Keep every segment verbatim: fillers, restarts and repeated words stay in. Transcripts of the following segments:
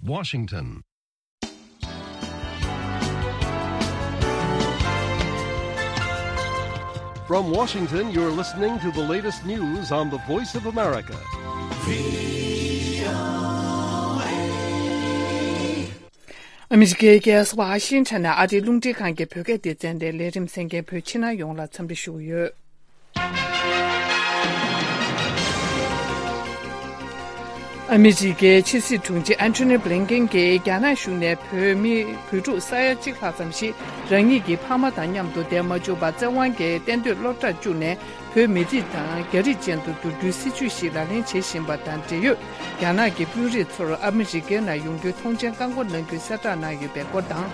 Washington. From Washington, you're listening to the latest news on the Voice of America. ཨ་མི་རི་ཀའི་རྒྱལ་ས་ཝ་ཤིང་ཊོན་ནས་ཨ་རིའི་རླུང་འཕྲིན་ཁང་གི་བོད་སྐད་སྡེ་ཚན་ནས་ལས་རིམ་གསན་མཁན་བོད་ཕྱི་ནང་ཡོངས་ལ་འཚམས་འདྲི་ཞུ་གི་ཡོད། ཨ་མི་རི་ཀའི་ཕྱི་སྲིད་དྲུང་ཆེ་ཨན་ཐོ་ནི་བྷི་ལིན་ཀེན་གྱིས་རྒྱ་ནག་གཞུང་ནས་བོད་མི་བོད་ཕྲུག་ས་ཡ་གཅིག་ལྷག་ཙམ་ཞིག་རང་ཉིད་ཀྱི་ཕ་མ་དང་མཉམ་དུ་བསྡད་མ་བཅུག་པར་བཙན་དབང་གིས་གཏན་སྡོད་སློབ་གྲྭར་བཅུག་ནས། བོད་མི་རིགས་དང་རྒྱ་རིགས་ཅན་དུ་བསྒྱུར་རྒྱུའི་སྲིད་ཇུས་ཤིག་ལག་ལེན་བྱེད་བཞིན་པ་དང་འབྲེལ་ཡོད། རྒྱ་ནག་གི་དཔོན་རིགས་ཚོར་ཨ་མི་རི་ཀའི་ནང་ཡོང་རྒྱུའི་ཐོངས་མཆན་བཀག་འགོག་གནང་རྒྱུའི་གསལ་བསྒྲགས་གནང་ཡོད་པའི་སྐོར་དང་།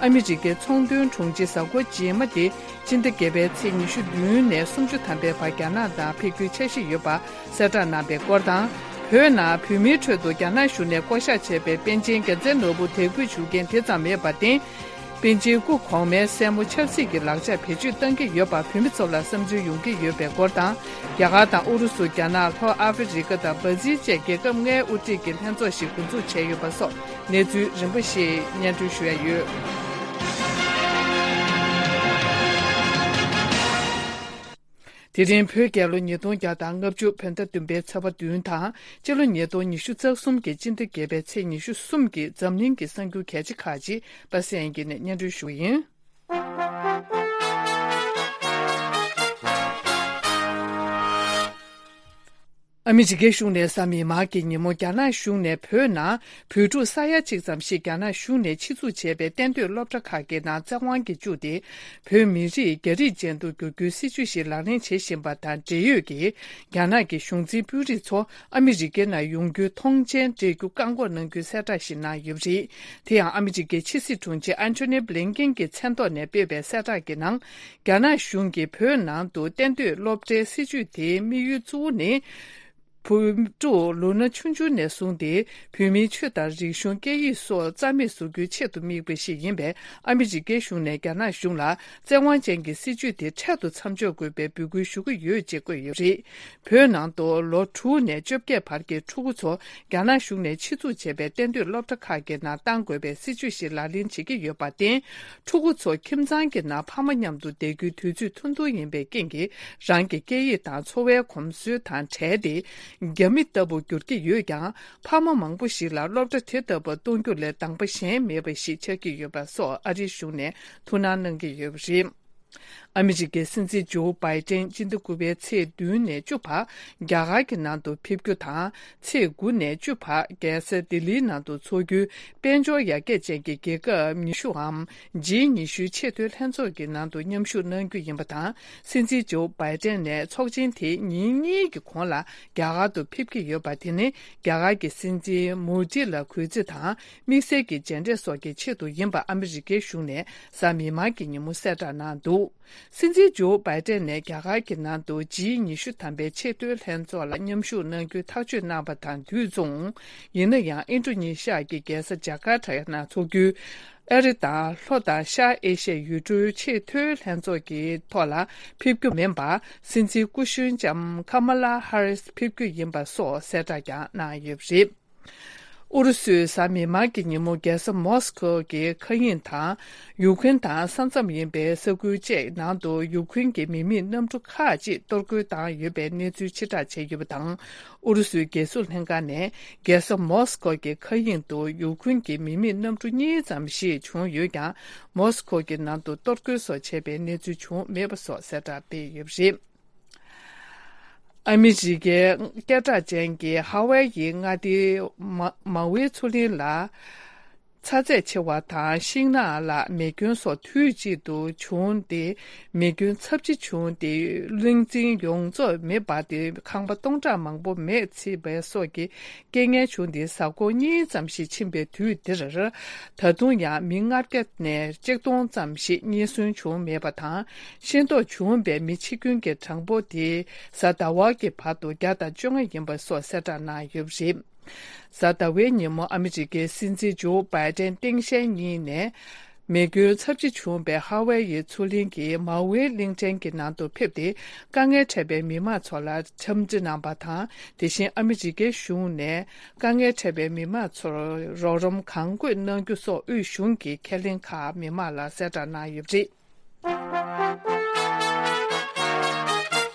ཨ་མི་རི་ཀའི་ཚོང་དོན་དྲུང་ཆེ་གཟའ་འཁོར་རྗེས་མ་དེ་སྤྱི་ཟླ་བརྒྱད་པའི་ཚེས་ཉི་ཤུ་བདུན་ནས་སུམ་ཅུ་ཐམ་པའི་བར་རྒྱ་ནག་ནང་ཕེབས་རྒྱུའི་འཆར་གཞི་ཡོད་པ་གསལ་བསྒྲགས་གནང་པའི་སྐོར་དང་། བོད་ནང་བོད་མིའི་ཁྲོད་དུ་རྒྱ་ནག་གཞུང་ནས་བསྐོ་བཞག་བྱས་པའི་པཎ་ཆེན་རྒྱལ་མཚན་ནོར་བུ་དད་གུས་ཞུ་མཁན་དེ་ཙམ་མེད་པར་བརྟེན། པཎ་ཆེན་སྐུ་གོང་མའི་སྲས་མོ་ཆབ་སྲིད་ཀྱི་ལག་ཆ་བེད་སྤྱོད་གཏང་གི་ཡོད་པར་བོད་མི་ཚོ་ལ་བསམ་ཚུལ་ཡོང་གི་ཡོད་པའི་སྐོར་དང་། རྒྱ་གར་དང་ཨུ་རུ་སུ། རྒྱ་ནག། ལྷོ་ཨ་ཧྥེ་རི་ཀ་དང་བྷ་ཛིལ་བཅས་རྒྱལ་ཁབ་ལྔའི་དབུ་ཁྲིད་ཀྱི་ལྷན་ཚོགས་ཤིག་འགོ་འཛུགས་བྱས་ཡོད་པ་སོགས་གནས་ཚུལ་རིམ་པ་ཞིག་སྙན་སྒྲོན་ཞུ་ཡ་ཡོད། དེ་རིང་བོད་རྒྱལ་ལོ་ཉིས་སྟོང་བརྒྱ་དང་ལྔ་བཅུ། བོད་ཟླ་བདུན་པའི་ཚེས་པ་བདུན་དང་། སྤྱི་ལོ་ཉིས་སྟོང་ཉི་ཤུ་རྩ་གསུམ་གྱི་སྤྱི་ཟླ་བརྒྱད་པའི་ཚེས་ཉི་ཤུ་གསུམ་གྱི་འཛམ་གླིང་གི་གསར་འགྱུར་གལ་ཆེ་ཁག་ཅིག་པ་སངས་སྐྱིད་ནས་སྙན་སྒྲོན་ཞུ་གི་ཡིན། ཨ་མི་རི་ཀའི་གཞུང་ནས་གཟའ་མིག་དམར་གྱི་ཉིན་མོ་རྒྱ་ནག་གཞུང་ནས་བོད་ནང་བོད་ཕྲུག་ས་ཡ་གཅིག་ཙམ་ཞིག་རྒྱ་ནག་གཞུང་ནས་ཆེད་འཛུགས་བྱས་པའི་གཏན་སྡོད་སློབ་གྲྭ་ཁག་གི་ནང་བཙན་དབང་གིས་བཅུག་སྟེ། བོད་མི་རིགས་རྒྱ་རིགས་ཅན་དུ་བསྒྱུར་རྒྱུའི་སྲིད་ཇུས་ཤིག་ལག་ལེན་བྱེད་བཞིན་པ་དང་འབྲེལ་ཡོད་ཀྱི་རྒྱ་ནག་གི་གཞུང་འཛིན་དཔོན་རིགས་ཚོ་ཨ་མི་རི་ཀའི་ནང་ཡོང་རྒྱུའི་ཐོངས་མཆན་སྤྲད་རྒྱུ་བཀག་འགོག་གནང་རྒྱུའི་གསལ་བསྒྲགས་ཤིག་གནང་ཡོད་པ་རེད། དེ་ཡང་ཨ་མི་རི་ཀའི་ཕྱི་སྲིད་དྲུང་ཆེ་ཨན་ཐོ་ནི་བྷི་ལིན་ཀེན་གྱི་མཚན་ཐོག་ནས་སྤེལ་བའི་གསལ་བསྒྲགས་ཀྱི་ནང་། རྒྱ་ནག་གཞུང་གིས་བོད་ནང་དུ་གཏན་སྡོད་སློབ་གྲྭའི་སྲིད་ཇུས་དེའི་དམིགས་ཡུལ་གཙོ་བོ་ནི། བོད་ཕྲུག་ལོ་ན་ཆུང་ཆུང་ནས་བཟུང་སྟེ་བོད་མིའི་ཆོས་དང་རིག་གཞུང་། སྐད་ཡིག་སོགས་རྩ་མེད་བཟོ་རྒྱུའི་ཆེད་དུ་དམིགས་པ་ཞིག་ཡིན་པས། ཨ་མི་རི་ཀའི་གཞུང་ནས་རྒྱ་ནག་གཞུང་ལ་བཙན་དབང་ཅན་གྱི་སྲིད་ཇུས་དེ་འཕྲལ་དུ་མཚམས་འཇོག་དགོས་པའི་འབོད་སྐུལ་ཞུ་གི་ཡོད་ཅེས་བཀོད་ཡོད་པ་རེད། བོད་ནང་དུ་ལོ་དྲུག་ནས་བཅོ་བརྒྱད་བར་གྱི་ཕྲུ་གུ་ཚོ་རྒྱ་ནག་གཞུང་ནས་ཆེད་འཛུགས་བྱས་པའི་གཏན་སྡོད་སློབ་གྲྭ་ཁག་གི་ནང་བཏང་དགོས་པའི་སྲིད་ཇུས་ཤིག་ལག་ལེན་བྱེད་ཀྱི་ཡོད་པར་བརྟེན། ཕྲུ་གུ་ཚོ་ཁྱིམ་ཚང་གི་ནང་ཕ་མ་མཉམ་དུ་བསྡད་རྒྱུའི་དུས་ཚོད་ཐུང་ཐུང་ཡིན་པའི་རྐྱེན་གྱིས། རང་གི་སྐད་ཡིག་དང་འཚོ་བའི་གོམས་སྲོལ་དང་བྲལ་ཏེ། རྒྱ་མི་ལྟ་བུ་འགྱུར་གྱི་ཡོད་ཀྱང་། ཕ་མ་མང་པོ་ཞིག་ལ་སློབ་གྲྭ་དེ་ལྟ་བུ་གཏོང་རྒྱུ་ལས་དང་པ་གཞན་མེད་པ་ཞིག་ཆགས་ཀྱི་ཡོད་པ་སོགས་ཨ་རིའི་གཞུང་ནས་ཐུགས་སྣང་གནང་གི་ཡོད་པ་རེད། ཨ་མི་རི་ཀའི་སྲིད་འཛིན་ཇོ་བྷའི་ཏན་སྤྱི་ཟླ་དགུ་པའི་ཚེས་བདུན་ནས་བཅུ་བར་རྒྱ་གར་གྱི་ནང་དུ་ཕེབས་རྒྱུ་དང་། ཚེས་དགུ་ནས་བཅུ་བར་རྒྱལ་ས་ལྡི་ལིའི་ནང་དུ་འཚོགས་རྒྱུའི་དཔལ་འབྱོར་ཡར་རྒྱས་ཅན་གྱི་རྒྱལ་ཁབ་ཉི་ཤུའམ། ཇི་ཉི་ཤུའི་ཆེས་མཐོའི་ལྷན་ཚོགས་ཀྱི་ནང་དུ་མཉམ་ཞུགས་གནང་རྒྱུ་ཡིན་པ་དང་། སྲིད་འཛིན་ཇོ་བྷའི་ཏན་ནས་ཚོགས་ཆེན་དེ་ཉིན་གཉིས་ཀྱི་གོང་ལ་རྒྱ་གར་དུ་ཕེབས་ཀྱི་ཡོད་པ། དེ་ནི་རྒྱ་གར་གྱི་སྲིད་འཛིན་མོ་དི་ལ་གུས་བརྩི་དང་། དམིགས་བསལ་གྱི་མཇལ་འཕྲད་སོགས་ཀྱི་ཆེད་དུ་ཡིན་པ་ཨ་མི་རི་ཀའི་གཞུང་ནས་གཟའ་མིག་དམར་གྱི་ཉིན་མོ་གསལ་བསྒྲགས་གནང་འདུག། སྲིད་འཛིན་ཇོ་བྷའི་ཏན་ནས་རྒྱ་གར་གྱི་ནང་དུ་ཇི་ཉི་ཤུ་ཐམ་པའི་ཆེས་མཐོའི་ལྷན་ཚོགས་ལ་མཉམ་ཞུགས་གནང་རྒྱུའི་ཐག་གཅོད་གནང་བ་དང་དུས་མཚུངས། ཡིན་ན་ཡང་ཨིན་ཌོ་ནེ་ཤི་ཡ་གི་རྒྱལ་ས་ཇ་ཀར་ཏ་ནང་འཚོགས་རྒྱུའི་ཨ་རི་དང་ལྷོ་དང་ཤར་ཨེ་ཤི་ཡའི་ཡུལ་གྲུའི་ཆེས་མཐོའི་ལྷན་ཚོགས་ཀྱི་ཐོག་ལ་ཕེབས་རྒྱུ་མིན་པར། སྲིད་འཛིན་སྐུ་གཞོན་ལྕམ་ཁ་མ་ལ་ཧ་རིས་ཕེབས་རྒྱུ་ཡིན་པ་སོགས་གསལ་བསྒྲགས་ཀྱང་གནང་ཡོད་པ་རེད། ཨུ་རུ་སུས་གཟའ་མིག་དམར་གྱི་ཉིན་མོ་རྒྱལ་ས་མོ་སི་ཀོ་གི་མཁའ་དབྱིངས་དང་། ཡུཀ་རེན་དང་ས་མཚམས་ཡིན་པའི་ས་ཁུལ་བཅས་ནང་དུ་ཡུཀ་རེན་གྱི་མི་མེད་གནམ་གྲུ་ཁག་ཅིག་གཏོར་རྒོལ་བཏང་ཡོད་པའི་གནས་ཚུལ་ཕྱིར་བསྒྲགས་བྱས་ཡོད་པ་དང་། ཨུ་རུ་སུའི་རྒྱལ་སྲུང་ལྷན་ཁང་ནས་རྒྱལ་ས་མོ་སི་ཀོ་གི་མཁའ་དབྱིངས་དུ་ཡུཀ་རེན་གྱི་མི་མེད་གནམ་གྲུ་གཉིས་ཙམ་ཞིག་བྱུང་ཡོད་ཀྱང་། མོ་སི་ཀོ་གི་ནང་དུ་གཏོར་རྒོལ་སོགས་བྱས་པའི་གནས་ཚུལ་བྱུང་མེད་པ་སོགས་གསལ་བསྒྲགས་སྤེལ་ཡོད་པ་རེད། ཨ་མི་རི་ཀའི་སྐད་གྲགས་ཅན་གྱི་ཧ་ཝའེ་ཡི་མངའ་སྡེའི་མ་མ་ཝེ་མཚོ་གླིང་ལ། ཚ་ཚད་ཆེ་བ་དང་ཤིང་ནགས་ལ་མེ་སྐྱོན་སོགས་དུས་གཅིག་ཏུ་བྱུང་སྟེ། མེ་སྐྱོན་ཚབས་ཆེ་བྱུང་སྟེ། གླིང་ཆེན་ཡོངས་རྫོགས་མེ་འབར་ཏེ། ཁང་པ་སྟོང་ཕྲག་མང་པོ་མེས་ཚིག་པ་སོགས་ཀྱི་རྐྱེན་ངན་བྱུང་སྟེ། གཟའ་འཁོར་གཉིས་ཙམ་ཞིག་ཕྱིན་པའི་དུས་འདིར། ད་དུང་ཡང་མི་ལྔ་བརྒྱ་ནས་ཆིག་སྟོང་ཙམ་ཞིག་རྙེད་སོན་བྱུང་མེད་པ་དང་། ཤེས་རྟོགས་བྱུང་བའི་མི་འཆི་སྐྱོན་གྱི་གྲངས་འབོར་དེ་གཟའ་ཟླ་བ་གི་བར་དུ་བརྒྱ་དང་བཅོ་ལྔ་ཡིན་པ་སོགས་གསལ་བསྒྲགས་གནང་ཡོད་པ་རེད། གཟའ་ཟླ་བའི་ཉིན་མོ་ཨ་མི་རི་ཀའི་སྲིད་འཛིན་ཇོ་བྷའི་ཏན་སྟངས་དཔྱལ་གཉིས་ནས། མེ་སྐྱོན་ཚབས་ཆེ་བྱུང་བའི་ཧ་ཝའེ་ཡི་མཚོ་གླིང་གི་མའུ་ཝེ་གླིང་ཕྲན་གྱི་ནང་དུ་ཕེབས་ཏེ། དཀའ་ངལ་འཕྲད་པའི་མི་མང་ཚོ་ལ་འཚམས་འདྲི་གནང་བ་དང་། དེ་བཞིན་ཨ་མི་རི་ཀའི་གཞུང་ནས་དཀའ་ངལ་འཕྲད་པའི་མི་མང་ཚོར་རོགས་རམ་གང་དགོས་གནང་རྒྱུ་སོགས་དབུས་གཞུང་གི་ཁས་ལེན་ཁག་མི་མང་ལ་གསལ་བསྒྲགས་གནང་ཡོད་པ་རེད།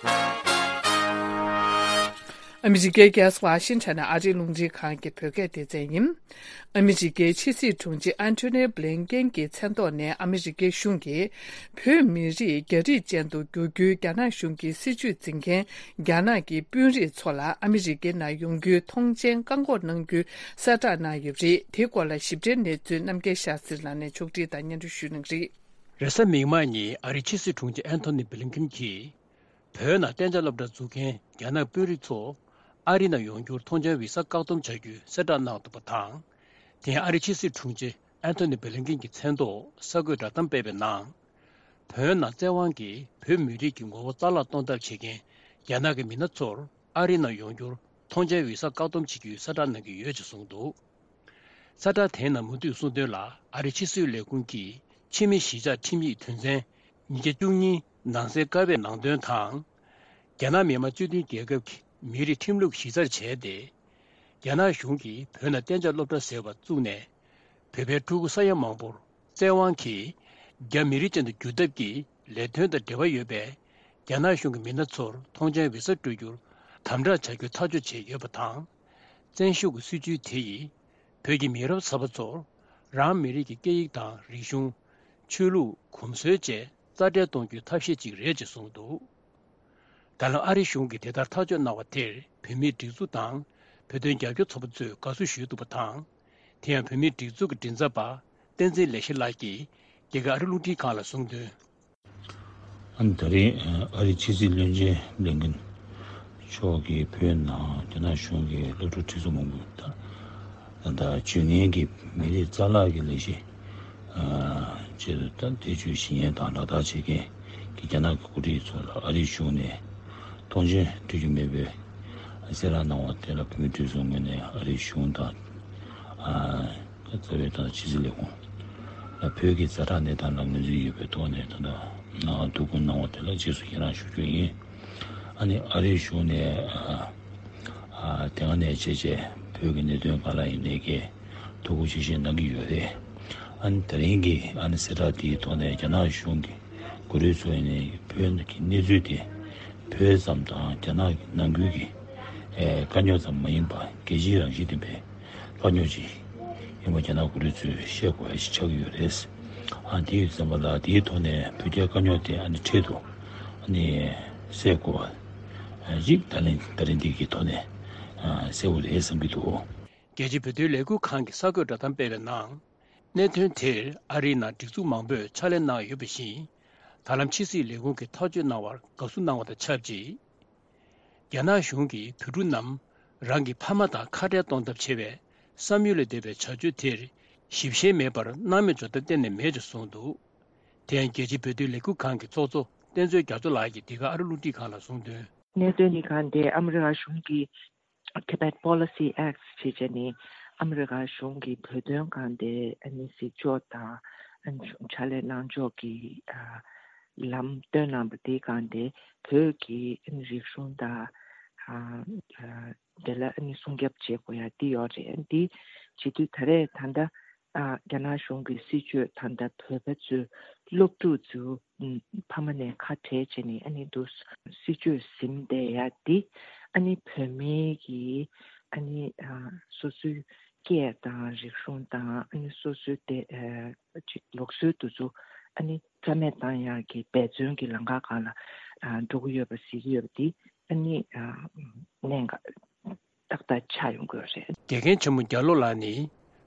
ཨ་མི་རི་ཀའི་རྒྱལ་ས་ཝ་ཤིང་ཊོན་ནས་ཨ་རིའི་རླུང་འཕྲིན་ཁང་གི་བོད་སྐད་སྡེ་ཚན་ཡིན། ཨ་མི་རི་ཀའི་ཕྱི་སྲིད་དྲུང་ཆེ་ཨན་ཐོ་ནི་བྷི་ལིན་ཀེན་གྱི་མཚན་ཐོག་ནས་ཨ་མི་རི་ཀའི་གཞུང་གིས་བོད་མི་རིགས་རྒྱ་རིགས་ཅན་དུ་བསྒྱུར་རྒྱུའི་རྒྱ་ནག་གཞུང་གི་སྲིད་བྱུས་འཛིན་མཁན་རྒྱ་ནག་གི་དཔོན་རིགས་ཚོ་ལ་ཨ་མི་རི་ཀའི་ནང་ཡོང་རྒྱུའི་ཐོངས་མཆན་བཀག་འགོག་གནང་རྒྱུའི་གསལ་བསྒྲགས་གནང་ཡོད་པ་རེད། དེའི་སྐོར་ལ་ཞིབ་ཕྲའི་གནས་ཚུལ་རྣམ་རྒྱལ་ཤཱ་ཟིར་ལགས་ནས་ཕྱོགས་སྒྲིག་དང་སྙན་སྒྲོན་ཞུ་གནང་གི་རེད། རེས་གཟའ་མིག་དམར་ཉིན་ཨ་རིའི་ཕྱི་སྲིད་དྲུང་ཆེ་ཨན་ཐོ་ནི་བྷི་ལིན་ཀེན་གྱིས། བོད་ནང་གཏན་འཇགས་སློབ་གྲྭ་འཛུགས་མཁན་རྒྱ་ནག་དཔོན་རིགས་ཚོ་ཨ་རི་ནང་ཡོང་རྒྱུར་ཐོངས་མཆན་བི་ས་བཀག་སྡོམ་བྱ་རྒྱུའི་གསལ་བསྒྲགས་གནང་འདུག་པ་དང་། དེ་ཡང་ཨ་རིའི་ཕྱི་སྲིད་དྲུང་ཆེ་ཨན་ཐོ་ནི་བྷི་ལིན་ཀེན་གྱི་མཚན་ཐོག་གསར་འགོད་བསྒྲགས་གཏམ་སྤེལ་བའི་ནང་། བོད་ནང་བཙན་དབང་གིས་བོད་མི་རིགས་ཀྱི་ངོ་བོ་རྩ་བརླག་གཏོང་ཐབས་བྱེད་མཁན་རྒྱ་ནག་གི་མི་སྣ་ཚོར་ཨ་རི་ནང་ཡོང་རྒྱུར་ཐོངས་མཆན་བི་ས་བཀག་སྡོམ་བྱེད་རྒྱུའི་གསལ་བསྒྲགས་གནང་གི་ཡོད་ཅེས་གསུངས་འདུག་གསལ་བསྒྲགས་དེའི་ནང་མུ་མཐུད་གསུངས་དོན་ལ། ཨ་རིའི་ཕྱི་སྲིད་ལས་ཁུངས་ཀྱི་ཕྱི་མི་གཞིས་ཆགས་ཁྲིམས་ཡིག་དོན་ཚན་ཉིས་བརྒྱ་བཅུ་གཉིས་ནང་གསལ་ཀ་བའི་ནང་དོན་དང་། རྒྱ་ནག་མི་དམངས་སྤྱི་མཐུན་རྒྱལ་ཁབ་ཀྱི་མི་རིགས་ཁྲིམས་ལུགས་གཞི་རྩར་བྱས་ཏེ། རྒྱ་ནག་གཞུང་གིས་བོད་ནང་གཏན་འཇགས་སློབ་གྲྭ་ཟེར་བ་བཙུགས་ནས། བོད་པའི་ཕྲུ་གུ་ས་ཡ་མང་པོར་བཙན་དབང་གིས་རྒྱ་མི་རིགས་ཅན་དུ་བསྒྱུར་ཐབས་ཀྱི་ལས་དོན་དང་འབྲེལ་བ་ཡོད་པའི་རྒྱ་ནག་གཞུང་གི་མི་སྣ་ཚོར་ཐོངས་མཆན་བི་ས་སྤྲོད་རྒྱུར་དམ་དྲག་བྱ་རྒྱུ་ཐག་གཅོད་བྱས་ཡོད་པ་དང་། བཙན་ཤུགས་ཀྱི་སྲིད་བྱུས་དེ་ཡིས་བོད་ཀྱི་མི་རབས་གསར་པ་ཚོར་རང་མི་རིགས་ཀྱི་སྐད་ཡིག་དང་རིག་གཞུང་། ཆོས་ལུགས། གོམས་སྲོལ་བཅས་རྩ་བྲལ་གཏོང་རྒྱུའི་ཐབས་ཤེས་ཅིག་རེད་ཅེས་གསུངས་འདུག་ད་ལམ་ཨ་རི་གཞུང་གིས་དེ་ལྟར་ཐག་གཅོད་གནང་བ་དེར་བོད་མིའི་སྒྲིག་འཛུགས་དང་བོད་དོན་རྒྱབ་སྐྱོར་ཚོགས་པ་ཚོས་དགའ་བསུ་ཞུས་འདུག་པ་དང་། དེ་ཡང་བོད་མིའི་སྒྲིག་འཛུགས་ཀྱི་མགྲིན་ཚབ་པ་བསྟན་འཛིན་ལེགས་བཤད་ལགས་ཀྱིས་རྒྱ་གར་ཨ་རི་རླུང་འཕྲིན་ཁང་ལ་གསུངས་དོན། ཨ་ནི་ད་རེས་ཨ་རིའི་ཕྱི་སྲིད་བློན་ཆེན་བྷི་ལིན་ཀེན་མཆོག་གིས་བོད་ནང་རྒྱ་ནག་གཞུང་གིས་སློབ་ཕྲུག་ཁྲིད་ཚུགས་མང་པོ་དང་། ད་ལྟ་ཇུས་ངན་གྱི་མི་རིགས་རྩ་བརླག་གི་ལས་གཞི་ཨ་ཆེད་དུ་ད་འདས་མཆོད་ཞུ་མཁན་དང་ལག་བསྟར་བྱེད་མཁན་གྱི་རྒྱ་ནག་གི་འགོ་ཁྲིད་ཚོ་ལ་ཨ་རིའི་གཞུང་ནས་ཐོངས་མཆན་སྤྲོད་རྒྱུ་མེད་པའི་གསལ་བསྒྲགས་གནང་བ་དེ་ལ་བོད་མིའི་སྒྲིག་འཛུགས་ངོས་ནས་ཨ་རིའི་གཞུང་དང་ཨ་རྩ་བའི་ད་ཕྱི་སྲིད་ལས་ཁུངས་ལ་བོད་ཀྱི་ཛ་དྲག་གནས་སྟངས་ལ་ངོས་འཛིན་ཡོད་པའི་ཐོག་ནས་ད་ལྟ་ཐུགས་ཁུར་གནང་བ་དེ་ལ་རྗེས་སུ་ཡི་རང་ཞུ་རྒྱུ་ཡིན། ཨ་ནི་ཨ་རིའི་གཞུང་ནས་ཨ་ཨ་དེ་སྔ་ནས་བྱས་རྗེས་བོད་ཀྱི་གནད་དོན་སྒང་ལ་ཡིན་ནའི་གི་ཐུགས་ཁུར་ཆེ་བཞེས་གནང་གི་ཡོད་རེད། ཨ་ནི་དེ་རིང་གི་ཨ་ནི་གསལ་བསྒྲགས་དེའི་ཐོག་ནས་རྒྱ་ནག་གཞུང་གི་འགོ་ཁྲིད་ཚོ་ཡིན་ནའི་བོད་ཀྱི་གནས་ཚུལ་དེ་བོད་ཙམ་དང་རྒྱ་ནག་གི་ནང་ཁུལ་གྱི་ཨེ་དཀའ་རྙོག་ཙམ་མ་ཡིན་པར་རྒྱལ་སྤྱིའི་རང་བཞིན་ལྡན་པའི་དཀའ་རྙོག་ཅིག་ཡིན་པ་རྒྱ་ནག་འགོ་ཁྲིད་ཚོས་ཤེས་དགོས་ཡ་ཞིག་ཆགས་ཀྱི་ཡོད་རེད། ཨ་དེ་ཡོད་ཙམ་པ་ལ་དེའི་ཐོག་ནས་བོད་རྒྱའི་དཀའ་རྙོག་དེ་ཨ་ནི་འཕྲལ་དུ་ཨ་ནི་སེལ་དགོས་པ་ཅིག་ད་ལན་ད་ལན་འདི་གི་ཐོག་ནས་ཨ་གསལ་པོ་རེད་བསམ་གྱི་འདུག་རྒྱལ་སྤྱིའི་བོད་དོན་ལས་འགུལ་ཁང་གི་གསར་འགོད་བསྒྲགས་གཏམ་སྤེལ་བའི་ནང་། གནད་དོན་དེར་ཨ་རིའི་ནང་སྒྲིག་འཛུགས་མང་པོས་ཕྱག་ལས་གནང་ཡོད་པ་བཞིན། ད་ལམ་ཕྱི་སྲིད་ལས་ཁུངས་ཀྱིས་ཐག་གཅོད་གནང་བར་དགའ་བསུ་གནང་བ་དང་ཆབས་ཅིག་རྒྱ་ནག་གཞུང་གིས་བོད་ཕྲུག་རྣམས་རང་གི་ཕ་མ་དང་ཁ་བྲལ་གཏོང་ཐབས་བྱེད་པའི་བསམ་ཡུལ་ལས་འདས་པའི་བྱ་སྤྱོད་དེར་ཞིབ་བཤེར་མེད་པར་སྣང་མེད་འཇོག་ཐབས་གཏན་ནས་མེད་ཅེས་གསུངས་འདུག་དེ་ཡང་རྒྱལ་སྤྱིའི་བོད་དོན་ལས་འགུལ་ཁང་གི་ཚོགས་གཙོ་བསྟན་འཛིན་རྒྱ་མཚོ་ལགས་ཀྱིས་འདི་ག་ཨ་རི་རླུང་འཕྲིན་ཁང་ལ་གསུངས་དོན། གནད་དོན་འདི་ག་འདི་ཨ་མི་རི་ཀ་གཞུང་གིས་Tibet Policy Act ཞེས་བྱས་ནས་ཨ་མི་རི་ཀ་གཞུང་གིས་བོད་དོན་སྒང་དེ་ཨ་ནི་གཟིགས་ཕྱོགས་དང་ཨ་ནི་ཕྱག་ལས་གནང་ཕྱོགས་ཀྱི་ཨ་ལམ་སྟོན་གནང་བ་དེའི་སྒང་དེ་བོད་ཀྱི་ཨ་ནི་རིག་གཞུང་དང་ཨ་ཨ་དེ་ལ་ཨ་ནི་སྲུང་སྐྱོབ་བྱེད་དགོས་ཡ་འདི་ཡོད་རེད། འདི་བྱེད་དུས་ད་རེས་ད་ལྟ་ཨ་རྒྱ་ནག་གཞུང་གི་སྲིད་བྱུས་ད་ལྟ་བོད་པ་ཚོའི་སློབ་ཕྲུག་ཚོ་ཕ་མ་ནས་ཁ་བྲལ་བྱས་ནས་ཨ་ནི་འདུག་སྲིད་བྱུས་ཟིན་བསྡད་ཡ་འདི་ཨ་ནི་བོད་མིའི་གི་ཨ་ནི་ཨ་སོ་སོའི་སྐད་དང་རིག་གཞུང་དང་ཨ་ནི་སོ་སོའི་དེ་ཨ་ཅིག་ལུགས་སྲོལ་དེ་ཚོ་ཨ་ནི་རྩ་མེད་བཏང་ཡག་གི་འབད་བརྩོན་གྱི་ལམ་ཁ་སྒང་ལ་ཨ་འགྲོ་གི་ཡོད་པ་གཟིགས་ཀྱི་ཡོད་པ་འདི་ཨ་ནི་ཨ་གནད་འགག་ཏག་ཏག་ཆགས་ཡོང་གི་ཡོད་རེད། དགེ་རྒན་ཆེན་མོ་རྒྱ་ལོ་ལགས་ནི་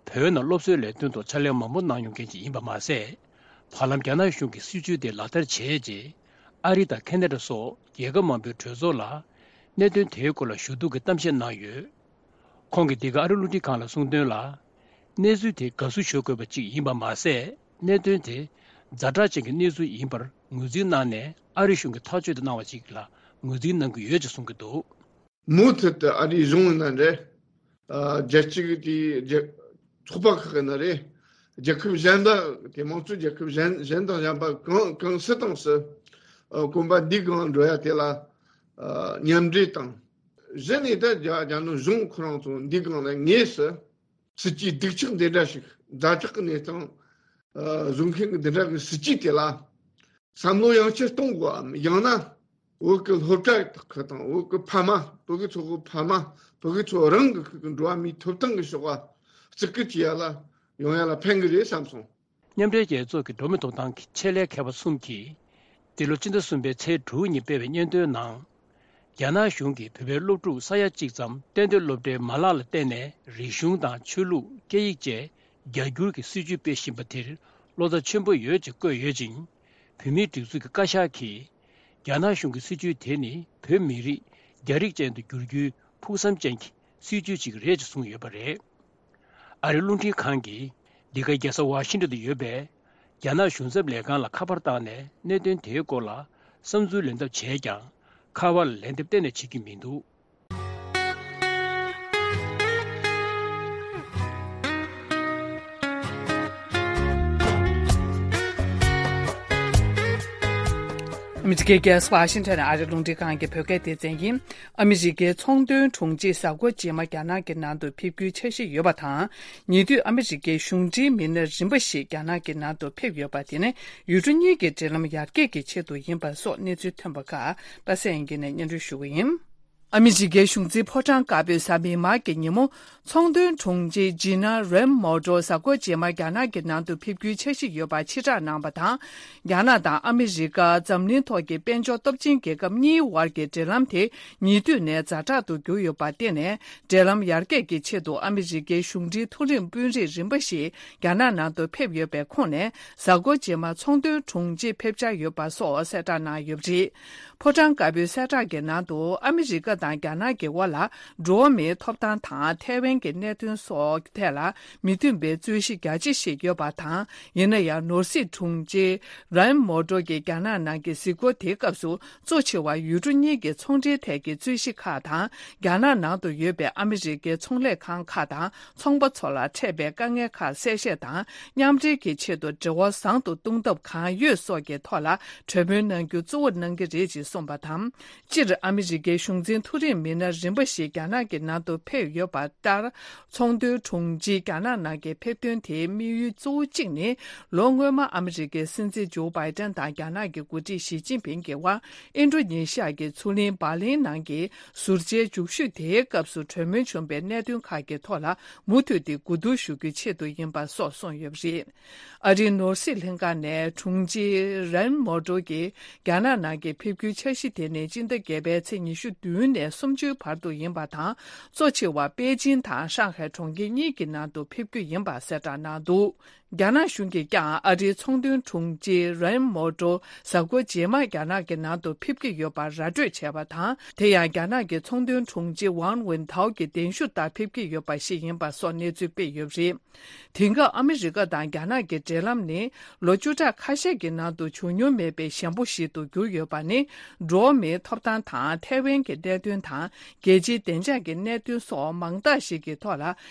བོད་ནང་སློབ་གསོའི་ལས་དོན་ཐོག་ཕྱག་ལས་མང་པོ་གནང་མྱོང་མཁན་ཅིག་ཡིན་པ་མ་ཟད། བར་ལམ་རྒྱ་ནག་གཞུང་གི་སྲིད་བྱུས་དེ་ལག་བསྟར་བྱས་རྗེས་ཨ་རི་དང་ཁེ་ན་ཌ་སོགས་རྒྱལ་ཁབ་མང་པོའི་གྲོས་ཚོགས་ལ་གནད་དོན་དེའི་སྐོར་ལ་ཞུ་གཏུག་གི་གཏམ་བཤད་གནང་ཡོད། ཁོང་གིས་འདི་ག་ཨ་རི་རླུང་འཕྲིན་ཁང་ལ་གསུངས་དོན་ལ། གནས་ཚུལ་དེ་དགའ་བསུ་ཞུ་དགོས་པ་ཅིག་ཡིན་པ་མ་ཟད། གནད་དོན་དེ་ཛ་དྲག་ཅན་གྱི་གནས་ཚུལ་ཡིན་པར་ངོས་འཛིན་གནང་ནས་ཨ་རི་གཞུང་གིས་ཐག་གཅོད་དུ་གནང་བ་ཅིག་ལ་ངོས་འཛིན་གནང་གི་ཡོད་ཅེས་གསུང་གི་འདུག་མུ་མཐུད་དུ་ཨ་རིའི་གཞུང་ཡིན་ན་རེད། ཨ་རྒྱལ་སྤྱི་གི་དེའི་རྒྱལ་ཚོགས་པ་ཁག་ཡིན་ན་རེད། རྒྱལ་ཁབ་གཞན་དག་དེ་མང་གཙོའི་རྒྱལ་ཁབ་གཞན་གཞན་དང་གཞན་པ་གང་གང་སུ་དང་སུ་ཨ་གོམ་པ་འདི་སྒང་འགྲོ་ཡ་དེ་ལ་ཨ་མཉམ་འབྲེལ་དང་། གཞི་ནས་ད་རྒྱ་རྒྱ་ནག་གཞུང་ཁོ་རང་ཚོ་འདི་སྒང་ལ་དངོས་སུ་སྲིད་ཇུས་སྡུག་ཅག་འདི་འདྲ་ཞིག་ཛ་དྲག་གི་གནས་སྟངས་ཨ་བཟོ་མཁན་གྱི་འདི་འདྲ་གི་སྲིད་ཇུས་དེ་ལ་བསམ་བློ་ཡང་བསྐྱར་གཏོང་དགོས་བམ། ཡང་ན་བོད་ཀྱི་སློབ་གྲྭ་ཁག་དང་བོད་ཀྱི་ཕ་མ་བོད་ཀྱི་ཚོ་ཁག་ཕ་མ་བོད་ཀྱི་ཚོ་རང་གི་ཁུལ་གྱི་འགྲོ་བ་མིའི་ཐོབ་ཐང་གི་ཕྱོགས་ལ་བརྩི་བཀུར་བྱེད་ཡ་ལ་ཡོང་ཡ་ལ་ཕན་གྱི་རེད་བསམ་སོང་། མཉམ་འབྲེལ་རྒྱལ་ཚོགས་ཀྱི་འགྲོ་མིའི་ཐོབ་ཐང་གི་ཆེད་ལས་མཁས་པ་གསུམ་གྱིས་འདི་ལོ་སྤྱི་ཟླ་གསུམ་པའི་ཚེས་དྲུག་ཉིན་སྤེལ་བའི་སྙན་ཐོའི་ནང་། རྒྱ་ནག་གཞུང་གིས་བོད་པའི་སློབ་ཕྲུག་ས་ཡ་གཅིག་ཙམ་གཏན་སྡོད་སློབ་གྲྭའི་མ་ལག་ལ་བརྟེན་ནས་རིག་གཞུང་དང་ཆོས་ལུགས་སྐད་ཡིག་བཅས་རྒྱ་བསྒྱུར་གྱི་སྲིད་བྱུས་སྤེལ་བཞིན་པ་དེར་བློ་འཚབ་ཆེན་པོ་ཡོད་ཅེས་བཀོད་ཡོད་ཅིང་། བོད་མིའི་སྒྲིག་འཛུགས་ཀྱི་བཀའ་ཤག་གིས། རྒྱ་ནག་གཞུང་གི་སྲིད་བྱུས་དེ་ནི་བོད་མི་རིགས་རྒྱ་རིགས་ཅན་དུ་བསྒྱུར་རྒྱུའི་ཕུགས་བསམ་ཅན་གྱི་སྲིད་བྱུས་ཅིག་རེད་ཅེས་གསུངས་ཡོད་པ་རེད། ཨ་རིའི་རླུང་འཕྲིན་ཁང་གིས་འདི་ག་རྒྱལ་ས་ཝ་ཤིང་ཏོན་དུ་ཡོད་པའི་རྒྱ་ནག་གཞུང་ཚབ་ལས་ཁང་ལ་ཁ་པར་བཏང་ནས་གནད་དོན་དེའི་སྐོར་ལ་བསམ་ཚུལ་ལེན་ཐབས་བྱས་ཀྱང་། ཁ་པར་ལ་ལན་འདེབས་གཏན་ནས་བྱེད་ཀྱི་མི་འདུག། ཨ་མི་རི་ཀའི་རྒྱལ་ས་ཝ་ཤིང་ཊོན་ནས་ཨ་རིའི་རླུང་འཕྲིན་ཁང་གི་བོད་སྐད་སྡེ་ཚན་ཡིན། ཨ་མི་རི་ཀའི་ཚོང་དོན་དྲུང་ཆེ་གཟའ་འཁོར་རྗེས་མ་རྒྱ་ནག་གི་ནང་དུ་ཕེབས་རྒྱུའི་འཆར་གཞི་ཡོད་པ་དང་། ཉེ་དུས་ཨ་མི་རི་ཀའི་གཞུང་འབྲེལ་མི་སྣ་རིམ་པ་ཞིག་རྒྱ་ནག་གི་ནང་དུ་ཕེབས་ཡོད་པ་དེ་ནི་ཡུལ་གྲུ་གཉིས་ཀྱི་འབྲེལ་ལམ་ཡར་རྒྱས་ཀྱི་ཆེད་དུ་ཡིན་པ་སོགས་གནས་ཚུལ་ཐོན་པ་ཁག་པ་སངས་དབྱངས་སྐྱིད་ནས་སྙན་སྒྲོན་ཞུ་གི་ཡིན། ཨ་མི་རི་ཀའི་གཞུང་འཛིན་ཕོ་བྲང་དཀར་པོའི་གཟའ་མིག་དམར་གྱི་ཉིན་མོ། ཚོང་དོན་དྲུང་ཆེ་ཇི་ན་རེམ་མོ་ཏོ་གཟའ་འཁོར་རྗེས་མ་རྒྱ་ནག་གི་ནང་དུ་ཕེབས་རྒྱུའི་འཆར་གཞི་ཡོད་པ་ཕྱིར་བསྒྲགས་གནང་བ་དང་། རྒྱ་ནག་དང་ཨ་མི་རི་ཀ་འཛམ་གླིང་ཐོག་གི་དཔལ་འབྱོར་སྟོབས་ཆེན་རྒྱལ་ཁབ་གཉིས་དབར་གྱི་འབྲེལ་ལམ་དེ་ཉེ་དུས་ནས་ཛ་དྲག་ཏུ་གྱུར་ཡོད་པར་བརྟེན་ནས། འབྲེལ་ལམ་ཡར་རྒྱས་ཀྱི་ཆེད་དུ་ཨ་མི་རི་ཀའི་གཞུང་འབྲེལ་མཐོ་རིམ་དཔོན་རིགས་རིམ་པ་ཞིག་རྒྱ་ནག་ནང་དུ་ཕེབས་ཡོད་པའི་ཁོངས་ནས། གཟའ་འཁོར་རྗེས་མ་ཚོང་དོན་དྲུང་ཆེ་ཕེབས་འཆར་ཡོད་པ་སོགས་གསལ་བསྒྲགས་གནང་ཡོད་པ་རེད། ཕོ་བྲང་དཀར་པོའི་གསལ་བསྒྲགས་ཀྱི་ནང་དུ། ཨ་མི་རི་ཀ་དང་རྒྱ་ནག་གི་དབར་ལ་འགྲོ་བ་མིའི་ཐོབ་ཐང་དང་ཐའེ་ཝན་གྱི་གནད་དོན་སོགས་ཐད་ལ་མི་མཐུན་པའི་རྩོད་གཞི་རྒྱ་ཆེ་ཞིག་ཡོད་པ་དང་། ཡིན་ན་ཡང་ནོར་སྲིད་དྲུང་ཆེ་རན་མོ་ཏོ་གིས་རྒྱ་ནག་ནང་གི་གཟིགས་སྐོར་དེའི་སྐབས་སུ། གཙོ་ཆེ་བ་ཡུལ་གྲུ་གཉིས་ཀྱི་ཚོང་འབྲེལ་ཐད་ཀྱི་རྩོད་གཞི་ཁག་དང་། རྒྱ་ནག་ནང་དུ་ཡོད་པའི་ཨ་མི་རི་ཀའི་ཚོང་ལས་ཁང་ཁག་དང་ཚོང་པ་ཚོ་ལ་འཕྲད་པའི་དཀའ་ངལ་ཁག་གསལ་བཤད་དང་། མཉམ་འབྲེལ་གྱི་ཆེད་དུ་འབྲེལ་བ་བཟང་དུ་གཏོང་ཐབས་གང་ཡོད་སོགས་ཀྱི་ཐོག་ལ་གྲོས་མོལ་གནང་རྒྱུ་གཙོ་བོར་གནང་གི་རེད་ཅེས་གསུངས་པ་དང་། སྤྱིར་ཨ་མི་རི་ཀའི་གཞུང་འཛིན་མཐོ་རིམ་མི་སྣ་རིམ་པ་ཞིག་རྒྱ་ནག་གི་ནང་དུ་ཕེབས་ཡོད་པ་ལྟར། ཚོང་དོན་དྲུང་ཆེའི་རྒྱ་ནག་ནང་གི་ཕེབས་ཐོན་དེའི་དམིགས་ཡུལ་གཙོ་བོ་གཅིག་ནི། ལོ་སྔོན་མ་ཨ་མི་རི་ཀའི་སྲིད་འཛིན་ཇོ་བྷའི་ཏན་དང་རྒྱ་ནག་གི་འགོ་ཁྲིད་ཞི་ཅིན་ཕིང་གི་དབར། ཨིན་ཌོ་ནེ་ཤི་ཡ་གི་མཚོ་གླིང་འབར་ལིན་ནང་གི་ཟུར་བཅད་མཇུག་ཤོས་དེའི་སྐབས་སུ་གྲོས་མོལ་བྱུང་བའི་གནད་དོན་ཁག་གི་ཐོག་ལ་མུ་མཐུད་དེ་གོ་བསྡུར་ཞུ་རྒྱུའི་ཆེད་དུ་ཡིན་པ་སོགས་གསུངས་ཡོད་པ་རེད། ཨ་རིའི་ནོར་སྲིད་ལྷན་ཁང་ནས་དྲུང་ཆེ་རན་མོ་ཏོ་གིས་རྒྱ་ནག་ནང་གི་ཕེབས་རྒྱུའི་འཆར་གཞི་དེ་ནི་སྤྱི་ཟླ་བརྒྱད་པའི་ཚེས་ཉི་ཤུ་བདུན་ནས་སུམ་ཅུའི་བར་དུ་ཡིན་པ་དང་། གཙོ་ཆེ་བ་པེ་ཅིན་དང་ཧྲང་ཧའེ་གྲོང་ཁྱེར་གཉིས་ཀྱི་ནང་དུ་ཕེབས་རྒྱུ་ཡིན་པ་གསལ་བསྒྲགས་གནང་འདུག། རྒྱ་ནག་གཞུང་གིས་ཀྱང་ཨ་རིའི་ཚོང་དོན་དྲུང་ཆེ་རན་མོ་ཏོ་གཟའ་འཁོར་རྗེས་མ་རྒྱ་ནག་གི་ནང་དུ་ཕེབས་ཀྱི་ཡོད་པར་ར་སྤྲོད་བྱས་པ་དང་། དེ་ཡང་རྒྱ་ནག་གི་ཚོང་དོན་དྲུང་ཆེ་ཝང་ཝུན་ཐའོ་གི་གདན་ཞུ་ལྟར་ཕེབས་ཀྱི་ཡོད་པ་ཞིག་ཡིན་པ་སོགས་གནས་ཚུལ་སྤེལ་ཡོད་པ་རེད། དེང་སྐབས་ཨ་མི་རི་ཀ་དང་རྒྱ་ནག་གི་འབྲེལ་ལམ་ནི་ལོ་བཅུ་ཕྲག་ཁ་ཤས་ཀྱི་ནང་དུ་བྱུང་མྱོང་མེད་པའི་ཞན་པོ་ཞིག་ཏུ་གྱུར་ཡོད་པ་ནི། འགྲོ་བ་མིའི་ཐོབ་ཐང་དང་ཐའེ་ཝན་གྱི་གནད་དོན་དང་། རྒྱལ་སྤྱིའི་བདེ་འཇགས་ཀྱི་གནད་དོན་སོགས་མང་དག་ཞིག་གི་ཐོག་ལ་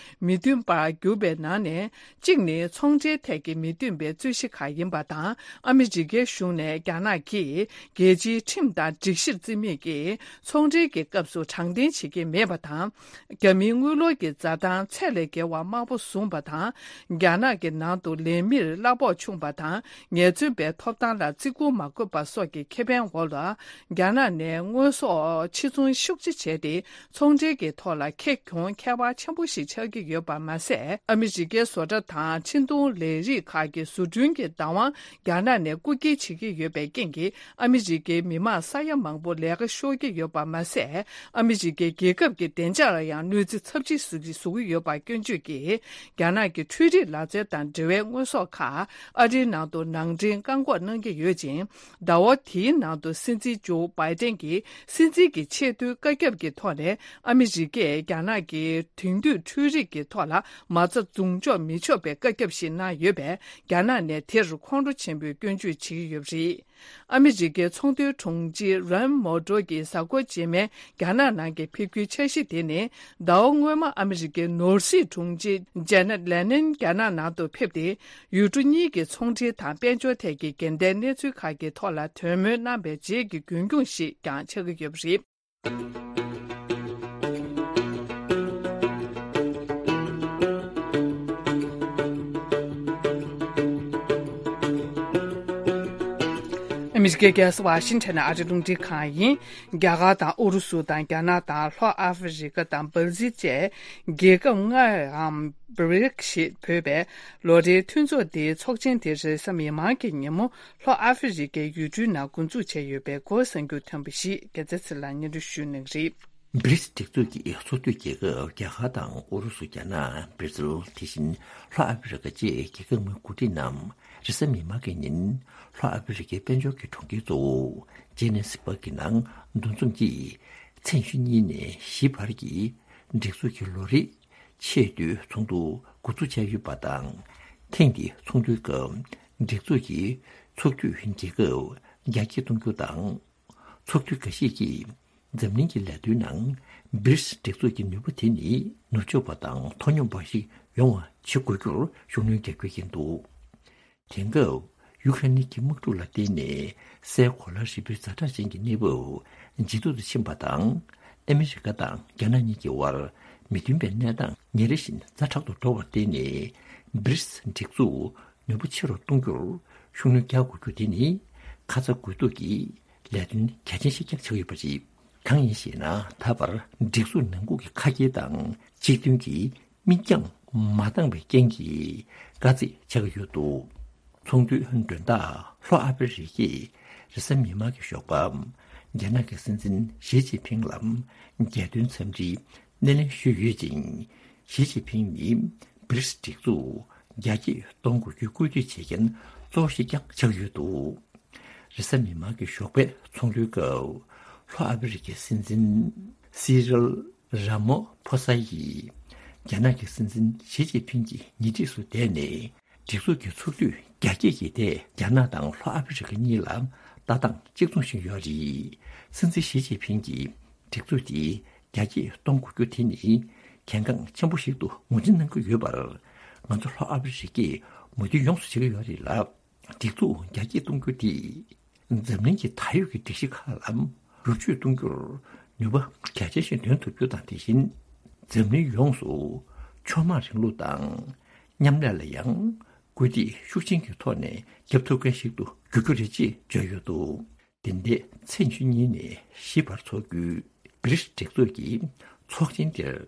མི་མཐུན་པར་གྱུར་པའི་ནང་ནས། གཅིག་ནི་ཚོང་འབྲེལ་ཐད་ཀྱི་མི་མཐུན་པའི་རྩོད་གཞི་ཁག་ཡིན་པ་དང་། ཨ་མི་རི་ཀའི་གཞུང་ནས་རྒྱ་ནག་གིས་རྒྱལ་སྤྱིའི་ཁྲིམས་དང་སྒྲིག་གཞིར་བརྩི་མེད་ཀྱིས་ཚོང་འབྲེལ་གྱི་སྐབས་སུ་དྲང་བདེན་བྱེད་ཀྱི་མེད་པ་དང་། རྒྱ་མིའི་དངུལ་ལོར་གྱི་འཛའ་ཐང་ཚད་ལས་བརྒལ་བ་དམའ་པོ་བཟུང་བ་དང་། རྒྱ་ནག་གི་ནང་དུ་ལས་མིར་གླ་ཕོགས་ཆུང་བ་དང་། ཉེས་འཛུགས་པའི་ཐོབ་ཐང་ལ་བརྩི་བཀུར་མ་དགོས་པ་སོགས་ཀྱི་ཁེ་ཕན་འོག་ལ། རྒྱ་ནག་ནས་དངོས་ཟོག་ཕྱིར་ཚོང་ཤུགས་ཆེ་བྱས་ཏེ། ཚོང་འབྲེལ་གྱི་ཐོག་ལ་ཁེ་གྱོང་ཁྱད་པར་ཆེན་པོ་ཞིག་ཆགས་ཀྱི་ཡོད་པ་མ་ཟད། ཨ་མི་རི་ཀའི་བཟོ་གྲྭ་དང་འཕྲིན་གཏོང་ལས་རིགས་ཁག་གི་བཟོ་སྐྲུན་གྱི་བདག་དབང་རྒྱ་ནག་ནས་རྐུ་འཁྱེར་བྱེད་ཀྱི་ཡོད་པའི་རྐྱེན་གྱིས། ཨ་མི་རི་ཀའི་མི་མང་ས་ཡ་མང་པོ་ལས་ཀ་ཤོར་གྱི་ཡོད་པ་མ་ཟད། ཨ་མི་རི་ཀའི་རྒྱལ་ཁབ་ཀྱི་བདེ་འཇགས་ལ་ཡང་གནོད་འཚེ་ཚབས་ཆེ་བཟོ་གི་བཟོ་གི་ཡོད་པ་སྐྱོན་བརྗོད་ཀྱིས། རྒྱ་ནག་གི་འཕྲུལ་རིག་ལག་རྩལ་དང་འབྲེལ་བའི་དངོས་ཟོག་ཁག་ཨ་རིའི་ནང་དུ་ནང་འདྲེན་བཀག་འགོག་གནང་གི་ཡོད་ཅིང་། ཟླ་བ་དེའི་ནང་དུ་སྲིད་འཛིན་ཇོ་བྷའི་ཏན་གྱིས་སྲིད་འཛིན་གྱི་ཆེས་མཐོའི། བཀའ་ཁྱབ་ཀྱི་ཐོག་ནས་ཨ་མི་རི་ཀས་རྒྱ་ནག་གི་དེང་དུས་འཕྲུལ་རིག་གི་ཐོག་ལ་མ་རྩ་འཛུགས་འཇོག་མི་ཆོག་པའི་བཀའ་ཁྱབ་ཞིག་གནང་ཡོད་པས། རྒྱ་ནག་ནས་དེར་ཁོང་ཁྲོ་ཆེན་པོས་སྐྱོན་བརྗོད་བྱེད་ཀྱི་ཡོད་པ་རེད། ཨ་མི་རི་ཀའི་ཚོང་དོན་དྲུང་ཆེ་རན་མོ་ཏོ་གིས་གཟའ་འཁོར་རྗེས་མའི་རྒྱ་ནག་ནང་གི་ཕེབས་སྐྱེལ་འཆར་གཞི་དེ་ནི། ཟླ་བ་སྔོན་མ་ཨ་མི་རི་ཀའི་ནོར་སྲིད་དྲུང་ཆེ་ཇེ་ནེ་ལེ་ནན་རྒྱ་ནག་ནང་དུ་ཕེབས་ཏེ། ཡུལ་གྲུ་གཉིས་ཀྱི་ཚོང་འབྲེལ་དང་དཔལ་འབྱོར་ཐད་ཀྱི་འགལ་ཟླའི་གནས་ཚུལ་ཁག་གི་ཐོག་ལ་གྲོས་མོལ་གནང་བའི་རྗེས་ཀྱི་རྒྱུན་སྐྱོང་ཞིག་ཀྱང་ཆགས་ཀྱི་ཡོད་པ་རེད། ཨ་མི་རི་ཀའི་རྒྱལ་ས་ཝ་ཤིང་ཊོན་ནས་ཨ་རིའི་རླུང་འཕྲིན་ཁང་ཡིན། རྒྱ་གར་དང་ཨུ་རུ་སུ་དང་རྒྱ་ནག་དང་ལྷོ་ཨ་ཧྥེ་རི་ཀ་དང་སྦར་ཟིལ་བཅས་རྒྱལ་ཁབ་ལྔའམ་བྷི་རིག་ཞེས་འབོད་པའི་ལོ་རེའི་མཐུན་ཚོགས་འདིའི་ཚོགས་ཆེན་དེ་རེས་གཟའ་མིག་དམར་གྱི་ཉིན་མོ་ལྷོ་ཨ་ཧྥེ་རི་ཀའི་ཡུལ་གྲུའི་ནང་འགོ་འཛུགས་བྱས་ཡོད་པའི་སྐོར་གསར་འགྱུར་ཐོན་པ་ཞིག་རྒྱལ་མཚན་ཚེ་ལགས་སྙན་སྒྲོན་ཞུ་གནང་གི་རེད། བྷི་རིག་སྒྲིག་འཛུགས་ཀྱི་ཚོགས་འཐུས་རྒྱལ་ཁབ་རྒྱ་གར་དང་ཨུ་རུ་སུ། རྒྱ་ནག། སྦིར་ཛིལ། དེ་བཞིན་ལྷོ་ཨ་ཧྥེ་རི་ཀ་བཅས་རྒྱལ་ཁབ་ལྔའི་འགོ་ཁྲིད་རྣམས་རེས་གཟའ་མིག་དམར་གྱི་ཉིན་ལྷོ་ཨ་ཧྥེ་རི་ཀའི་དཔལ་འབྱོར་གྱི་གྲོང་ཁྱེར་གཙོ་བོ་ཇེ་ནེ་སི་བྷག་གི་ནང་འདུ་འཛོམས་ཀྱིས་མཚན་བཞི་གཉིས་ནས་བཞི་བར་གྱི་སྒྲིག་འཛུགས་ཀྱི་ལོ་རེའི་ཆེས་མཐོའི་ཚོགས་འདུ་འགོ་འཛུགས་བྱས་ཡོད་པ་དང་། ཐེངས་འདིའི་ཚོགས་འདུའི་སྐབས་སྒྲིག་འཛུགས་ཀྱི་ཚོགས་འཐུས་རྒྱལ་ཁབ་རྒྱ་སྐྱེད་གཏོང་རྒྱུ་དང་། ཚོགས་འཐུས་འགའ་ཞིག་གིས་འཛམ་གླིང་གི་ལས་དོན་ནང་བྷི་རིག་སྒྲིག་འཛུགས་ཀྱི་ནུས་པ་དེ་ནི་ནུབ་ཕྱོགས་པ་དང་མཐོ་སྙོམས་པ་ཞིག་ཡོང་བ་བྱེད་དགོས་རྒྱུར་ཤུགས་སྣོན་རྒྱག་རྒྱུ་ཡིན་འདུག་དེང་སྐབས་ཡུ་ཁ་རེན་གྱི་དམག་འཁྲུག་ལ་བརྟེན་ནས་སའི་གོ་ལ་རིལ་པོའི་ཛ་དྲག་ཅན་གྱི་གནས་བབ་ཇེ་སྡུག་ཏུ་ཕྱིན་པ་དང་། ཨ་མི་རི་ཀ་དང་རྒྱ་ནག་གཉིས་ཀྱི་དབར་མི་མཐུན་པའི་གནས་སྟངས་ཉིན་རེ་བཞིན་ཛ་དྲག་ཏུ་འགྲོ་བར་བརྟེན་ནས། བྷི་རིག་སྒྲིག་འཛུགས་ནུས་པ་ཆེ་རུ་གཏོང་རྒྱུར་ཤུགས་སྣོན་རྒྱག་དགོས་རྒྱུ་དེ་ནི་ཁ་ཚ་དགོས་གཏུགས་ཀྱི་ལས་དོན་གལ་ཆེན་ཞིག་ཀྱང་ཆགས་ཡོད་པ་རེད། གང་ཡིན་ཞེ་ན། ད་བར་སྒྲིག་འཛུགས་ནང་ཁུལ་གྱི་ཁ་གྱེས་དང་སྤྱི་མཐུན་གྱི་མིག་རྒྱང་མ་འདང་བའི་རྐྱེན་གྱིས་དཀའ་ཚེགས་ཆགས་ཀྱི་ཡོད་འདུག་ཚོགས་འདུའི་མགྲོན་བདག་ལྷོ་ཨ་ཧྥེ་རི་ཀས་རེས་གཟའ་མིག་དམར་གྱི་ཞོགས་པ། རྒྱ་ནག་གི་སྲིད་འཛིན་ཞི་ཅིན་ཕིང་ལ་རྒྱལ་དོན་འཚམས་འདྲིའི་སྣེ་ལེན་ཞུས་ཡོད་ཅིང་། ཞི་ཅིན་ཕིང་ནི་བྷི་རིག་སྒྲིག་འཛུགས་རྒྱ་སྐྱེད་གཏོང་དགོས་རྒྱུའི་བཀོད་སྒྲིག་བྱེད་མཁན་གཙོ་བོ་ཞིག་ཀྱང་ཆགས་ཡོད་འདུག་རེས་གཟའ་མིག་དམར་གྱི་ཞོགས་པའི་ཚོགས་འདུའི་སྐབས། ལྷོ་ཨ་ཧྥེ་རི་ཀའི་སྲིད་འཛིན་སི་རིལ་ར་མོ་ཕོ་ས་ཡིས་རྒྱ་ནག་གི་སྲིད་འཛིན་ཞི་ཅིན་ཕིང་གི་ཉེ་འཁྲིས་སུ་བསྡད་ནས། སྒྲིག་འཛུགས་ཀྱི་ཚོགས་འདུས་རྒྱ་སྐྱེད་ཀྱི་ཐད་རྒྱ་ནག་དང་ལྷོ་ཨ་ཧྥེ་རི་ཀ་གཉིས་ལ་ལྟ་སྟངས་གཅིག་མཚུངས་ཤིག་ཡོད་རེད། སྲིད་འཛིན་ཞི་ཅིན་ཕིང་གིས་སྒྲིག་འཛུགས་དེ་རྒྱ་སྐྱེད་གཏོང་དགོས་རྒྱུ་དེ་ནི་གལ་འགངས་ཆེན་པོ་ཞིག་ཏུ་ངོས་འཛིན་གནང་གི་ཡོད་པར། ང་ཚོ་ལྷོ་ཨ་ཧྥེ་རི་ཀས་མོས་མཐུན་ཡོངས་སུ་བྱེད་ཀྱི་ཡོད་རེད་ལ། སྒྲིག་འཛུགས་རྒྱ་སྐྱེད་གཏོང་རྒྱུ་དེས་འཛམ་གླིང་གི་ད་ཡོད་ཀྱི་སྒྲིག་གཞི་ཁག་ལ་རུབ་བཅུད་གཏོང་རྒྱུར་ནུས་པ་གལ་ཆེན་ཞིག་འདོན་ཐུབ་རྒྱུ་དང་། དེ་བཞིན་འཛམ་གླིང་ཡོངས་སུ་ཕྱོགས་མང་རིང་ལུགས་དང་མཉམ་ལས་ལ་ཡང་སྐུལ་འདེད་ཤུགས་ཆེན་གྱི་ཐོག་ནས་བརྒྱབ་ཐུབ་མཁན་ཞིག་ཏུ་འགྱུར་རྒྱུ་རེད་ཅེས་བརྗོད་ཡོད་འདུག་དེ་འདྲའི་མཚན་བཅུ་གཉིས་ནས་བཞི་བར་འཚོགས་རྒྱུའི་བྷི་རིགས་སྒྲིག་འཛུགས་ཀྱི་ཚོགས་ཆེན་དེར། རྒྱ་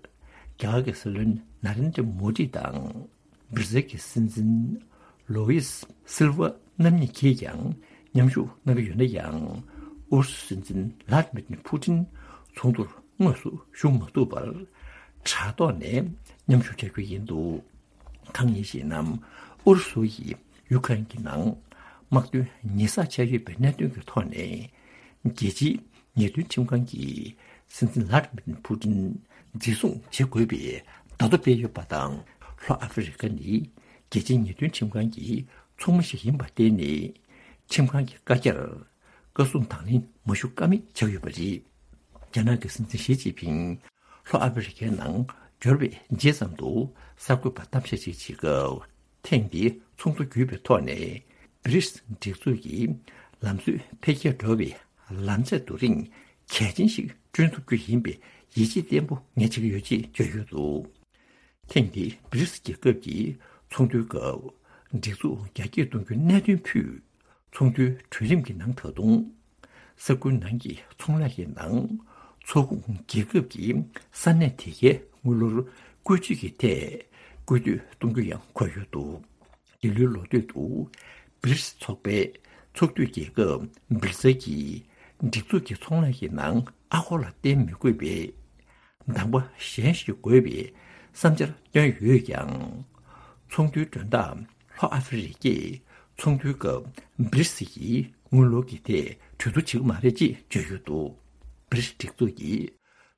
གར་གྱི་སྲིད་བློན་ན་རེན་དྲ་མོ་ཌི་དང་། སྦིར་ཛིལ་གྱི་སྲིད་འཛིན་ལོ་ཝིས་སིལ་ཝ་རྣམ་གཉིས་ཀྱིས་ཀྱང་མཉམ་ཞུགས་གནང་གི་ཡོད་ན་ཡང་། ཨུ་རུ་སུའི་སྲིད་འཛིན་ལྷ་དི་མིར་ཕུ་ཏིན་ཚོགས་འདུར་དངོས་སུ་ཞུགས་མ་ཐུབ་པར། དྲ་ཐོག་ནས་མཉམ་ཞུགས་བྱ་རྒྱུ་ཡིན་འདུག་གང་ཡིན་ཞེ་ན། ཨུ་རུ་སུ་ཡིས་ཡུ་ཁ་རེན་གྱི་ནང་དམག་དོན་ཉེས་བསགས་བྱས་ཡོད་པའི་གནད་དོན་གྱི་ཐོག་ནས། རྒྱལ་སྤྱིའི་ཉེས་དོན་ཁྲིམས་ཁང་གིས་སྲིད་འཛིན་ལྷ་དི་མིར་ཕུ་ཏིན་འཛིན་བཟུང་བྱེད་དགོས་པའི་བརྡ་ཐོ་སྤེལ་ཡོད་པ་དང་། ལྷོ་ཨ་ཧྥེ་རི་ཁ་ནི་རྒྱལ་སྤྱིའི་ཉེས་དོན་ཁྲིམས་ཁང་གི་ཚོགས་མི་ཞིག་ཡིན་པར་བརྟེན་ནས། ཁྲིམས་ཁང་གི་བཀའ་རྒྱར་བཀའ་གསུང་དང་ལེན་མ་ཞུ་ཀ་མེད་ཆགས་ཡོད་པ་རེད། རྒྱ་ནག་གི་སྲིད་འཛིན་ཞི་ཅིན་ཕིང་ལྷོ་ཨ་ཧྥེ་རི་ཁའི་ནང་འབྱོར་བའི་རྗེས་ཙམ་དུ་གསར་འགོད་པར་གཏམ་བཤད་ཅིག་བྱེད་སྐབས། ཐེངས་འདིའི་ཚོགས་འདུ་བརྒྱུད་པའི་ཐོག་ནས། བྷི་རིགས་སྒྲིག་འཛུགས་ཀྱི་ལམ་སྲོལ་འཕེལ་རྒྱས་འགྲོ་བའི་ལམ་ཚད་རྡོ་རིང་གལ་ཆེན་ཞིག་བསྐྲུན་ཐུབ་རྒྱུ་ཡིན་པའི་ཡིད་ཆེས་བརྟན་པོ་ངས་བྱེད་ཀྱི་ཡོད་ཅེས་བརྗོད་ཡོད་འདུག་ཐེངས་འདིའི་བྷི་རིགས་རྒྱལ་ཁབ་ཀྱི་ཚོགས་འདུའི་སྐབས། སྒྲིག་འཛུགས་རྒྱ་སྐྱེད་གཏོང་རྒྱུའི་གནད་དོན་ཕུད། ཚོགས་འདུའི་གྲོས་རིམ་གྱི་ནང་ད་དུང་། ས་ཁུལ་ནང་གི་ཚོང་ལས་ཀྱི་ནང་ཚོགས་ཁོངས་རྒྱལ་ཁབ་ཀྱི་ས་གནས་དེ་གའི་དངུལ་ལོར་བཀོལ་སྤྱོད་ཀྱི་ཐད་སྐུལ་འདེད་གཏོང་རྒྱུ་ཡང་འཁོད་ཡོད་འདུག་འདི་ལོའི་ལོ་སྟོད་དུ་བྷི་རིགས་ཚོགས་པའི་ཚོགས་འཐུས་རྒྱལ་ཁབ་སྦིར་ཛིལ་གྱིས་སྒྲིག་འཛུགས་ཀྱི་ཚོང་ལས་ཀྱི་ནང་ཨ་སྒོར་ལ་བརྟེན་མི་དགོས་པའི་གདམ་ག་གཞན་ཞིག་དགོས་པའི་བསམ་འཆར་བཏོན་ཡོད་ཀྱང་། ཚོགས་འདུའི་མགྲོན་བདག་ལྷོ་ཨ་ཧྥེ་རི་ཀས་ཚོགས་འདུའི་སྐབས་བྷི་རིགས་ཀྱི་དངུལ་ལོར་གྱི་ཐད་གྲོས་བསྡུར་བྱེད་ཀྱི་མ་རེད་ཅེས་བརྗོད་ཡོད་འདུག་བྷི་རིགས་སྒྲིག་འཛུགས་ཀྱི་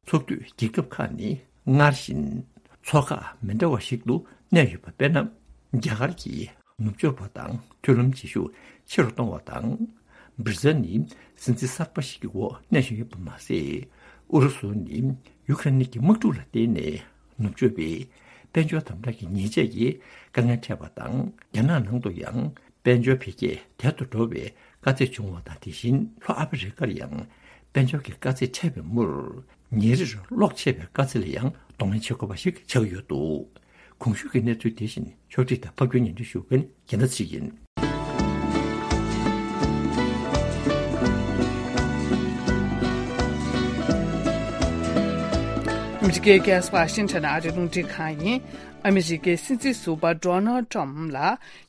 ཚོགས་འཐུས་རྒྱལ་ཁབ་ཁག་ནི་སྔར་བཞིན་ཚོགས་ཁག་མི་འདྲ་བ་ཞིག་ཏུ་གནས་ཡོད་པ། དཔེར་ན། རྒྱ་གར་གྱི་ནུབ་ཕྱོགས་པ་དང་མཐུན་ལམ་བྱེད་ཤུགས་ཆེ་རུ་གཏོང་བ་དང་། སྦིར་ཛལ་ནི་སྲིད་འཛིན་གསར་པ་ཞིག་གི་འོག་གནས་བཞིན་ཡོད་པ་མ་ཟད། ཨུ་རུ་སུ་ནི་ཡུ་ཀེ་རེན་གྱི་དམག་འཁྲུག་ལ་བརྟེན་ནས་ནུབ་ཕྱོགས་པའི་དཔལ་འབྱོར་དམ་དྲག་གི་ཉེས་ཆད་ཀྱི་དཀའ་ངལ་འཕྲད་པ་དང་། རྒྱ་ནག་ནང་དུ་ཡང་དཔལ་འབྱོར་འཕེལ་རྒྱས་དལ་དུ་འགྲོ་བའི་དཀའ་ཚེགས་བྱུང་བ་དང་། དེ་བཞིན་ལྷོ་ཨ་ཕི་རི་ཀར་ཡང་དཔལ་འབྱོར་གྱི་དཀའ་ཚེགས་འཕྲད་པའི་མུར། ཉིན་རེར་གློག་ཆད་པའི་དཀའ་ཚེགས་ལ་ཡང་གདོང་ལེན་བྱེད་དགོས་པ་ཞིག་ཆགས་ཀྱི་ཡོད་འདུག། གོང་ཞུས་ཀྱི་གནས་ཚུལ་དེ་བཞིན་ཕྱོགས་སྒྲིག་དང་ཕབ་སྒྱུར་སྙན་སྒྲོན་ཞུ་མཁན་རྒྱལ་མཚན་ཚེ་རིང་ཡིན། ཨ་མི་རི་ཀའི་རྒྱལ་ས་ཝ་ཤིང་ཊོན་ཨ་རིའི་རླུང་འཕྲིན་ཁང་ཡིན། ཨ་མི་རི་ཀའི་སྲིད་འཛིན་ཟུར་པ་ཌོ་ནལ་ཊམ་ལ་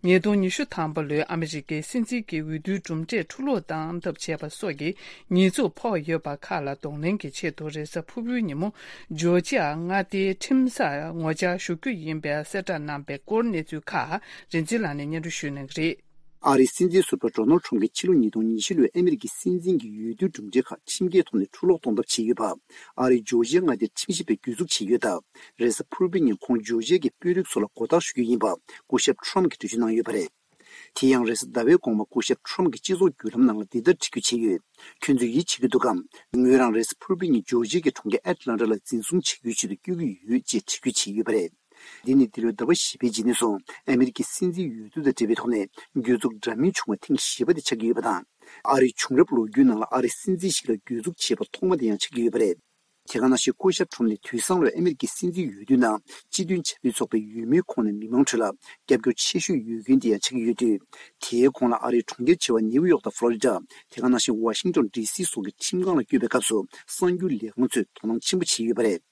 ཉིས་སྟོང་ཉི་ཤུ་ཐམ་པ་ལོའི་ཨ་མི་རི་ཀའི་སྲིད་འཛིན་གྱི་འོས་བསྡུའི་གྲུབ་འབྲས་འཁྲུ་སློག་བཏང་ཐབས་བྱས་པ་སོགས་ཀྱི་ཉེས་འཛུགས་ཕོག་ཡོད་པ་ཁག་ལ་གདོང་ལེན་གྱི་ཆེད་དུ། རེས་གཟའ་ཕུར་བུའི་ཉིན་མོ་ཇོར་ཇི་ཡ་མངའ་སྡེའི་ཁྲིམས་སར་ངོ་བཅར་ཞུ་རྒྱུ་ཡིན་པའི་གསལ་བསྒྲགས་གནང་པའི་སྐོར་གནས་ཚུལ་ཁག་རིག་འཛིན་ལགས་ནས་སྙན་སྒྲོན་ཞུ་གནང་གི་རེད། ཨ་རིའི་སྲིད་འཛིན་ཟུར་པ་ཌོ་ནལ་ཊམ་གྱིས་ཕྱི་ལོ་ཉིས་སྟོང་ཉི་བཞི་ལོའི་ཨ་མི་རི་ཀའི་སྲིད་འཛིན་གྱི་འོས་བསྡུའི་གྲུབ་འབྲས་ཁག་ཁྲིམས་འགལ་ཐོག་ནས་འཁྲུ་སློག་གཏོང་ཐབས་བྱས་ཡོད་པ། ཨ་རིའི་ཇོར་ཇི་ཡ་མངའ་སྡེའི་ཁྲིམས་ཞིབ་པས་གྱོད་འཛུགས་བྱས་ཡོད་སྟབས། རེས་གཟའ་ཕུར་བུའི་ཉིན་ཁོང་ཇོར་ཇི་ཡ་གི་དཔོན་རིགས་ཚོ་ལ་མགོ་བཏགས་ཞུ་རྒྱུ་ཡིན་པ་སྐུ་ཞབས་ཊམ་གྱིས་འགྲེལ་བརྗོད་གནང་ཡོད་པ་རེད། དེ་ཡང་རེས་གཟའ་ཟླ་བའི་དགོང་མོ་སྐུ་ཞབས་ཊམ་གྱིས་སྤྱི་ཚོགས་བརྒྱུད་ལམ་ནང་ལ་འདི་ལྟར་བྲིས་བརྗོད་བྱས་ཡོད། ཁྱོད་ཚོས་ཡིད་ཆེས་ཀྱི་འདུག་གམ། ངོས་རང་རེས་གཟའ་ཕུར་བུའི་ཉིན་ཇོར་ཇི་ཡ་གི་གྲོང་ཁྱེར་ཨེཊ་ལན་ཊ་ལ་འཛིན་བཟུང་བྱེད་རྒྱུའི་ཆེད་དུ་བསྐྱོད་ཀྱི་ཡོད་ཅེས་འགྲེལ་བརྗོད་བྱས་ཡོད་པ་རེད། འདི་ནི་འདི་ལོའི་ཟླ་བ་བཞི་པའི་རྗེས་ནས་བཟུང་ཨ་མི་རི་ཀའི་སྲིད་འཛིན་འོས་བསྡུ་དང་འབྲེལ་བའི་ཐོག་ནས་གྱོད་འཛུགས་འདྲ་མིན་བྱུང་བ་ཐེངས་བཞི་པ་དེ་ཆགས་ཀྱི་ཡོད་པ་དང་། ཨ་རིའི་བྱུང་རབས་ལོ་རྒྱུས་ནང་ལ་ཨ་རིའི་སྲིད་འཛིན་ཞིག་ལ་གྱོད་འཛུགས་བྱས་པ་ཐོག་མ་དེ་ཡང་ཆགས་ཀྱི་ཡོད་པ་རེད། དེ་ག་ནང་བཞིན་སྐུ་ཞབས་ཊམ་ནི་དུས་སང་ལོའི་ཨ་མི་རི་ཀའི་སྲིད་འཛིན་འོས་བསྡུའི་ནང་སྤྱི་མཐུན་བྱ་བའི་ཚོགས་པའི་འོས་མིའི་ཁོངས་ནས་མི་མང་ཁྲོད་ལ་རྒྱབ་སྐྱོར་ཆེ་ཤོས་ཡོད་མཁན་དེ་ཡང་ཆགས་ཀྱི་ཡོད་དུས། དེའི་གོང་ལ་ཨ་རིའི་གྲོང་ཁྱེར་ཆེ་བ་ནེའུ་ཡོག་དང་ཕློ་རི་ཌ། དེ་ག་ནང་བཞིན་ཝ་ཤིང་ཊོན་ཌི་སི་སོགས་ཀྱི་ཁྲིམས་ཁང་ལ་བསྐྱོད་པའི་སྐབས་སུ་གསར་འགྱུར་ལས་ཁང་ཚོས་དོ་སྣང་ཆེན་པོ་བྱས་ཡོད་པ་རེད།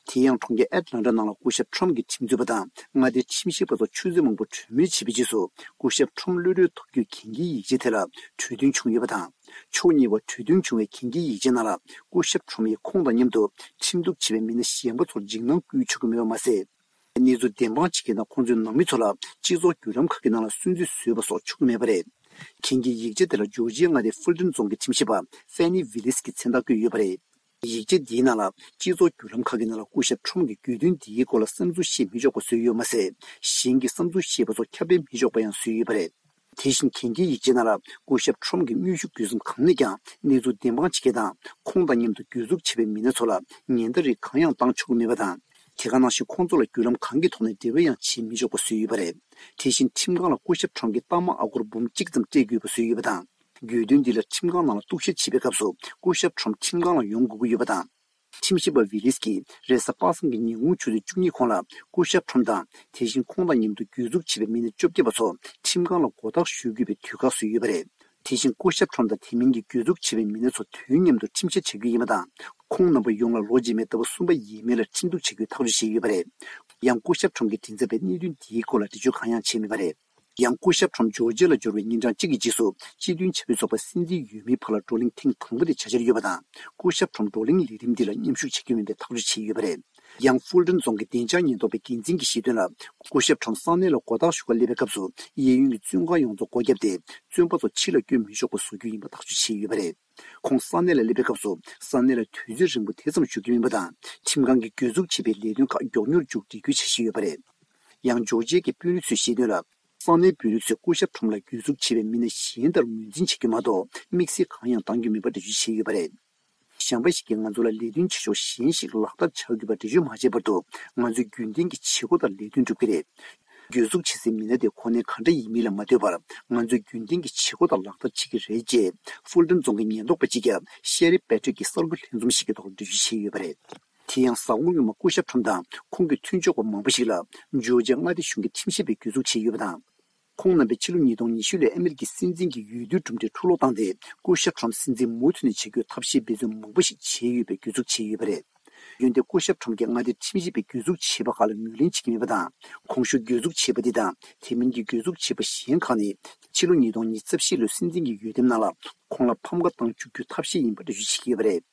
དེ་ཡང་གྲོང་ཁྱེར་ཨེཊ་ལན་ཊ་ནང་ལ་སྐུ་ཞབས་ཊམ་གྱི་ཁྲིམས་རྩོད་པ་དང་མངའ་སྡེའི་ཁྲིམས་ཞིབ་པ་ཚོ་ཆུ་ཚོད་མང་པོ་གྲོས་མོལ་བྱས་པའི་རྗེས་སུ་སྐུ་ཞབས་ཊམ་གློད་གྲོལ་ཐོབ་རྒྱུའི་གན་རྒྱའི་ཡིག་ཆ་དེ་ལ་གྲོས་མཐུན་བྱུང་ཡོད་པ་དང་། ཕྱོགས་གཉིས་བར་གྲོས་མཐུན་བྱུང་བའི་གན་རྒྱའི་ཡིག་ཆའི་ནང་ལ་སྐུ་ཞབས་ཊམ་ཡིས་ཁོང་དང་མཉམ་དུ་ཁྲིམས་གཏུག་བྱས་པའི་མི་སྣ་གཞན་པ་ཚོར་འཇིགས་སྣང་སྐུལ་ཆོག་གི་མེད་པ་མ་ཟད། གནས་ཚུལ་བདེན་དཔང་བྱེད་མཁན་དང་ཁོང་ཚོའི་ནང་མི་ཚོ་ལ་སྤྱི་ཚོགས་བརྒྱུད་ལམ་ཁག་གི་ནང་ལ་སུན་གཙེར་བཟོས་པ་སོགས་ཆོག་གི་མེད་པ་རེད། གན་རྒྱའི་ཡིག་ཆ་དེ་ལ་ཇོར་ཇི་ཡ་མངའ་སྡེའི་ཧྥུལ་ཊོན་རྫོང་གི་ཁྲིམས་ཞིབ་པ་ཧྥེ་ནི་ཝི་ལིས་ཀྱིས་མཚན་རྟགས་བཀོད་ཡོད་པ་རེད། ཡིག་ཆ་འདིའི་ནང་ལ་སྤྱི་ཚོགས་བརྒྱུད་ལམ་ཁག་གི་ནང་ལ་སྐུ་ཞབས་ཁྲོམ་གྱི་གྱོད་དོན་འདིའི་སྐོར་ལ་བསམ་ཚུལ་བཤད་མི་ཆོག་པ་བཟོས་ཡོད་མ་ཟད། གཞན་གྱི་བསམ་ཚུལ་བཤད་པ་སོགས་ཁྱབ་སྤེལ་མི་ཆོག་པ་ཡང་བཟོས་ཡོད་པ་རེད། དེ་བཞིན་གན་རྒྱའི་ཡིག་ཆའི་ནང་ལ་སྐུ་ཞབས་ཁྲོམ་གྱི་དངོས་ཤུགས་བརྒྱུད་གསུམ་གང་ནས་ཀྱང་གནས་ཚུལ་བདེན་དཔང་བྱེད་མཁན་དང་ཁོང་དང་མཉམ་དུ་གྱོད་འཛུགས་བྱས་པའི་མི་སྣ་ཚོ་ལ་ཉེན་བརྡ་རིགས་གང་ཡང་བཏང་ཆོག་གི་མེད་པ་དང་། དེ་ག་ནང་བཞིན་ཁོང་ཚོ་ལ་བརྒྱུད་ལམ་གང་གི་ཐོག་ནས་འབྲེལ་བ་ཡང་བྱེད་མི་ཆོག་པ་བཟོས་ཡོད་པ་རེད། དེ་བཞིན་ཁྲིམས་ཁང་ལ་སྐུ་ཞབས་ཁྲོམ་གྱི་རྟགས་མ་ཨ་སྒོར་འབུམ་གཅིག་ཙམ་སྤྲད་དགོས་པ་བཟོས་ཡོད་པ་དང་། གྱོད་དོན་འདི་ལ་ཁྲིམས་ཁང་ནང་ལ་གཏུག་བཤེར་བྱེད་པའི་སྐབས་སུ་སྐུ་ཞབས་ཁྲོམ་ཁྲིམས་ཁང་ལ་ཡོང་དགོས་ཀྱི་ཡོད་པ་དང་། ཁྲིམས་ཞིབ་པ་ཝི་ལིས་ཀྱིས་རེས་གཟའ་པ་སངས་ཀྱི་ཉིན་གུང་ཆུ་ཚོད་བཅུ་གཉིས་གོང་ལ་སྐུ་ཞབས་ཁྲོམ་དང་དེ་བཞིན་ཁོང་དང་མཉམ་དུ་གྱོད་འཛུགས་བྱས་པའི་མི་སྣ་བཅོ་བརྒྱད་པ་ཚོ་ཁྲིམས་ཁང་ལ་མགོ་བཏགས་ཞུ་དགོས་པའི་དུས་བཀག་བཟོས་ཡོད་པ་རེད། དེ་བཞིན་སྐུ་ཞབས་ཁྲོམ་དང་དེ་མིན་གྱི་གྱོད་འཛུགས་བྱས་པའི་མི་སྣ་ཚོ་དུས་མཉམ་དུ་ཁྲིམས་བཤེར་བྱ་རྒྱུ་ཡིན་པ་དང་། ཁོང་རྣམ་པ་ཡོངས་ལ་ལོ་རྗེས་མའི་ཟླ་བ་གསུམ་པ་ཡས་མས་ལ་ཁྲིམས་གཏུག་བྱ་རྒྱུའི་ཐག་གཅོད་བྱས་ཡོད་པ་རེད། ཡང་སྐུ་ཞབས་ཁྲོམ་གྱི་མགྲིན་ཚབ་པས་གནད་དོན་འདིའི་སྐོར་ལ་འགྲེལ་བརྗོད་གང་ཡང་བྱས་མེད་པ་རེད། ཡང་སྐུ་ཞབས་ཁྲོམ་ཇོར་ཇི་ཡ་ལ་འབྱོར་བའི་ཉིན་གྲངས་གཅིག་གི་རྗེས་སུ་སྤྱི་མཐུན་བྱ་བའི་ཚོགས་པ་སྲིད་འཛིན་འོས་མིའི་བར་ལ་བགྲོ་གླེང་ཐེངས་དང་པོ་དེ་བྱ་འཆར་ཡོད་པ་དང་། སྐུ་ཞབས་ཁྲོམ་བགྲོ་གླེང་ལས་རིམ་འདི་ལ་མཉམ་ཞུགས་བྱ་རྒྱུ་མིན་པའི་ཐག་གཅོད་བྱས་ཡོད་པ་རེད། ཡང་ཧྥུལ་ཊོན་རྫོང་གི་བདེ་འཇགས་ཉེན་རྟོག་པའི་འགན་འཛིན་གྱིས་བཤད་དོན་ལ། སྐུ་ཞབས་ཁྲོམ་ས་གནས་ལ་མགོ་བཏགས་ཞུ་གར་སླེབས་པའི་སྐབས་སུ་གཡས་གཡོན་གྱི་བཙོན་ཁང་ཡོངས་རྫོགས་སྒོ་བརྒྱབ་སྟེ། བཙོན་པ་ཚོ་ཕྱི་ལ་བསྐྱོད་མི་ཆོག་པ་བཟོ་རྒྱུ་ཡིན་པ་ཐག་གཅོད་བྱས་ཡོད་པ་རེད། ཁོང་ས་གནས་ལ་སླེབས་པའི་སྐབས་སུ་ས་གནས་ལ་དུས་ཚོད་རིང་པོ་དེ་ཙམ་བཞུགས་ཀྱི་མིན་པ་དང་། ཁྲིམས་ཁང་གིས་གྱོད་འཛུགས་བྱས་པའི་ལས་དོན་ཁག་མགྱོགས་མྱུར་མཇུག་སྒྲིལ་རྒྱུའི་འཆར་གཞི་ཡོད་པ་རེད། ཡང་ཇོར་ཇི་ཡ་གི་དཔོན་རིགས་ཚོས་བཤད་དོན་ལ། ས་གནས་དཔོན་རིགས་ཚོས་སྐུ་ཞབས་ཁྲོམ་ལ་གྱོད་འཛུགས་བྱས་པའི་མི་སྣ་གཞན་ལྟར་ངོས་འཛིན་བྱེད་རྒྱུ་མ་གཏོགས་དམིགས་བསལ་གང་ཡང་གཏང་རྒྱུ་མིན་པ་འགྲེལ་བརྗོད་བྱས་ཡོད་པ་རེད། གཞན་པ་ཞིག་གིས་ང་ཚོ་ལ་ལས་དོན་བྱེད་ཕྱོགས་གཞན་ཞིག་ལག་བསྟར་བྱ་དགོས་པ་འགྲེལ་བརྗོད་མ་བྱས་བར་དུ་ང་ཚོས་རྒྱུན་ལྡན་གྱི་བྱེད་སྒོ་ལྟར་ལས་དོན་སྒྲུབ་ཀྱི་རེད། གྱོད་འཛུགས་བྱེད་སའི་མི་སྣ་དེ་གོ་གནས་ག་འདྲ་ཡིན་མིན་ལ་མ་ལྟོས་པར། ང་ཚོས་རྒྱུན་ལྡན་གྱི་བྱེད་སྒོ་ལྟར་ལག་བསྟར་བྱེད་ཀྱི་རེད་ཅེས་ཧྥུལ་ཊོན་རྫོང་གི་ཉེན་རྟོག་པ་གཅིག་ཀྱབ་ཤེ་རི་པེ་ཊྲིག་གིས་གསར་འགོད་ལྷན་འཛོམས་ཤིག་གི་ཐོག་འགྲེལ་བརྗོད་བྱས་ཡོད་པ་རེད། དེ་ཡང་གཟའ་འཁོར་སྔོན་མ་སྐུ་ཞབས་ཁྲོམ་དང་ཁོང་གི་མཐུན་ཕྱོགས་པ་མང་པོ་ཞིག་ལ་ཇོར་ཇི་ཡ་མངའ་སྡེ་གཞུང་གི་ཁྲིམས་ཞིབ་པས་གྱོད་འཛུགས་བྱས་ཡོད་པ་དང་། ཁོང་རྣམ་པས་ཕྱི་ལོ་ཉིས་སྟོང་ཉི་ཤུ་ལོའི་ཨ་མི་རི་ཀའི་སྲིད་འཛིན་གྱི་འོས་བསྡུའི་གྲུབ་འབྲས་འཁྲུ་སློག་བཏང་སྟེ། སྐུ་ཞབས་ཁྲོམ་སྲིད་འཛིན་མུ་མཐུད་ནས་བྱེད་རྒྱུའི་ཐབས་ཤེས་འབད་བརྩོན་མང་པོ་ཞིག་བྱས་ཡོད་པའི་གྱོད་འཛུགས་བྱས་ཡོད་པ་རེད། འོན་ཏེ་སྐུ་ཞབས་ཁྲོམ་གྱིས་མངའ་སྡེའི་ཁྲིམས་ཞིབ་པས་གྱོད་འཛུགས་བྱས་པ་ཁག་ལ་ངོས་ལེན་བྱེད་ཀྱི་མེད་པ་དང་། གོང་ཞུས་གྱོད་འཛུགས་བྱས་པ་འདི་དང་དེ་མིན་གྱི་གྱོད་འཛུགས་བྱས་པ་གཞན་ཁག་ནི་ཕྱི་ལོ་ཉིས་སྟོང་ཉི་ཤུ་རྩ་བཞི་ལོའི་སྲིད་འཛིན་གྱི་འོས་འདེམས་ནང་ལ་ཁོང་ལ་ཕམ་ཁ་བཏང་བཅུག་རྒྱུའི་ཐབས་ཤེས་ཡིན་པ་འགྲེལ་བརྗོད་བྱེད་ཀྱི་ཡོད་པ་རེད།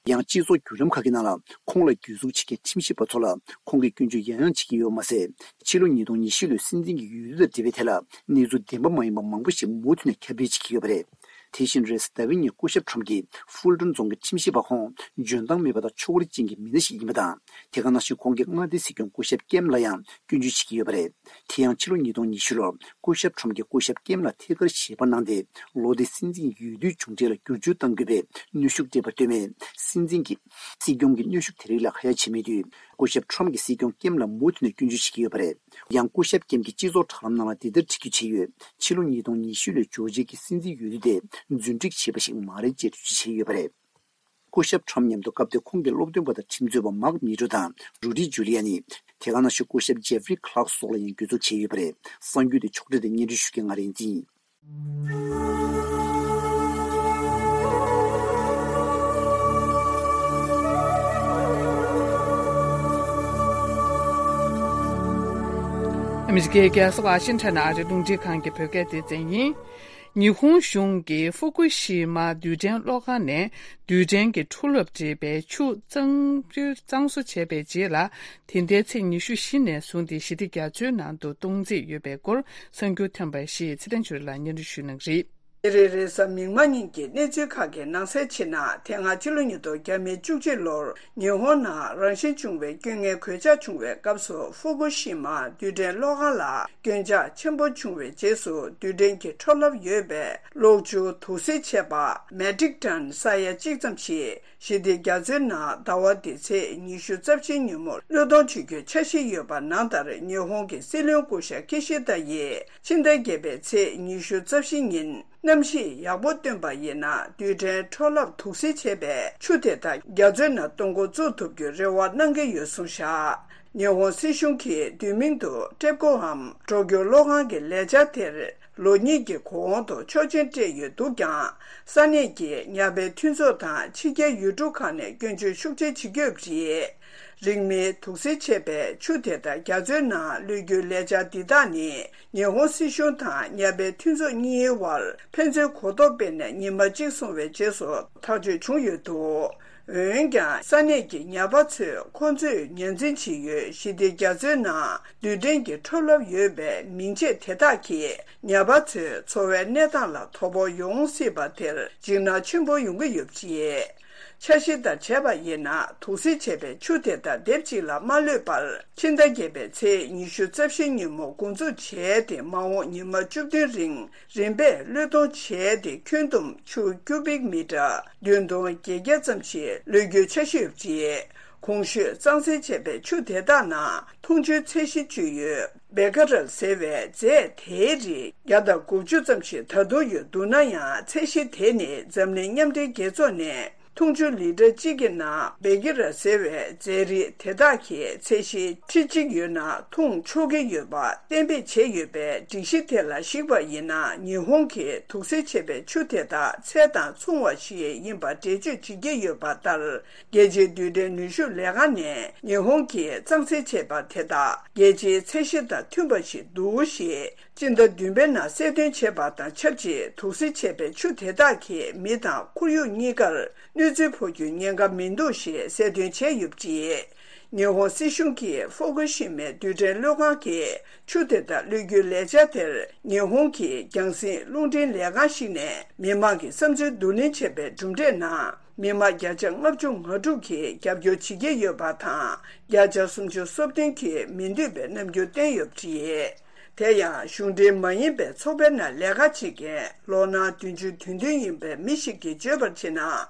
ཡང་སྤྱི་ཚོགས་བརྒྱུད་ལམ་ཁག་གི་ནང་ལ་ཁོང་ལ་གྱོད་འཛུགས་བྱེད་མཁན་ཁྲིམས་ཞིབ་པ་ཚོ་ལ་ཁོང་གིས་སྐྱོན་བརྗོད་ཡང་ཡང་བྱེད་ཀྱི་ཡོད་པ་མ་ཟད། ཕྱི་ལོ་ཉིས་སྟོང་ཉི་ཤུ་ལོའི་སྲིད་འཛིན་གྱི་འོས་བསྡུ་དང་འབྲེལ་བའི་ཐད་ལ་གནས་ཚུལ་བདེན་པ་མ་ཡིན་པ་མང་པོ་ཞིག་མུ་མཐུད་ནས་ཁྱབ་སྤེལ་བྱེད་ཀྱི་ཡོད་པ་རེད། དེ་བཞིན་རེས་གཟའ་ཟླ་བའི་ཉིན་སྐུ་ཞབས་ཁྲོམ་གྱི་ཧྥུལ་ཏོན་རྫོང་གི་ཁྲིམས་ཞིབ་པ་ཁོང་འཇོན་ཐང་མེད་པ་དང་ཕྱོགས་རིས་ཅན་གྱི་མི་སྣ་ཞིག་ཡིན་པ་དང་། དེ་ག་ནང་བཞིན་ཁོང་གིས་མངའ་སྡེའི་སྲིད་སྐྱོང་སྐུ་ཞབས་ཀེམ་ལ་ཡང་སྐྱོན་བརྗོད་བྱེད་ཀྱི་ཡོད་པ་རེད། དེ་ཡང་ཕྱི་ལོ་ཉིས་སྟོང་ཉི་ཤུ་ལོར་སྐུ་ཞབས་ཁྲོམ་གྱིས་སྐུ་ཞབས་ཀེམ་ལ་ཐད་ཀར་ཞལ་པར་གནང་སྟེ། ལོ་དེའི་སྲིད་འཛིན་འོས་བསྡུའི་མཇུག་འབྲས་ལ་བསྒྱུར་བཅོས་གཏང་དགོས་པའི་གནོན་ཤུགས་སྤྲད་པར་ལྟོས་མེད། སྲིད་འཛིན་གྱིས་སྲིད་སྐྱོང་གི་གནོན་ཤུགས་དེ་རིགས་ལ་ཁ་ཡ་བྱེད་མེད་དུས། སྐུ་ཞབས་ཁྲོམ་གྱིས་སྲིད་སྐྱོང་ཀེམ་ལ་མུ་མཐུད་ནས་སྐྱོན་བརྗོད་བྱེད་ཀྱི་ཡོད་པ་རེད། ཡང་སྐུ་ཞབས་ཀེམ་གྱིས་སྤྱི་ཚོགས་དྲ་ལམ་ནང་ལ་འདི་ལྟར་བྲིས་རྒྱུ་བྱས་ཡོད། ཕྱི་ལོ་ཉིས་སྟོང་ཉི་ཤུ་ལོའི་ཇོར་ཇིཡ་གི་སྲིད་འཛིན་འོས་བསྡུ་དེ་རྫུན་སྒྲིག་བྱས་པ་ཞིག་མ་རེད་ཅེས་འགྲེལ་བརྗོད་བྱས་ཡོད་པ་རེད། སྐུ་ཞབས་ཁྲོམ་མཉམ་དུ་སྐབས་དེར་ཁོང་གི་སློབ་སྟོན་པ་དང་ཁྲིམས་རྩོད་པ་མཱག་མི་ཏྲོ་དང་རུ་ཌི་ཇུ་ལི་ཡ་ནི། དེ་ག་ནང་བཞིན་སྐུ་ཞབས་ཇེ་ཧྥ་རི་ཁ་ལག་སོགས་ལ་ཡང་གྱོད་འཛུགས་བྱས་ཡོད་པ་རེད། གསར་འགྱུར་དེ་ཕྱོགས་སྒྲིག་དང་སྙན་སྒྲོན་ཞུ་མཁན་ང་རིག་འཛིན་ཡིན། ཨ་མི་རི་ཀའི་རྒྱལ་ས་ཝ་ཤིང་ཊོན་ནས་ཨ་རིའི་རླུང་འཕྲིན་ཁང་གི་བོད་སྐད་སྡེ་ཚན་ཡིན། ཉི་ཧོང་གཞུང་གིས་ཧྥུ་ཀུ་ཤི་མ་རྡུལ་ཕྲན་གློག་ཁང་ནས་རྡུལ་ཕྲན་གྱི་འཕྲོ་རླབས་འགྲེལ་པའི་ཆུ་གཙང་གཙང་བཟོ་བྱས་པའི་རྗེས་ལ། དེ་ཟླའི་ཚེས་ཉི་ཤུ་བཞི་ནས་བཟུང་སྟེ་ཞི་བདེ་རྒྱ་མཚོའི་ནང་དུ་གཏོང་རྩིས་ཡོད་པའི་སྐོར་གསར་འགྱུར་ཐོན་པ་ཞིག་ཚེ་བརྟན་ཆོས་ལགས་སྙན་སྒྲོན་ཞུ་གནང་གི་རེད། ཉིན་རེའི་རེས་གཟའ་མིག་དམར་ཉིན་གྱི་གནས་ཚུལ་ཁག་གི་ནང་གསལ་ཕྱིར་ན། དེ་སྔ་ཕྱི་ལོ་ཉིས་སྟོང་བཅུ་གཅིག་ལོར་ཉི་ཧོང་ནང་རང་བཞིན་བྱུང་བའི་སྐྱོན་ངན་གོད་ཆག་བྱུང་བའི་སྐབས་སུ། ཧྥུ་ཀུ་ཤི་མ་རྡུལ་ཕྲན་གློག་ཁང་ལ་སྐྱོན་ཆག་ཆེན་པོ་བྱུང་བའི་རྗེས་སུ། རྡུལ་ཕྲན་གྱི་འཕྲོ་རླབས་ཡོད་པའི་གློག་ཆུ་དུག་སེལ་བྱས་པ་མེ་ཊིག་ཊོན་ས་ཡ་གཅིག་ཙམ་ཞིག་ཞི་བདེ་རྒྱ་མཚོའི་ནང་ཟླ་བ་འདིའི་ཚེས་ཉི་ཤུ་རྩ་བཞིའི་ཉིན་མོར་བློས་གཏོང་བྱེད་རྒྱུའི་འཆར་གཞི་ཡོད་པ་ནང་ལྟར། ཉི་ཧོང་གི་སྲིད་བློན་སྐུ་ཞབས་ཀི་ཤི་ད་ཡིས་ཕྱི་ཟླ་བརྒྱད་པའི་ཚེས་ཉི་ཤུ་རྩ་བཞི་ཉིན། གནམ་གཤིས་ཡག་པོ་སྟོན་པ་ཡིན་ན། རྡུལ་ཕྲན་འཕྲོ་རླབས་དུག་སེལ་བྱས་པའི་ཆུ་དེ་དག་རྒྱ་མཚོའི་ནང་གཏོང་འགོ་བཙུགས་ཐུབ་རྒྱུའི་རེ་བ་གནང་གི་ཡོད་གསུངས་བཞག་ཉི་ཧོང་སྲིད་གཞུང་གིས་བསྡུས་མིང་དུ་ཊེབ་ཀོ་ཧམ་གྲོས་སྐྱོར་གློག་ཁང་གི་ལས་འཆར་དེར་ལོ་གཉིས་ཀྱི་གོང་དུ་ཆོག་མཆན་སྤྲད་ཡོད་འདུག་ཀྱང་། ས་གནས་ཀྱི་ཉ་པའི་མཐུན་ཚོགས་དང་ཕྱི་རྒྱལ་ཡུལ་གྲུ་ཁག་ནས་སྐྱོན་བརྗོད་ཤུགས་ཆེ་བྱེད་ཀྱི་ཡོད་པ་རེད། རིང་མིན་དུག་སེལ་བྱས་པའི་ཆུ་དེ་དག་རྒྱ་མཚོའི་ནང་གློད་རྒྱུའི་ལས་འཆར་འདི་དག་ནི། ཉི་ཧོང་སྲིད་གཞུང་དང་ཉ་པའི་མཐུན་ཚོགས་གཉིས་བར་ཕན་ཚུན་གོ་རྟོགས་སྤེལ་ནས་ཉི་མ་གཅིག་སོང་བའི་རྗེས་སུ་ཐག་གཅོད་བྱུང་ཡོད་འདུག་འོན་ཀྱང་། ས་གནས་ཀྱི་ཉ་པ་ཚོས་ཁོང་ཚོས་ཉར་འཛིན་བྱེད་ཡུལ་ཞི་བདེ་རྒྱ་མཚོའི་ནང་རྡུལ་ཕྲན་གྱི་འཕྲོ་རླབས་ཡོད་པའི་མིང་ཆད་དེ་དག་གིས་ཉ་པ་ཚོའི་འཚོ་བའི་གནས་སྟངས་ལ་དོ་ཕོག་ཡོང་སྲིད་པ་དེར་འཇིགས་སྣང་ཆེན་པོ་ཡོང་གི་ཡོད་པ་རེད། འཆར་གཞི་ལྟར་བྱས་པ་ཡིན་ན། དུག་སེལ་བྱས་པའི་ཆུ་དེ་དག་དེབ་གཅིག་ལ་མ་གློད་པར། ཕྱི་ཟླ་བརྒྱད་པའི་ཚེས་ཉི་ཤུ་རྩ་བཞི་ཉིན་མོ་འགོ་འཛུགས་བྱས་ཏེ། མ་འོངས་ཉི་མ་བཅུ་བདུན་རིང་རིམ་པས་བློས་གཏོང་བྱས་ཏེ། ཁྱོན་བསྡོམས་ཆུ་ཀུ་བིག་མི་ཊར་བདུན་སྟོང་བརྒྱད་བརྒྱ་ཙམ་ཞིག་གློད་རྒྱུའི་འཆར་གཞི་ཡོད་པ་རེད། གོང་ཞུས་གཙང་སེལ་བྱས་པའི་ཆུ་དེ་དག་ནང་འཐུང་ཆུའི་ཚད་གཞི་བཅོལ་ཡུལ་བེ་ཀ་རལ་ཟེར་བའི་རྫས་དེའི་རིགས་བརྒྱ་དང་དགུ་བཅུ་ཙམ་ཞིག་ད་དུང་ཡོད་འདུག་ན་ཡང་། ཚད་གཞི་དེ་ནི་འཛམ་གླིང་མཉམ་འབྲེལ་རྒྱལ་ཚོགས་ནས་འཐུང་ཆུ་ལི་ཊར་གཅིག་གི་ནང་བེ་ཀ་རལ་ཟེར་བའི་རྫས་རིགས་དེ་དག་གི་ཚད་གཞི་ཁྲི་གཅིག་ཡོད་ན་འཐུང་ཆོག་གི་ཡོད་པ་གཏན་འབེབས་བྱས་ཡོད་པའི་སྒྲིག་གཞི་དེ་ལ་གཞིགས་པ་ཡིན་ན། ཉི་ཧོང་གིས་དུག་སེལ་བྱས་པའི་ཆུ་དེ་དག་ཚད་དང་མཚུངས་པ་ཞིག་ཡིན་པ་འགྲེལ་བརྗོད་བྱེད་ཀྱི་ཡོད་པ་ལྟར། རྒྱལ་སྤྱིའི་རྡུལ་ཕྲན་ནུས་ཤུགས་ལས་ཁང་ནས་ཉི་ཧོང་གིས་གཙང་སེལ་བྱས་པ་དེ་དག་རྒྱལ་སྤྱིའི་ཚད་གཞི་དང་མཐུན་པ་ཞིག་འདུག་ཞེས་སྤྱི་ཟླ་བདུན་པའི་ནང་གསལ་སྟོན་བྱས་པ་དང་ཆབས་ཅིག་དུག་སེལ་བྱས་པའི་ཆུ་དེ་དག་གིས་མི་དང་ཁོར་ཡུག་གཉིས་ཀར་གནོད་འཚེ་ཕོག་རྒྱུའི་ཉེན་ཁ་མི་འདུག་ཞེས་གསལ་སྟོན་བྱས་ཡོད་པ་རེད། ཉི་ཧོང་སྲིད་གཞུང་གིས་ཧྥུ་ཀུ་ཤི་མའི་རྡུལ་ཕྲན་གློག་ཁང་གི་ཆུ་དེ་དག་གློད་རྒྱུའི་ལས་འཆར་དེར། ཉི་ཧོང་གི་རྒྱང་སྲིང་རླུང་འཕྲིན་ལས་ཁང་ཞིག་ནས་མི་མང་གི་བསམ་ཚུལ་བསྡུ་ལེན་བྱས་པའི་གྲུབ་འབྲས་ནང་། མི་མང་བརྒྱ་ཆ་ལྔ་བཅུ་ང་དྲུག་གིས་རྒྱབ་སྐྱོར་བྱེད་ཀྱི་ཡོད་པ་དང་། བརྒྱ་ཆ་སུམ་ཅུ་སོ་བདུན་གྱིས་མི་འདོད་པའི་རྣམ་འགྱུར་བསྟན་ཡོད་པ་རེད། དེ་ཡང་། གཞུང་འབྲེལ་མ་ཡིན་པའི་ཚོགས་པའི་ནང་ལས་ཀ་བྱེད་མཁན་ལོ་ན་བདུན་ཅུ་དོན་བདུན་ཡིན་པའི་མི་ཞིག་གིས་བརྗོད་པར་བྱས་ན།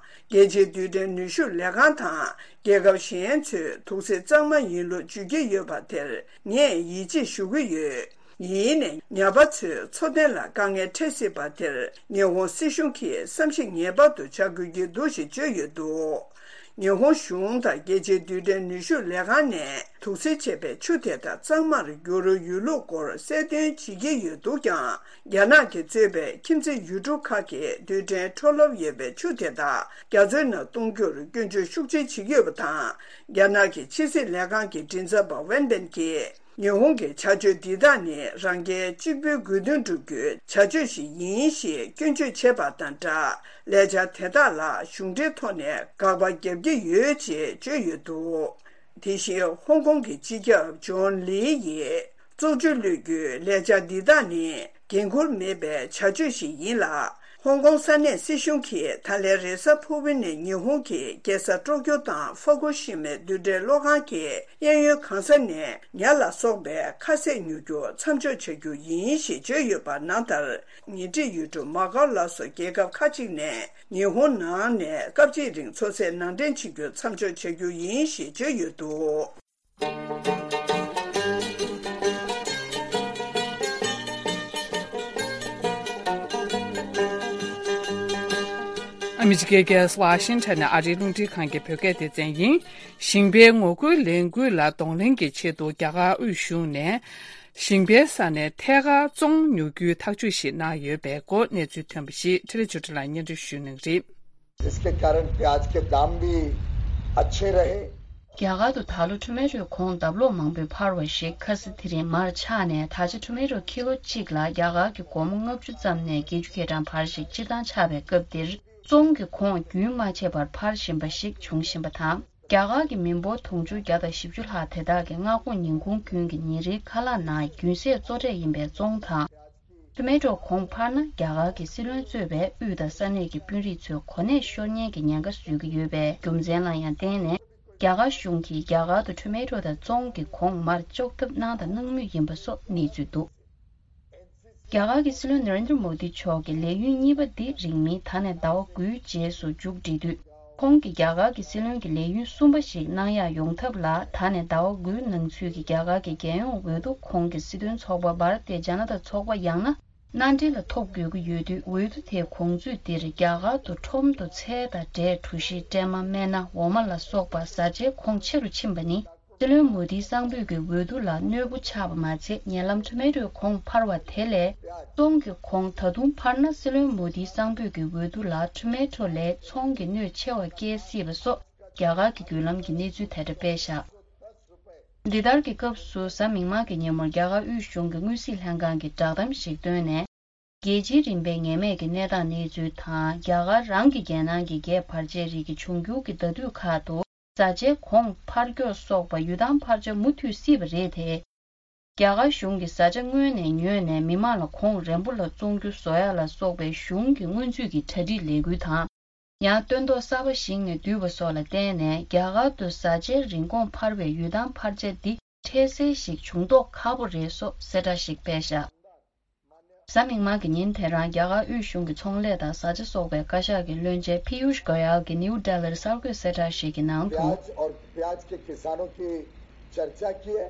རྒྱལ་སྤྱིའི་རྡུལ་ཕྲན་ནུས་ཤུགས་ལས་ཁང་དང་རྒྱལ་ཁབ་གཞན་ཚོས་དུག་སེལ་གཙང་མ་ཡིན་ལུགས་བརྗོད་ཀྱི་ཡོད་པ་དེར་ངས་ཡིད་ཆེས་ཞུ་གི་ཡོད། ཡིན་ནའི་ཉ་པ་ཚོའི་འཚོ་རྟེན་ལ་དཀའ་ངལ་འཕྲད་སྲིད་པ་དེར་ཉི་ཧོང་སྲིད་གཞུང་གིས་བསམ་གཞིག་ངེས་པར་དུ་བྱ་དགོས་ཀྱི་འདུག་ཞེས་བརྗོད་ཡོད་འདུག་ཉི་ཧོང་གཞུང་དང་རྒྱལ་སྤྱིའི་རྡུལ་ཕྲན་ནུས་ཤུགས་ལས་ཁང་ནས་དུག་སེལ་བྱས་པའི་ཆུ་དེ་དག་གཙང་མར་བསྒྱུར་ཡོད་ལུགས་སྐོར་གསལ་སྟོན་བྱེད་ཀྱི་ཡོད་འདུག་ཀྱང་། རྒྱ་ནག་གིས་གཙོས་པའི་ཁྱིམ་མཚེས་ཡུལ་གྲུ་ཁག་གིས་རྡུལ་ཕྲན་འཕྲོ་རླབས་ཡོད་པའི་ཆུ་དེ་དག་རྒྱ་མཚོའི་ནང་གཏོང་རྒྱུར་སྐྱོན་བརྗོད་ཤུགས་ཆེ་བྱེད་ཀྱི་ཡོད་པ་དང་། རྒྱ་ནག་གི་ཕྱི་སྲིད་ལས་ཁང་གི་མགྲིན་ཚབ་པ་ཝེན་པེན་གྱིས། ཉི་ཧོང་གི་བྱ་སྤྱོད་འདི་དག་ནི་རང་རྒྱལ་གཅིག་པུའི་དགོས་འདུན་བསྒྲུབ་རྒྱུའི་བྱ་སྤྱོད་ཞིག་ཡིན་ཞེས་སྐྱོན་བརྗོད་བྱས་པ་དང་སྦྲགས། ལས་འཆར་དེ་དག་ལ་གཞུང་འབྲེལ་ཐོག་ནས་དགག་པ་བརྒྱབ་ཀྱི་ཡོད་ཅེས་བརྗོད་ཡོད་འདུག་དེ་བཞིན་ཧོང་ཀོང་གི་སྤྱི་ཁྱབ་ཇོན་ལི་ཡིས་བཙོག་ཆུ་གློད་རྒྱུའི་ལས་འཆར་འདི་དག་ནི་འགན་འཁུར་མེད་པའི་བྱ་སྤྱོད་ཞིག་ཡིན་ལ། ཧོང་ཀོང་ས་གནས་སྲིད་གཞུང་གིས་ད་ལན་རེས་གཟའ་ཕུར་བུ་ནས་ཉི་ཧོང་གི་རྒྱལ་ས་ཀྲོ་ཀྱོ་དང་ཧྥ་ཀུ་ཤི་མའི་རྡུལ་ཕྲན་གློག་ཁང་གི་གཡས་གཡོན་གང་ས་ནས་ཉ་ལ་སོགས་པའི་ཁ་ཟས་ཉོ་རྒྱུ་མཚམས་འཇོག་བྱ་རྒྱུ་ཡིན་ཞེས་བརྗོད་ཡོད་པ་ནང་ལྟར། ཉེ་འཁྲིས་ཡུལ་གྲུ་མ་ཀའོ་ལ་སོགས་རྒྱལ་ཁབ་ཁག་ཅིག་ནས་ཉི་ཧོང་ནང་ནས་སྐབས་གཅིག་རིང་མཚོ་ཟས་ནང་འདྲེན་བྱེད་རྒྱུ་མཚམས་འཇོག་བྱ་རྒྱུ་ཡིན་ཞེས་བརྗོད་ཡོད་འདུག་ཨ་མི་རི་ཀའི་རྒྱལ་ས་ཝ་ཤིང་ཊོན་ནས་ཨ་རིའི་རླུང་འཕྲིན་ཁང་གི་བོད་སྐད་སྡེ་ཚན་ཡིན། ཞིང་པའི་ངོ་རྒོལ་ལས་འགུལ་ལ་གདོང་ལེན་གྱི་ཆེད་དུ་རྒྱ་གར་དབུས་གཞུང་ནས། ཞིང་པའི་ས་ནས་ཐད་ཀར་བཙོང་ཉོ་རྒྱུའི་ཐག་གཅོད་ཞིག་གནང་ཡོད་པའི་སྐོར་གནས་ཚུལ་ཐོན་པ་ཞིག་འཕྲིན་ལས་ཆོས་སྒྲོན་ལགས་སྙན་སྒྲོན་ཞུ་གནང་གི་རེད། इसके कारण प्याज के दाम भी अच्छे रहे। རྒྱ་གར་དུ་ད་ལོ་ཊོ་མེ་ཊོའི་གོང་ལྡབ་ལོག་མང་པོས་འཕར་བ་ཞིག་ཁ་སང་དེ་རིང་མར་ཆག་ནས། ད་ཆ་ཊོ་མེ་ཊོ་ཁི་ལོ་གཅིག་ལ་རྒྱ་གར་གྱི་སྒོར་མོ་ལྔ་བཅུ་ཙམ་ནས་བརྒྱད་ཅུ་ཁེ་གྲངས་བར་ཞིག་སྤྱིར་བཏང་ཆག་པའི་སྐབས་འདིར། བཙོང་གི་གོང་རྒྱུན་མ་ཆད་པར་འཕར་བཞིན་པ་ཞིག་འབྱུང་བཞིན་པ་དང་། རྒྱ་གར་གྱི་མི་འབོར་དུང་ཕྱུར་བརྒྱ་དང་བཞི་བཅུ་ལྷག་དེ་དག་གི་མངའ་ཁོངས་ཉིན་གུང་ཁྱོན་གྱི་ཉིན་རེའི་ཁ་ལག་ནང་རྒྱུན་ཟས་གཙོ་གྲས་ཡིན་པའི་བཙོང་དང་། ཊོ་མེ་ཊོ་གོང་འཕར་ན། རྒྱ་གར་གྱི་སྲིད་བློན་གཙོས་པའི་དབུས་དང་ས་གནས་ཀྱི་དཔོན་རིགས་ཚོས་གོ་གནས་ཤོར་ཉེན་གྱི་ཉེན་ཁ་བཟོ་གི་ཡོད་པའི་རྒྱུ་མཚན་ལ་ཡང་བརྟེན་ནས། རྒྱ་གར་གཞུང་གིས་རྒྱ་གར་དུ་ཊོ་མེ་ཊོ་དང་བཙོང་གི་གོང་མར་གཅོག་ཐབས་གནང་དང་གནང་མུས་ཡིན་པ་སོགས་གནས་ཚུལ་འདུག་རྒྱ་གར་གྱི་སྲིད་བློན་ན་རེན་དྲ་མོ་དི་མཆོག་གི་ལས་ཡུན་གཉིས་པ་འདི་རིང་མིན་ད་ནས་ཟླ་བ་དགུའི་རྗེས་སུ་མཇུག་སྒྲིལ་དུས། ཁོང་གིས་རྒྱ་གར་གྱི་སྲིད་བློན་གྱི་ལས་ཡུན་གསུམ་པ་ཞིག་གནང་ཡག་ཡོང་ཐབས་ལ། ད་ནས་ཟླ་བ་དགུའི་ནང་ཚུད་ཀྱི་རྒྱ་གར་གྱི་རྒྱལ་ཡོངས་འོས་བསྡུ་ཁོངས་ཀྱི་སྲིད་དོན་ཚོགས་པ་བྷ་ར་ཏི་ཇ་ན་ཏ་ཚོགས་པ་ཡང་ན། མནའ་འབྲེལ་ལ་ཐོབ་དགོས་ཀྱི་ཡོད་དུས། འོས་བསྡུ་དེའི་གོང་ཚུད་འདིར་རྒྱ་གར་དུ་ཁྲོམ་དུ་ཚལ་དང་འབྲས། གྲོ་ཞིབ། སྲན་མ། སྨན་སྣ། འོ་མ་ལ་སོགས་པ་བཟའ་བཅའི་གོང་ཆེ་རུ་ཕྱིན་པ་ནི། སྲིད་བློན་མོ་དིའི་གསང་ཕོད་ཀྱི་འོས་བསྡུ་ལ་གནོད་པོ་ཆགས་པ་མ་ཚད། ཉེ་ལམ་ཊོ་མེ་ཊོའི་གོང་འཕར་བ་དེ་ལས། བཙོང་གི་གོང་ད་དུང་འཕར་ན། སྲིད་བློན་མོ་དིའི་གསང་ཕོད་ཀྱི་འོས་བསྡུ་ལ་ཊོ་མེ་ཊོ་ལས་ཚོང་གི་གནོད་ཆེ་བ་སྐྱེལ་སྲིད་པ་སོགས་རྒྱ་གར་གྱི་བརྒྱུད་ལམ་གྱི་གནས་ཚུལ་དེ་འདྲ་སྤེལ་བཞག་འདི་ལྟར་གྱི་སྐབས་སུ། གཟའ་མིག་དམར་གྱི་ཉིན་མོར་རྒྱ་གར་དབུས་གཞུང་གི་དངུལ་སྲིད་ལྷན་ཁང་གིས་བསྒྲགས་གཏམ་ཞིག་བཏོན་ནས། རྒྱལ་སྤྱིའི་རིམ་པའི་ངེས་མེད་ཀྱི་གནས་སྟངས་གནས་ཚུལ་དང་། རྒྱ་གར་རང་གི་རྒྱལ་ནང་གི་རྒྱས་བར་ཆད་རིགས་ཀྱི་འབྱུང་འགྱུར་གྱི་ཟླ་དུས་ཁག་ཏུ་བཟའ་བཅའི་གོང་འཕར་མགྱོགས་སོགས་པ་ཡུལ་ཐང་འཕར་ཆ་མུ་མཐུད་སྲིད་པ་རེད་དེ། རྒྱ་གར་གཞུང་གིས་བཟའ་བཅའ་སྔོན་ནས་ཉོས་ནས། མི་མང་ལ་གོང་རན་པོ་ལ་བཙོང་རྒྱུ་བཟོ་ཡག་ལ་སོགས་པའི་གཞུང་གི་སྔོན་ཚུད་ཀྱི་གྲ་སྒྲིག་ལས་འགུལ་དང་། ཡང་སྟོན་ཐོག་གསར་པ་ཞིག་ནས་བསྡུས་པ་སོགས་ལ་བརྟེན་ནས། རྒྱ་གར་དུ་བཟའ་བཅའི་རིན་གོང་འཕར་བའི་ཡུལ་ཐང་འཕར་ཆ་འདི་འཕྲལ་སེལ་ཞིག་བྱུང་མདོག་ཁ་པོ་རེད་སོགས་གསལ་བསྒྲགས་ཤིག་སྤེལ་བཞག་གཟའ་མིག་དམར་གྱི་ཉིན་དེ་རང་རྒྱ་གར་དབུས་གཞུང་གི་ཚོང་ལས་དང་བཟའ་བཅའ་སོགས་པའི་བཀའ་ཤག་གི་བློན་ཆེན་ཕི་ཡུཤ་གོ་ཡལ་གྱིས་ནིའུ་ཌེ་ལིར་གསར་འགོད་གསལ་བསྒྲགས་ཤིག་གི་ནང་དུ། प्याज और प्याज के किसानों की चर्चा की है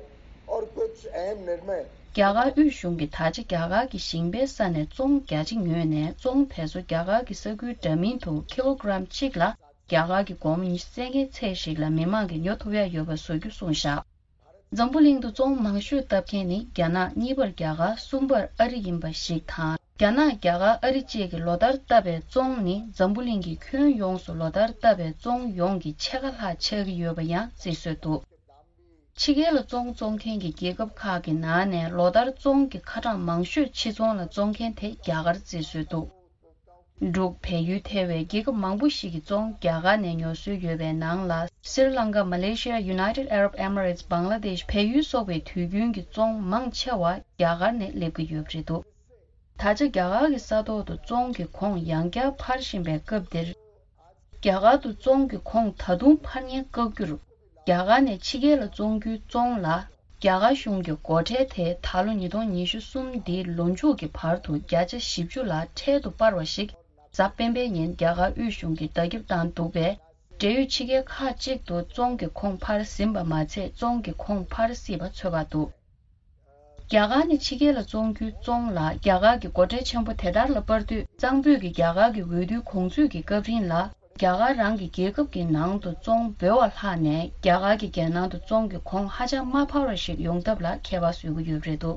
और कुछ अहम निर्णय རྒྱ་གར་དབུས་གཞུང་གིས་ད་ཆ་རྒྱ་གར་གྱི་ཞིང་པའི་ས་ནས་བཙོང་རྒྱ་ཆེ་ཉོས་ནས། བཙོང་དེ་ཚོ་རྒྱ་གར་གྱི་ས་ཁུལ་འདྲ་མིན་དུ་ཀི་ལོ་གྲམ་གཅིག་ལ་རྒྱ་གར་གྱི་སྒོར་མོ་ཉི་ཤུ་རྩ་ལྔའི་ཚད་ཞིག་ལ་མི་མང་གིས་ཉོ་ཐུབ་ཡག་ཡོད་པ་བཟོ་རྒྱུ་གསུངས་བཞག་འཛམ་བུ་གླིང་དུ་བཙོང་མང་ཤོས་བཏབ་མཁན་ནི་རྒྱ་ནག། གཉིས་པར་རྒྱ་གར། གསུམ་པར་ཨ་རི་ཡིན་པ་ཞིག་དང་། རྒྱ་ནག་རྒྱ་གར་ཨ་རི་བཅས་ཀྱིས་ལོ་ལྟར་བཏབ་པའི་བཙོང་ནི། འཛམ་བུ་གླིང་གི་ཁྱོན་ཡོངས་སུ་ལོ་ལྟར་བཏབ་པའི་བཙོང་ཡོངས་ཀྱི་ཕྱེད་ཀ་ལྷག་ཆགས་ཀྱི་ཡོད་པ་ཡང་རྩིས་སྲོལ་འདུག་ཕྱི་རྒྱལ་ལ་བཙོང་བཙོང་མཁན་གྱི་རྒྱལ་ཁབ་ཁག་གི་ནང་ནས་ལོ་ལྟར་བཙོང་གི་ཁ་གྲངས་མང་ཤོས་ཕྱི་ཚོང་ལ་བཙོང་མཁན་དེ་རྒྱ་གར་རྩིས་སྲོལ་འདུག་འབྲུག་བལ་ཡུལ་ཐེ་བའི་རྒྱལ་ཁབ་མང་པོ་ཞིག་གི་བཙོང་རྒྱ་གར་ནས་ཉོ་སྲོལ་ཡོད་པའི་ནང་ལ། སི་རི་ལང་ཀ། མ་ལེ་ཤི་ཡ། United Arab Emirates། བང་ལ་དེཤ། བལ་ཡུལ་སོགས་པའི་དུས་རྒྱུན་གྱི་བཙོང་མང་ཆེ་བ་རྒྱ་གར་ནས་སླེབས་ཀྱི་ཡོད་པ་རེད་འདུག་ད་ཆ་རྒྱ་གར་གྱི་ས་ཐོག་ཏུ་བཙོང་གི་གོང་ཡང་བསྐྱར་འཕར་བཞིན་པའི་སྐབས་འདིར། རྒྱ་གར་དུ་བཙོང་གི་གོང་ད་དུང་འཕར་ཉེན་བཀག་རྒྱུར། རྒྱ་གར་ནས་ཕྱི་རྒྱལ་ལ་བཙོང་རྒྱུའི་བཙོང་ལ། རྒྱ་གར་གཞུང་གི་སྒོ་ཁྲལ་དེ་ད་ལོ་ཉིས་སྟོང་ཉི་ཤུ་གསུམ་འདིའི་ལོ་མཇུག་གི་བར་དུ་བརྒྱ་ཆ་བཞི་བཅུ་ལ་འཕྲལ་དུ་སྤར་བ་ཞིག་གཟའ་སྤེན་པའི་ཉིན་རྒྱ་གར་དབུས་གཞུང་གིས་བརྡ་ཁྱབ་བཏང་འདུག་པས། འབྲེལ་ཡོད་ཕྱི་རྒྱལ་ཁག་ཅིག་ཏུ་བཙོང་གི་གོང་འཕར་ཟིན་པ་མ་ཚད། བཙོང་གི་གོང་འཕར་སྲིད་པ་ཚོད་དཔག་འདུག་རྒྱ་གར་ནས་ཕྱི་རྒྱལ་ལ་བཙོང་རྒྱུའི་བཙོང་ལ་རྒྱ་གར་གྱི་སྒོ་ཁྲལ་ཆེན་པོ་དེ་ལྟར་ལ་སྤར་དུས། གཙང་པོད་ཀྱི་རྒྱ་གར་གྱི་འོས་བསྡུའི་གོང་ཚུད་ཀྱི་སྐབས་རིང་ལ། རྒྱ་གར་རང་གི་རྒྱལ་ཁབ་ཀྱི་ནང་དུ་བཙོང་འབོལ་བ་ལྷག་ནས། རྒྱ་གར་གྱི་རྒྱལ་ནང་དུ་བཙོང་གི་གོང་ཧ་ཅང་མ་འཕར་བ་ཞིག་ཡོང་ཐབས་ལ་ཁྱད་པར་བཟོ་གི་ཡོད་པ་རེད་འདུག་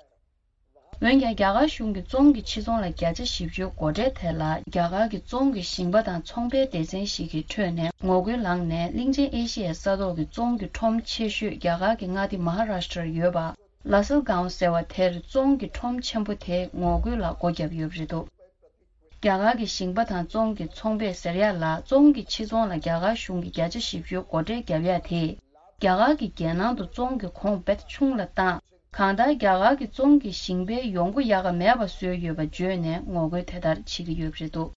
འོན་ཀྱང་། རྒྱ་གར་གཞུང་གིས་བཙོང་གི་ཕྱི་ཚོང་ལ་བརྒྱ་ཆ་བཞི་བཅུའི་སྒོ་ཁྲལ་དེ་ལ། རྒྱ་གར་གྱི་བཙོང་གི་ཞིང་པ་དང་ཚོང་པའི་སྡེ་ཚན་ཞིག་གི་ཁྲོད་ནས་ངོ་རྒོལ་ལངས་ནས། གླིང་ཆེན་ཨེ་ཤི་ཡའི་ས་ཐོག་གི་བཙོང་གི་ཁྲོམ་ཆེ་ཤོས་རྒྱ་གར་གྱི་མངའ་སྡེ་མ་ཧ་རཱ་ཤི་ཏྲར་ཡོད་པ། ལ་སལ་གའོ་ཟེར་བ་དེར་བཙོང་གི་ཁྲོམ་ཆེན་པོ་དེས་ངོ་རྒོལ་ལ་སྒོ་བརྒྱབ་ཡོད་པ་རེད་འདུག་རྒྱ་གར་གྱི་ཞིང་པ་དང་བཙོང་གི་ཚོང་པས་ཟེར་ཡག་ལ། བཙོང་གི་ཕྱི་ཚོང་ལ་རྒྱ་གར་གཞུང་གིས་བརྒྱ་ཆ་བཞི་བཅུའི་སྒོ་ཁྲལ་བརྒྱབ་ཡག་དེས། རྒྱ་གར་གྱི་རྒྱལ་ནང་དུ་བཙོང་གི་གོང་རྦད་ཆུང་ལ་བཏང་། གང་ལྟར། རྒྱ་གར་གྱི་བཙོང་གི་ཞིང་པའི་ཡོང་སྒོ་ཡག་ག་མེད་པ་བཟོས་ཡོད་པ་བརྗོད་ནས། ངོ་རྒོལ་དེ་ལྟར་བྱེད་ཀྱི་ཡོད་པ་རེད་འདུག་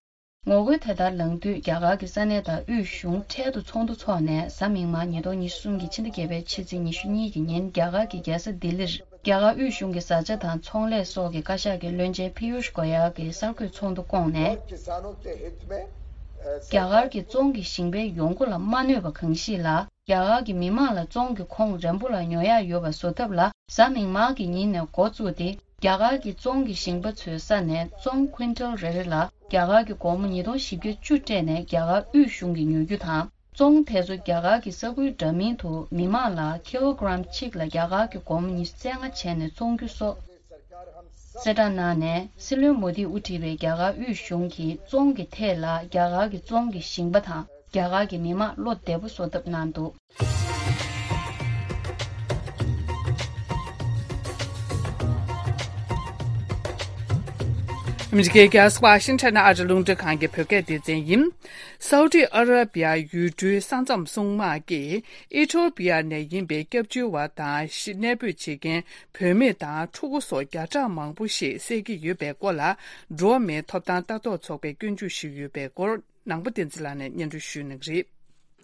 ངོ་རྒོལ་དེ་ལྟར་ལངས་དུས། རྒྱ་གར་གྱི་ས་གནས་དང་དབུས་གཞུང་འཕྲལ་དུ་ཚོགས་འདུ་འཚོགས་ནས། གཟའ་མིག་དམར་ཉིས་སྟོང་ཉི་ཤུ་གསུམ་གྱི་ཕྱི་ཟླ་བརྒྱད་པའི་ཕྱི་ཚེས་ཉི་ཤུ་གཉིས་ཀྱི་ཉིན། རྒྱ་གར་གྱི་རྒྱལ་ས་ལྡི་ལིར་རྒྱ་གར་དབུས་གཞུང་གི་བཟའ་བཅའ་དང་ཚོང་ལས་སོགས་ཀྱི་བཀའ་ཤག་གི་བློན་ཆེན་ཕི་ཡུཤ་གོ་ཡལ་གྱིས་གསར་འགོད་ཚོགས་འདུ་བསྐོངས་ནས། རྒྱ་གར་གྱི་ཙོང་གི་ཞིང་པའི་ཡོང་སྒོ་ལ་མ་གནོད་པ་གང་ཞིག་ལ། རྒྱ་གར་གྱི་མི་དམངས་ལ་ཙོང་གི་ཁོངས་རན་པོ་ལ་ཉོ་ཡག་ཡོད་པ་བཟོ་ཐབས་ལ། གཟའ་མིག་དམར་གྱི་ཉིན་ནས་འགོ་བཙུགས་ཏེ། རྒྱ་གར་གྱི་ཙོང་གི་ཞིང་པ་ཚོའི་ས་ནས་ཙོང་ཀུན་ཊལ་རེ་རེ་ལ་རྒྱ་གར་གྱི་སྒོར་མོ་ཉིས་སྟོང་བཞི་བརྒྱ་བཅུ་སྤྲད་ནས་རྒྱ་གར་དབུས་གཞུང་གིས་ཉོ་རྒྱུ་དང་། ཙོང་དེ་ཚོ་རྒྱ་གར་གྱི་ས་ཁུལ་འདྲ་མིན་དུ་མི་དམངས་ལ་ཀི་ལོ་གྲམ་གཅིག་ལ་རྒྱ་གར་གྱི་སྒོར་མོ་ཉི་ཤུ་རྩ་ལྔ་བྱས་ནས་བཙོང་རྒྱུ་སོགས་གསལ་བསྒྲགས་གནང་ནས། སྲིད་བློན་མོ་དིས་དབུ་ཁྲིད་པའི་རྒྱ་གར་དབུས་གཞུང་གིས་ཙོང་གི་ཐད་ལ་རྒྱ་གར་གྱི་ཙོང་གི་ཞིང་པ་དང་རྒྱ་གར་གྱི་མི་དམངས་བློ་བདེ་པོ་བཟོ་ཐབས་གནང་འདུག། ཨ་མི་རི་ཀའི་རྒྱལ་ས་ཝ་ཤིང་ཊོན་ནས་ཨ་རི་རླུང་འཕྲིན་ཁང་གི་བོད་སྐད་སྡེ་ཚན་ཡིན། སའུ་ཏི་ཨ་ར་བི་ཡ་ཡུལ་གྲུའི་ས་མཚམས་སྲུང་དམག་གིས་ཨི་ཐོ་པི་ཡ་ནས་ཡིན་པའི་སྐྱབས་བཅོལ་བ་དང་གཞིས་གནས་སྤོས་བྱེད་མཁན་བུད་མེད་དང་ཕྲུ་གུ་སོགས་བརྒྱ་ཕྲག་མང་པོ་ཞིག་བསད་ཀྱི་ཡོད་པའི་སྐོར་ལ། འགྲོ་བ་མིའི་ཐོབ་ཐང་ལྟ་རྟོག་ཚོགས་པས་སྐྱོན་བརྗོད་ཞུས་ཡོད་པའི་སྐོར། ནང་པ་བསྟན་འཛིན་ལགས་ནས་སྙན་སྒྲོན་ཞུ་གནང་གི་རེད།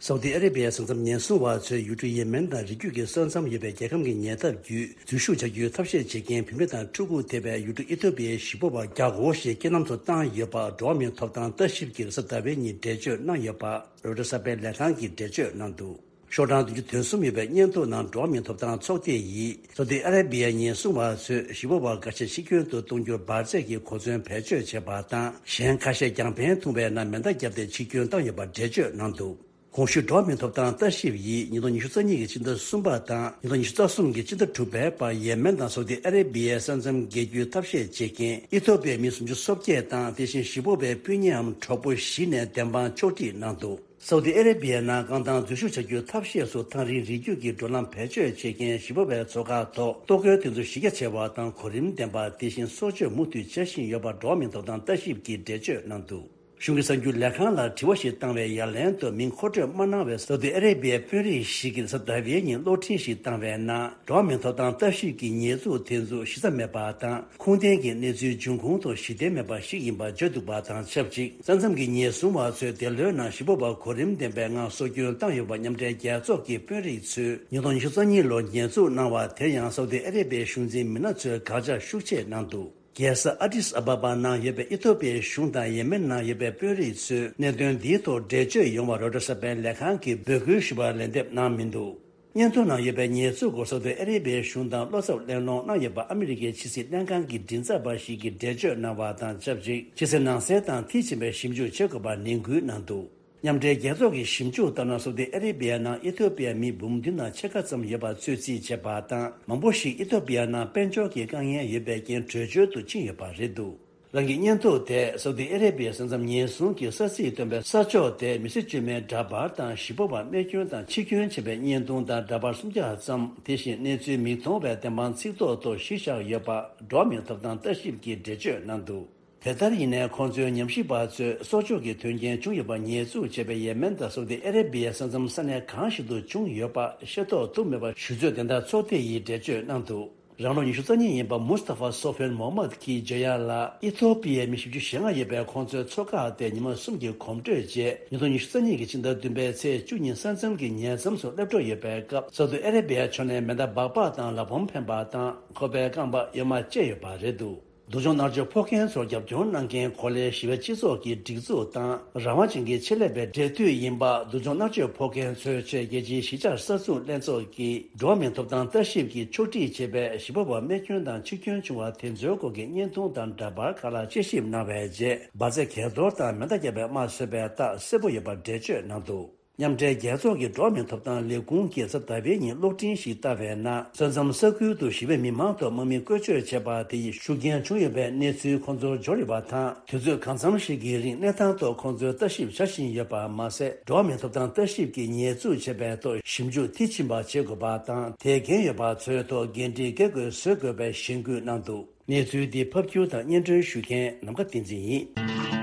སའུ་ཏི་ཨ་ར་བི་ཡའི་ས་མཚམས་ཉེན་སྲུང་བ་ཚོས་ཡུལ་གྲུ་ཡེ་མེན་དང་རི་རྒྱུད་ཀྱི་ས་མཚམས་ཡོད་པའི་རྒྱལ་ཁམས་ཀྱི་ཉེ་འདབས་བརྒྱུད་འཛུལ་ཞུགས་བྱ་རྒྱུའི་ཐབས་ཤེས་བྱེད་མཁན་བུད་མེད་དང་ཕྲུ་གུ་ཐེ་བའི་ཡུལ་གྲུ་ཨི་ཐོ་པི་ཡའི་གཞིས་སྤོ་བ་བརྒྱ་སྐོར་ཞིག་རྐྱེན་ལམ་དུ་བཏང་ཡོད་པ་འགྲོ་བ་མིའི་ཐོབ་ཐང་ལྟ་ཞིབ་ཀྱིས་རེས་གཟའ་ཟླ་བའི་ཉིན་འགྲེལ་བརྗོད་གནང་ཡོད་པ་རོའི་ཊར་གསར་པའི་ལས་ཁང་གིས་འགྲེལ་བརྗོད་གནང་འདུག། ཤོག་གྲངས་བདུན་ཅུ་དོན་གསུམ་ཡོད་པའི་སྙན་ཐོ་ནང་འགྲོ་བ་མིའི་ཐོབ་ཐང་ཚོགས་སྡེ་ཡིས་སའུ་ཏི་ཨ་ར་བི་ཡའི་ཉེན་སྲུང་བ་ཚོས་གཞིས་སྤོ་བ་འགའ་ཤས་ཕྱིར་སྐྱོད་དུ་གཏོང་རྒྱུར་འབར་རྫས་ཀྱི་གོ་མཚོན་བེད་སྤྱོད་བྱས་པ་དང་། གཞན་ཁ་ཤས་རྒྱང་འཕེན་ཐུང་བའི་ནང་མེ་མདའ་བརྒྱབ་སྟེ་ཕྱིར་སྐྱོད་བཏང་ཡོད་པ་འགྲེལ་བརྗོད་གནང་འདུག། གོང་ཞུས་འགྲོ་བ་མིའི་ཐོབ་ཐང་ལྟ་ཞིབ་ཡིས་ཉིས་སྟོང་ཉི་ཤུ་རྩ་གཉིས་ཀྱི་ཕྱི་ཟླ་གསུམ་པ་དང་ཉིས་སྟོང་ཉི་ཤུ་རྩ་གསུམ་གྱི་ཕྱི་ཟླ་དྲུག་པའི་བར་ཡེ་མེན་དང་སའུ་ཏི་ཨ་ར་བི་ཡའི་ས་མཚམས་བརྒལ་རྒྱུའི་ཐབས་ཤེས་བྱེད་མཁན་ཨི་ཐོ་པི་ཡའི་མི་སུམ་ཅུ་སོ་བརྒྱད་དང་། དེ་བཞིན་གཞིས་སྤོ་བའི་སྤུན་ཉེའམ་གྲོགས་པོ་བཞི་ནས་བདེན་དཔང་ཕྱོགས་སྒྲིག་གནང་འདུག། སའུ་ཏི་ཨ་ར་བི་ཡའི་ནང་རྐང་ཐང་འཛུལ་ཞུགས་བྱ་རྒྱུའི་ཐབས་ཤེས་སུ་ཐག་རིང་རི་རྒྱུད་ཀྱི་འགྲོ་ལམ་བེད་སྤྱོད་བྱེད་མཁན་གཞིས་སྤོ་བའི་མཚོ་ཁ་ཐོག་གཏོར་རྒོལ་དེ་ཚོ་གཞི་རྒྱ་ཆེ་བ་དང་གོ་རིམ་ལྡན་པ། དེ་བཞིན་སྲོག་གཅོད་མུ་མཐུད་བྱེད་བཞིན་ཡོད་པ་འགྲོ་བ་མིའི་ཐོབ་ཐང་ལྟ་ཞིབ་ཀྱིས་འགྲེལ་བརྗོད་གནང་འདུག། གཞུང་གི་གསར་འགྱུར་ལས་ཁང་ལ་དྲི་བ་ཞིག་བཏང་བའི་ཡ་ལན་དུ། མིང་མཁོ་སྤྲོད་མ་གནང་བའི་སའུ་ཏི་ཨ་ར་བི་ཡའི་དཔོན་རིགས་ཤིག་གིས་རེས་གཟའ་ཟླ་བའི་ཉིན་གློག་འཕྲིན་ཞིག་བཏང་བའི་ནང་། འགྲོ་བ་མིའི་ཐོབ་ཐང་ལྟ་ཞིབ་ཀྱི་ཉེས་འཛུགས་དེ་ཚོ་གཞི་རྩ་མེད་པ་དང་། ཁུངས་ལྡན་གྱི་གནས་ཚུལ་འབྱུང་ཁུངས་ཐོག་གཞི་རྟེན་མེད་པ་ཞིག་ཡིན་པ་བརྗོད་འདུག་པ་དང་ཆབས་ཅིག། ས་མཚམས་ཀྱི་ཉེན་སྲུང་བ་ཚོས་འདས་ལོའི་ནང་གཞིས་སྤོ་བ་གོ་རིམ་ལྡན་པའི་ངང་སྲོག་སྐྱོན་བཏང་ཡོད་པ་མཉམ་འབྲེལ་རྒྱལ་ཚོགས་ཀྱི་དཔོན་རིགས་ཚོས་ཉིས་སྟོང་ཉི་ཤུ་རྩ་གཉིས་ལོར་ཉེས་འཛུགས་གནང་བ་དེར་ཡང་སའུ་ཏི་ཨ་ར་བི་ཡའི་གཞུང་འཛིན་མི་སྣ་ཚོས་དགག་བྱ་ཤུགས་ཆེ་གནང་འདུག། རྒྱལ་ས་ཨ་ཏིས་ཨ་བ་བ་ནང་ཡོད་པའི་ཨི་ཐོ་པི་ཡའི་གཞུང་དང་ཡེ་མེན་ནང་ཡོད་པའི་དཔོན་རིགས་ཚོས་གནད་དོན་འདིའི་ཐོག་འགྲེལ་བརྗོད་ཡོང་བར་རོའི་ཊར་གསར་པའི་ལས་ཁང་གིས་འབོད་སྐུལ་ཞུ་བར་ལན་འདེབས་གནང་མི་འདུག། སྙན་ཐོ་ནང་ཡོད་པའི་ཉེས་འཛུགས་སྐོར་སོགས་དེ་ཨ་རི་བའི་གཞུང་དང་བློ་འཚབ་གླེང་སློང་གནང་ཡོད་པ་ཨ་མི་རི་ཀའི་ཕྱི་སྲིད་ལྷན་ཁང་གི་མགྲིན་ཚབ་པ་ཞིག་གིས་འགྲེལ་བརྗོད་གནང་བ་དང་ཆབས་ཅིག། ཕྱི་གསལ་ནང་གསལ་དང་མཐིལ་ཕྱིན་པའི་ཞིབ་འཇུག་བྱེད་དགོས་པར་ནན་སྐུལ་གནང་འདུག། མཉམ་འབྲེལ་རྒྱལ་ཚོགས་ཀྱི་ཞིབ་འཇུག་ལྟར་ན། སོག་དི་ཨ་རི་བི་ཡ་ནང་ཨི་ཐོ་པི་ཡ་མི་འབུམ་བདུན་དང་ཕྱེད་ཀ་ཙམ་ཡོད་པ་ཚོད་རྩིས་བྱས་པ་དང་། མང་པོ་ཞིག་ཨི་ཐོ་པི་ཡ་ནང་དཔལ་འབྱོར་གྱི་དཀའ་ངལ་ཡོད་པའི་རྐྱེན་བྲོས་བྱོལ་དུ་ཕྱིན་ཡོད་པ་རེད་འདུག། རང་གི་སྙན་ཐོ་དེ་སོག་དི་ཨ་རི་བི་ཡའི་ས་མཚམས་ཉེན་སྲུང་གི་ས་ཚིགས་སྟོན་པའི་ས་ཕྱོགས་དེ་མི་སེར་བཅོས་མའི་འདྲ་པར་དང་གཞིས་སྤོ་བ་རྨས་སྐྱོན་དང་འཆི་སྐྱོན་བྱས་པའི་བརྙན་ཐུང་དང་འདྲ་པར་སུམ་བརྒྱ་ཙམ། དེ་བཞིན་གནས་ཚུལ་མིག་མཐོང་བའི་བདེན་དཔང་ཚིག་ཐོ་ཐོག་གཞི་བཞག་ཡོད་པ་འགྲོ་བ་མིའི་ཐོབ་ཐང་ལྟ་ཞིབ་ཀྱིས་འགྲེལ་བརྗོད་གནང་འདུག། དེ་ལྟར་ཡིན་ནའི་ཁོང་ཚོའི་ཉམས་ཞིབ་པ་ཚོས་སྲོག་གཅོད་ཀྱི་དོན་རྐྱེན་བྱུང་ཡོད་པར་ཉེས་འཛུགས་བྱས་པའི་ཡེ་མེན་དང་སོག་དི་ཨ་རི་བི་ཡའི་ས་མཚམས་ས་གནས་གང་ཞིག་ཏུ་བྱུང་ཡོད་པ་ཤེས་རྟོགས་ཐུབ་མེད་པ་ཞུ་ཚོད་དེ་ལྟར་ཚོགས་སྡེ་ཡིས་འགྲེལ་བརྗོད་གནང་འདུག། རང་ལོ་ཉི་ཤུ་རྩ་གཉིས་ཡིན་པ་མུས་ཏ་ཧྥ་སོ་ཧྥན་མོ་ཧམ་མད་ཀྱིས་བརྗོད་ཡག་ལ། ཨི་ཐོ་པི་ཡའི་མི་བཞི་བཅུ་ཞེ་ལྔ་ཡོད་པའི་ཁོང་ཚོའི་མཚོ་ཁག་དེ་ཉི་མ་གསུམ་གྱི་གོམ་བགྲོད་རྗེས། ཉིས་སྟོང་ཉི་ཤུ་རྩ་གཉིས་ཀྱི་ཕྱི་ཟླ་བདུན་པའི་ཚེས་བཅུ་ཉིན་ས་མཚམས་ཀྱི་ཉེ་མཚམས་སུ་སླེབས་འགྲོ་ཡོད་པའི་སྐབས། སོག་དི་ཨ་རི་བི་ཡ་ཕྱོགས་ནས་མེ་མདའ་སྦག་སྦག་དང་ལ་བོམ་འཕེན་པ་དང་ཁོག་པའི་རྐང་པ་གཡོན་མར་བཅད་ཡོད་པ་རེད་འདུག། སྡུག་སྦྱོང་མནར་གཅོད་ཕོག་མཁན་ཚོར་རྒྱབ་སྐྱོར་གནང་མཁན་གོ་ལའི་ཞི་བའི་སྤྱི་ཚོགས་ཀྱི་སྒྲིག་འཛུགས་དང་རང་དབང་ཅན་གྱི་ཆེད་ལས་པའི་འབྲེལ་མཐུད་ཡིན་པ། སྡུག་སྦྱོང་མནར་གཅོད་ཕོག་མཁན་ཚོའི་ཆེད་རྒྱལ་སྤྱིའི་གཞིས་ཆགས་གསར་འཛུགས་ལྷན་ཚོགས་ཀྱིས་འགྲོ་བ་མིའི་ཐོབ་ཐང་ལྟ་ཞིབ་ཀྱིས་ཕྱོགས་སྒྲིག་བྱས་པའི་གཞིས་སྤོ་བ་རྨས་སྐྱོན་དང་འཆི་སྐྱོན་བྱུང་བ་དེ་ཚོའི་སྐོར་གྱི་བརྙན་ཐུང་དང་འདྲ་པར་ཁག་ལ་དཔྱད་ཞིབ་གནང་བའི་རྗེས། འབར་རྫས་གས་གཏོར་དང་མེ་མདའ་བརྒྱབ་པའི་དམར་གསོད་པའི་རྟགས་གསལ་པོ་ཡོད་པར་འགྲེལ་བརྗོད་གནང་འདུག། མཉམ་འབྲེལ་རྒྱལ་ཚོགས་ཀྱི་འགྲོ་བ་མིའི་ཐོབ་ཐང་ལས་ཁུངས་ཀྱིས་གཟའ་ཟླ་བའི་ཉིན་གློག་འཕྲིན་ཞིག་བཏང་བའི་ནང་། ས་མཚམས་ས་ཁུལ་དུ་ཞི་བའི་མི་མང་ཐོག་དམག་མི་བཀོལ་སྤྱོད་བྱས་པ་དེ་ཡིས་ཤུགས་རྐྱེན་བྱུང་ཡོད་པའི་གནས་ཚུལ་ཁོང་ཚོར་འབྱོར་ཡོད་པ་དང་། དུས་ཚོད་གང་འཚམ་ཞིག་གི་རིང་གནས་སྟངས་ཐོག་ཁོང་ཚོས་ལྟ་ཞིབ་བྱ་བཞིན་ཡོད་པ་མ་ཟད། འགྲོ་བ་མིའི་ཐོབ་ཐང་ལྟ་ཞིབ་ཀྱིས་ཉེས་འཛུགས་བྱས་པའི་ཐོག་ཞིབ་འཇུག་མཐིལ་ཕྱིན་པ་བྱེད་དགོས་པ་དང་། དེའི་འགན་ཡོད་པ་ཚོའི་ཐོག་འགན་འཁྲི་འགེལ་དགོས་བཟོ་དགོས་པའི་གཞེན་སྐུལ་གནང་འདུག། གནས་ཚུལ་འདི་ཕབ་སྒྱུར་དང་སྙན་སྒྲོན་ཞུ་མཁན་ནམ་མཁའ་བསྟན་འཛིན་ཡིན།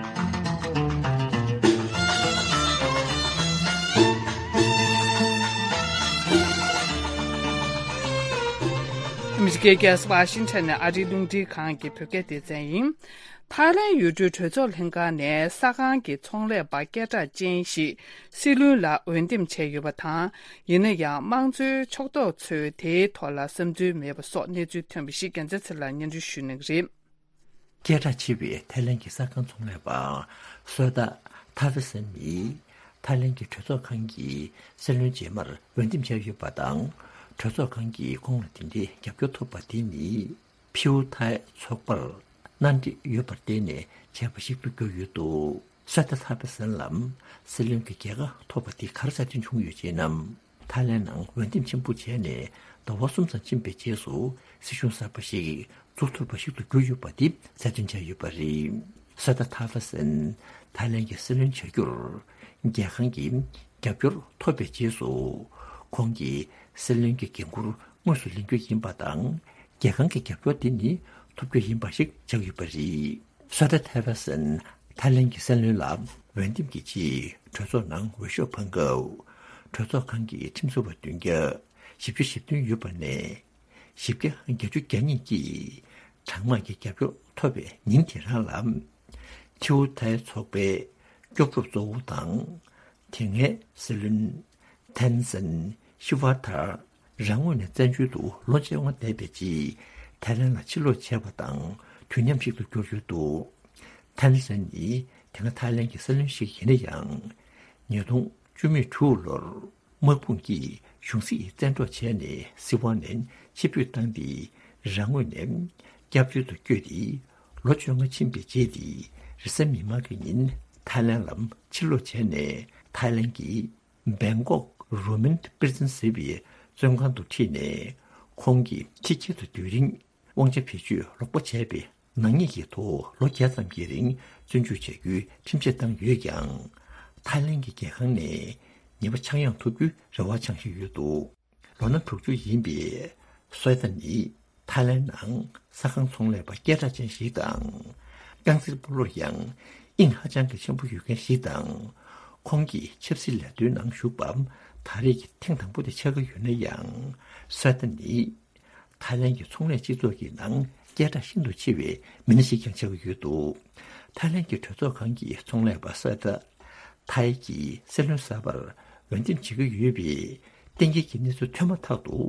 ཨ་མི་རི་ཀའི་རྒྱལ་ས་ཝ་ཤིང་ཊོན་ནས་ཨ་རིའི་རླུང་འཕྲིན་ཁང་གི་བོད་སྐད་སྡེ་ཚན་ཡིན། ཐའི་ལེན་ཡུལ་གྲུའི་གྲོས་ཚོགས་ལྷན་ཁང་ནས་ས་ཁང་གི་ཚོང་ལས་པ་སྐད་གྲགས་ཅན་ཞིག་སྲིད་བློན་ལ་འོས་འདེམས་བྱས་ཡོད་པ་དང་། ཡིན་ན་ཡང་། དམངས་གཙོའི་ཕྱོགས་གཏོགས་ཚོས་དེའི་ཐོག་ལ་བསམ་ཚུལ་མེད་པ་སོགས་གནས་ཚུལ་ཐོན་པ་ཞིག་རྒྱལ་མཚན་ཚེ་ལགས་སྙན་སྒྲོན་ཞུ་གནང་གི་རེད། སྐད་གྲགས་ཆེ་བའི་ཐའི་ལེན་གྱི་ས་ཁང་ཚོང་ལས་པ་སོ་ཏཱ་ཐ་ཧྥེ་སན་ནི། ཐའི་ལེན་གྱི་གྲོས་ཚོགས་ཁང་གི་སྲིད་བློན་རྗེས་མར་འོས་འདེམས་བྱས་ཡོད་པ་དང་། གྲོས་ཚོགས་ཁང་གིས་ཁོང་ལ་དེ་འདྲའི་རྒྱབ་སྐྱོར་ཐོབ་པ་དེ་ནི། ཕིའུ་ཐའི་ཚོགས་པར་མནའ་འབྲེལ་ཡོད་པར་བརྟེན་ནས་བྱས་པ་ཞིག་ཏུ་གྱུར་ཡོད་འདུག་སོ་ཏཱ་ཐ་ཧྥེ་སན་ལ་སྲིད་བློན་གྱི་རྒྱལ་ཁ་ཐོབ་པ་དེ་ག་རེ་གསར་ཐོན་བྱུང་ཡོད་ཅེ་ན། ཐའི་ལེན་ནང་འོས་འདེམས་ཆེན་པོ་བྱས་ནས་ཟླ་བ་གསུམ་ཙམ་ཕྱིན་པའི་རྗེས་སུ་སྲིད་གཞུང་གསར་པ་ཞིག་འཛུགས་ཐུབ་པ་ཞིག་ཏུ་གྱུར་ཡོད་པ་དེ་གསལ་སྟོན་བྱས་ཡོད་པ་རེད། སོ་ཏཱ་ཐ་ཧྥེ་སན་ཐའི་ལེན་གྱི་སྲིད་བློན་བྱ་རྒྱུར་རྒྱལ་ཁང་གི་རྒྱབ་སྐྱོར་ཐོབ་པའི་རྗེས་སུ། ཁོང་གིས་སྲིད་བློན་གྱི་འགན་འཁུར་དངོས་སུ་ལེན་རྒྱུ་ཡིན་པ་དང་། རྒྱལ་ཁང་གི་རྒྱབ་སྐྱོར་དེ་ནི་ཐོབ་རྒྱུ་ཡིན་པ་ཞིག་ཆགས་ཡོད་པ་རེད། སོ་ཏཱ་ཐ་ཧྥེ་སན་ཐའི་ལེན་གྱི་སྲིད་བློན་ལ་འོས་འདེམས་ཀྱི་ཆེད་གྲོས་ཚོགས་ནང་འོས་ཤོག་འཕངས་སྐབས། གྲོས་ཚོགས་ཁང་གི་ཁྲིམས་བཟོ་བ་བདུན་བརྒྱ་བཞི་བཅུ་ཞེ་བདུན་ཡོད་པ་ནས། བཞི་བརྒྱ་བརྒྱད་ཅུ་གྱ་གཉིས་ཀྱིས་གྲངས་མང་གི་རྒྱབ་སྐྱོར་ཐོབ་པའི་ཉིན་དེ་རང་ལ། ཐིའུ་ཐའི་ཚོགས་པའི་སྐྱོབ་གྲུབ་གཙོ་བོ་དང་། དེ་སྔའི་སྲིད་བློན་ཐན་སན་ཤི་ཝ་ཐར་རང་ངོས་ནས་བཙན་བྱོལ་དུ་ལོ་བཅོ་ལྔ་འདས་པའི་རྗེས་ཐའི་ལེན་ལ་ཕྱིར་ལོག་བྱས་པ་དང་དུས་མཉམ་ཞིག་ཏུ་གྱུར་ཡོད་འདུག་ཐན་སན་ནི་དེ་སྔ་ཐའི་ལེན་གྱི་སྲིད་བློན་ཞིག་ཡིན་ན་ཡང་། ཉིས་སྟོང་བཅུ་མེད་དྲུག་ལོར། དམག་དཔུང་གིས་གཞུང་སྲིད་བཙན་འཕྲོག་བྱས་ནས་སྲིད་དབང་ནས་ཕྱིར་འབུད་བཏང་སྟེ། རང་ངོས་ནས་སྐྱབས་བཅོལ་དུ་བསྐྱོད་དེ། ལོ་བཅོ་ལྔ་ཕྱིན་པའི་རྗེས་ཏེ། རེས་གཟའ་མིག་དམར་གྱི་ཉིན་ཐའི་ལེན་ལ་ཕྱིར་ལོག་བྱས་ནས། ཐའི་ལེན་གྱི་བེང་ཀོག་རུ་མིན་པི་རི་ཛན་ཟེར་བའི་བཙོན་ཁང་དུ་ཁྲིད་ནས། ཁོང་གིས་ཕྱི་རྒྱལ་དུ་སྡོད་རིང་། དབང་ཆ་བེད་སྤྱོད་ལོག་པ་བྱས་པའི་ནག་ཉེས་ཀྱི་ཐོག་ལོ་བརྒྱད་ཙམ་གྱི་རིང་བཙོན་འཇུག་བྱ་རྒྱུའི་ཁྲིམས་ཆད་བཏང་ཡོད་ཀྱང་། ཐའི་ལེན་གྱི་རྒྱལ་ཁང་ནས་ཉེས་པ་ཆག་ཡང་ཐོབ་རྒྱུའི་རེ་བ་འཆང་བཞིན་ཡོད་འདུག་ལོ་ན་དྲུག་ཅུ་ཡིན་པའི་སོའི་ཏཱ་ནི་ཐའི་ལེན་ནང་ས་ཁང་ཚོང་ལས་པ་སྐད་གྲགས་ཅན་ཞིག་དང་། རྐང་རྩེད་སྤོ་ལོར་ཡང་དབྱིངས་ཧ་ཅང་གི་ཆེན་པོ་ཡོད་མཁན་ཞིག་དང་། ཁོང་གིས་ཆབ་སྲིད་ལས་དོན་ནང་ཞུགས་པ་ད་རེས་ཀྱི་ཐེངས་དང་པོ་དེ་ཆགས་ཀྱི་ཡོད་ན་ཡང་། སོའི་ཏཱ་ནི། ཐའི་ལེན་གྱི་ཚོང་ལས་སྤྱི་ཚོགས་ཀྱི་ནང་སྐད་གྲགས་ཤིན་ཏུ་ཆེ་བའི་མི་སྣ་ཞིག་ཀྱང་ཆགས་ཀྱི་ཡོད་འདུག་ཐའི་ལེན་གྱི་གྲོས་ཚོགས་ཁང་གི་ཚོང་ལས་པ་སོའི་ཏཱ་ཐའི་གིས་སྲིད་བློན་གསར་པར་འོས་འདེམས་བྱེད་ཀྱི་ཡོད་པའི་གཏན་འཁེལ་གྱི་གནས་ཚུལ་ཐོན་མ་ཐག་ཏུ།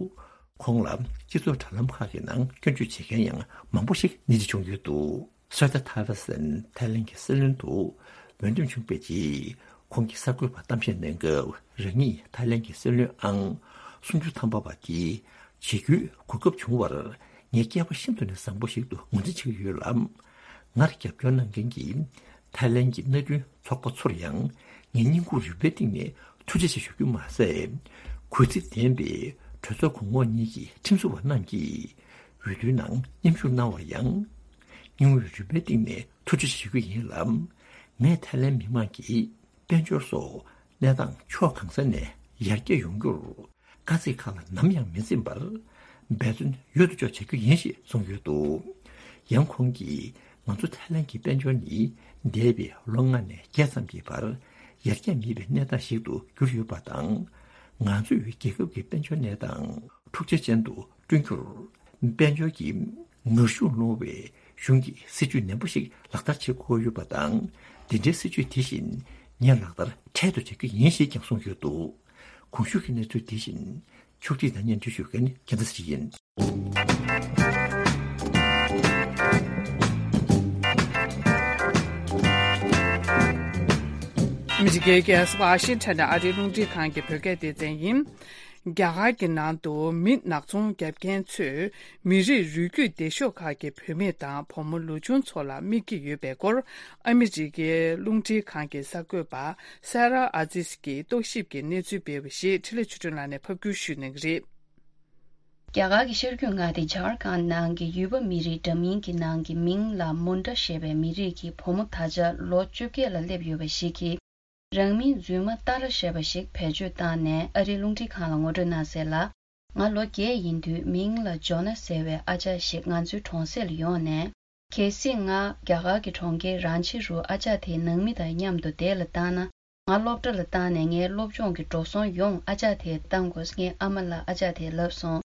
ཁོང་ལ་སྤྱི་ཚོགས་དྲ་ལམ་ཁག་གི་ནང་སྐྱོན་བརྗོད་བྱེད་མཁན་ཡང་མང་པོ་ཞིག་སྣེ་ཁྲིད་བྱུང་ཡོད་འདུག་སོ་ཏཱ་ཐ་ཧྥེ་སན་ཐའི་ལེན་གྱི་སྲིད་བློན་དུ་འོས་འདེམས་བྱུང་བའི་རྗེས། ཁོང་གིས་གསར་འགོད་པར་གཏམ་བཤད་གནང་སྐབས། རང་ཉིད་ཐའི་ལེན་གྱི་སྲིད་བློན་ཨང་སུམ་ཅུ་ཐམ་པ་བ་དེ་བྱེད་རྒྱུའི་གོ་སྐབས་བྱུང་བར་ངའི་སྐལ་པ་ཤིན་ཏུ་ནས་བཟང་པོ་ཞིག་ཏུ་ངོས་འཛིན་བྱེད་ཀྱི་ཡོད་ལ། ངར་རྒྱབ་སྐྱོར་གནང་མཁན་གྱི་ཐའི་ལེན་གྱི་མནའ་མཐུན་ཚོགས་པ་ཚོར་ཡང་ངའི་སྙིང་ཁུང་རུས་པའི་གཏིང་ནས་ཐུགས་རྗེ་ཆེ་ཞུ་རྒྱུ་མ་ཟད། གུས་བརྩི་ལྡན་པའི་གྲོས་ཚོགས་གོང་འོག་གཉིས་ཀྱི་ཁྲིམས་བཟོ་བ་རྣམས་ཀྱིས་འོས་བསྡུའི་ནང་མཉམ་ཞུགས་གནང་བར་ཡང་། སྙིང་དབུས་རུས་པའི་གཏིང་ནས་ཐུགས་རྗེ་ཆེ་ཞུ་རྒྱུ་ཡིན་ལ། ངས་ཐའི་ལེན་མི་དམངས་ཀྱི་དཔལ་འབྱོར་སོགས་གནས་སྟངས་ཕྱོགས་གང་ས་ནས་ཡར་རྒྱས་ཡོང་རྒྱུར། དཀའ་ཚེགས་ཁག་ལ་ནམ་ཡང་མི་འཛེམ་པར་འབད་བརྩོན་ཡོད་དོ་ཅོག་བྱ་རྒྱུ་ཡིན་ཞེས་གསུངས་ཡོད་འདུག་ཡང་ཁོང་གིས་ང་ཚོ་ཐའི་ལེན་གྱི་དཔལ་འབྱོར་ནི་འདས་པའི་ལོ་ལྔ་ནས་བརྒྱད་ཙམ་གྱི་བར་ཡར་རྒྱས་མེད་པའི་གནས་སྟངས་ཤིག་ཏུ་གྱུར་ཡོད་པ་དང་། ང་ཚོས་རྒྱལ་ཁབ་ཀྱི་དཔལ་འབྱོར་གནས་སྟངས་འཁྲུག་ཆ་ཅན་དུ་བསྐྲུན་རྒྱུར། དཔལ་འབྱོར་གྱི་ངར་ཤུགས་སློང་བའི་གཞུང་གི་སྲིད་ཇུས་ནན་པོ་ཞིག་ལག་བསྟར་བྱེད་དགོས་ཡོད་པ་དང་། འདི་འདྲའི་སྲིད་ཇུས་དེ་བཞིན་ངས་ལག་བསྟར་འཕྲལ་དུ་བྱ་རྒྱུ་ཡིན་ཞེས་ཀྱང་གསུངས་ཡོད་འདུག་གོང་ཞུས་ཀྱི་གནས་ཚུལ་དེ་བཞིན་ཕྱོགས་སྒྲིག་དང་སྙན་སྒྲོན་ཞུ་མཁན་རྒྱལ་མཚན་ཚེ་རིང་ཡིན། ཨ་མི་རི་ཀའི་རྒྱལ་ས་ཝ་ཤིང་ཊོན་ནས་ཨ་རིའི་རླུང་འཕྲིན་ཁང་གི་བོད་སྐད་སྡེ་ཚན་ཡིན། རྒྱ་གར་གྱི་ནང་དུ་མི་ནག་ཚོང་རྒྱབ་མཁན་ཚོས་མི་རིགས་རུས་རྒྱུད་སྡེ་ཤོག་ཁག་གི་བུད་མེད་དང་བུ་མོ་ལོ་ཆུང་ཚོ་ལ་དམིགས་ཀྱི་ཡོད་པའི་སྐོར། ཨ་མི་རི་ཀའི་རླུང་འཕྲིན་ཁང་གི་གསར་འགོད་པ་སེ་ར་ཨ་ཛིས་ཀྱིས་རྟོག་ཞིབ་ཀྱི་གནས་ཚུལ་སྤེལ་བ་ཞིག་འཕྲིན་ལས་ཆོས་སྒྲོན་ལགས་ནས་ཕབ་སྒྱུར་ཞུས་གནང་གི་རེད། རྒྱ་གར་གྱི་ཤར་རྒྱུད་མངའ་སྡེ་ཇར་ཁན་ནང་གི་ཡུལ་པ་མི་རིགས་འདྲ་མིན་གྱི་ནང་གི་མིང་ལ་མུན་ཏྲ་ཞེས་པའི་མི་རིགས་ཀྱི་བུ་མོ་ད་ཆ་ལོ་བཅོ་བརྒྱད་ལ་སླེབས་ཡོད་པ་ཞིག་གིས། རང་མིང་རྫུན་མ་ཏཱ་ར་ཞེས་པ་ཞིག་བེད་སྤྱོད་བཏང་ནས་ཨ་རིའི་རླུང་འཕྲིན་ཁང་ལ་ངོ་སྤྲོད་གནང་གསལ་ལ། ང་ལོ་བརྒྱད་ཡིན་དུས་མིང་ལ་ཇོ་ན་ཟེར་བའི་ཨ་ཅག་ཞིག་ང་ཚོའི་གྲོང་གསེབ་ལ་ཡོང་ནས། གལ་སྲིད་ང་རྒྱ་གར་གྱི་གྲོང་ཁྱེར་རཱན་ཆི་རུ་ཨ་ཅག་དེའི་ནང་མི་དང་མཉམ་དུ་བསྡད་ལ་བཏང་ན། ང་སློབ་གྲྭ་ལ་བཏང་ནས་ངའི་སློབ་སྦྱོང་གི་འགྲོ་སོང་ཡོངས་ཨ་ཅག་དེས་བཏང་དགོས། ངའི་ཨ་མ་ལ་ཨ་ཅག་དེས་ལབ་སོང་།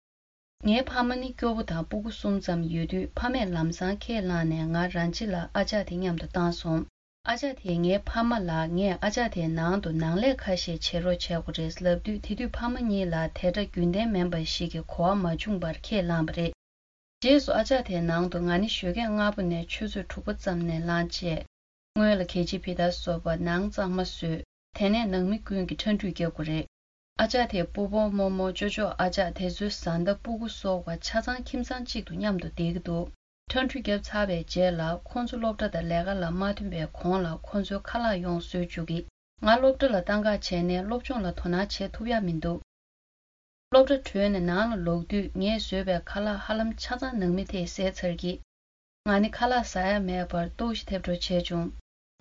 ངའི་ཕ་མ་ནི་སྐྱོ་པོ་དང་སྤུ་གུ་གསུམ་ཙམ་ཡོད་དུས། ཕ་མས་ལམ་སང་ཁས་བླངས་ནས་ང་རང་ཅི་ལ་ཨ་ཅག་དེ་མཉམ་དུ་བཏང་སོང་། ཨ་ཅག་དེས་ངའི་ཕ་མ་ལ་ངས་ཨ་ཅག་དེའི་ནང་དུ་ནང་ལས་ཁ་ཤས་བྱེད་རོགས་བྱེད་དགོས་རེད་ལབ་དུས། དེ་དུས་ཕ་མ་གཉིས་ལ་དེ་འདྲ་རྒྱུན་ལྡན་མིན་པ་ཞིག་གི་གོ་བ་མ་བྱུང་བར་ཁས་བླངས་པ་རེད། རྗེས་སུ་ཨ་ཅག་དེའི་ནང་དུ་ང་ནི་ཞོགས་ཀས་སྔ་པོ་ནས་ཆུ་ཚོད་དྲུག་པ་ཙམ་ནས་ལངས་བྱས། སྔོན་ལ་གད་ཕྱིས་ཕྱིས་དང་སོགས་པ་ནང་གཙང་མ་བཟོས། དེ་ནས་ནང་མི་ཀུན་གྱིས་ཁྲ་འགྲུལ་རྒྱག་དགོས་རེད། ཨ་ཅག་དེས་སྤོ་སྤོ་རྨོ་རྨོ་ཅོ་ཅོ། ཨ་ཅག་དེ་ཚོའི་བཟའ་ཟླ་སྤུ་གུ་སོགས་པ་ཆ་ཚང་ཁྱིམ་ཚང་གཅིག་ཏུ་མཉམ་དུ་བསྡད་ཀྱི་འདུག་ཁྲ་འགྲུལ་བརྒྱབ་ཚར་བའི་རྗེས་ལ་ཁོ་ཚོ་སློབ་གྲྭ་དང་ལས་ཀ་ལ་མ་ཐོན་པའི་གོང་ལ་ཁོ་ཚོའི་ཁ་ལག་ཡོངས་བཟོས་བཅུག་གི། ང་སློབ་གྲྭ་ལ་བཏང་ག་བྱས་ནས་སློབ་སྦྱོང་ལ་དོ་སྣང་བྱེད་ཐུབ་ཡ་མི་འདུག་སློབ་གྲྭ་གྲོལ་ནས་ནང་ལ་ལོག་དུས་ངས་བཟོས་པའི་ཁ་ལག་ཧ་ལམ་ཆ་ཚང་ནང་མི་དེས་བཟས་ཚར་གི། ང་ནི་ཁ་ལག་ཟ་ཡ་མེད་པར་ལྟོགས་ཤི་ཐེབས་འགྲོ་བྱས་བྱུང་།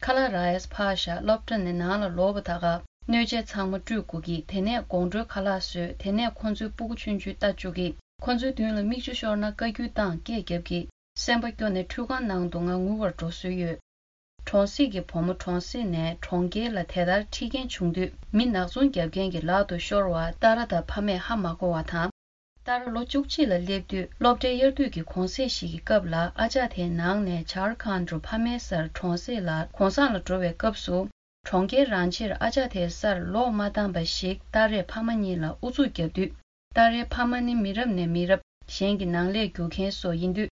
ཁ་ལག་རག་ཡས་ཕར་བཞག་སློབ་གྲྭ་ནས་ནང་ལ་ལོག་པ་ད་ག་སྣོད་ཆས་ཚང་མ་བཀྲུས་དགོས་ཀྱི། དེ་ནས་དགོང་དྲོའི་ཁ་ལག་བཟོས། དེ་ནས་ཁོ་ཚོའི་སྤུ་གུ་ཆུང་ཆུང་ལྟ་བཅུག་གི། ཁོ་ཚོའི་མདུན་ལ་མིག་ཆུ་ཤོར་ན་བཀའ་བཀྱོན་བཏང་སྐད་རྒྱབ་ཀྱི། སེམས་པ་སྐྱོ་ནས་ཁྲུས་ཁང་ནང་དུ་ང་ངུ་བར་འགྲོ་སྲོལ་ཡོད། གྲོང་གསེབ་ཀྱི་བུ་མོ་གྲོང་གསེབ་ནས་གྲོང་ཁྱེར་ལ་དེ་ལྟར་ཁྲིད་མཁན་བྱུང་དུས། མི་ནག་ཚོང་རྒྱབ་མཁན་གྱི་ལག་ཏུ་ཤོར་བ་ཏཱ་ར་དང་ཕ་མས་ཧ་མ་གོ་བ་དང་། ཏཱ་ར་ལོ་བཅུ་གཅིག་ལ་སླེབས་དུས་སློབ་གྲྭའི་དབྱར་དུས་ཀྱི་གུང་སེང་ཞིག་གི་སྐབས་ལ་ཨ་ཅག་དེའི་ནང་ནས་ཇར་ཁན་རུ་ཕ་མའི་སར་གྲོང་གསེབ་ལ་གུང་སེང་ལ་འགྲོ་བའི་སྐབས་སུ། གྲོང་ཁྱེར་རང་ཕྱིར་ཨ་ཅག་དེའི་སར་ལོག་མ་བཏང་པ་ཞིག་ཏཱ་རས་ཕ་མ་གཉིས་ལ་ཨུ་ཚུགས་བརྒྱབ་དུས། ཏཱ་རའི་ཕ་མ་ནི་མི་རབས་ནས་མི་རབས་གཞན་གྱི་ནང་ལས་རྒྱུག་མཁན་སོགས་ཡིན་དུས།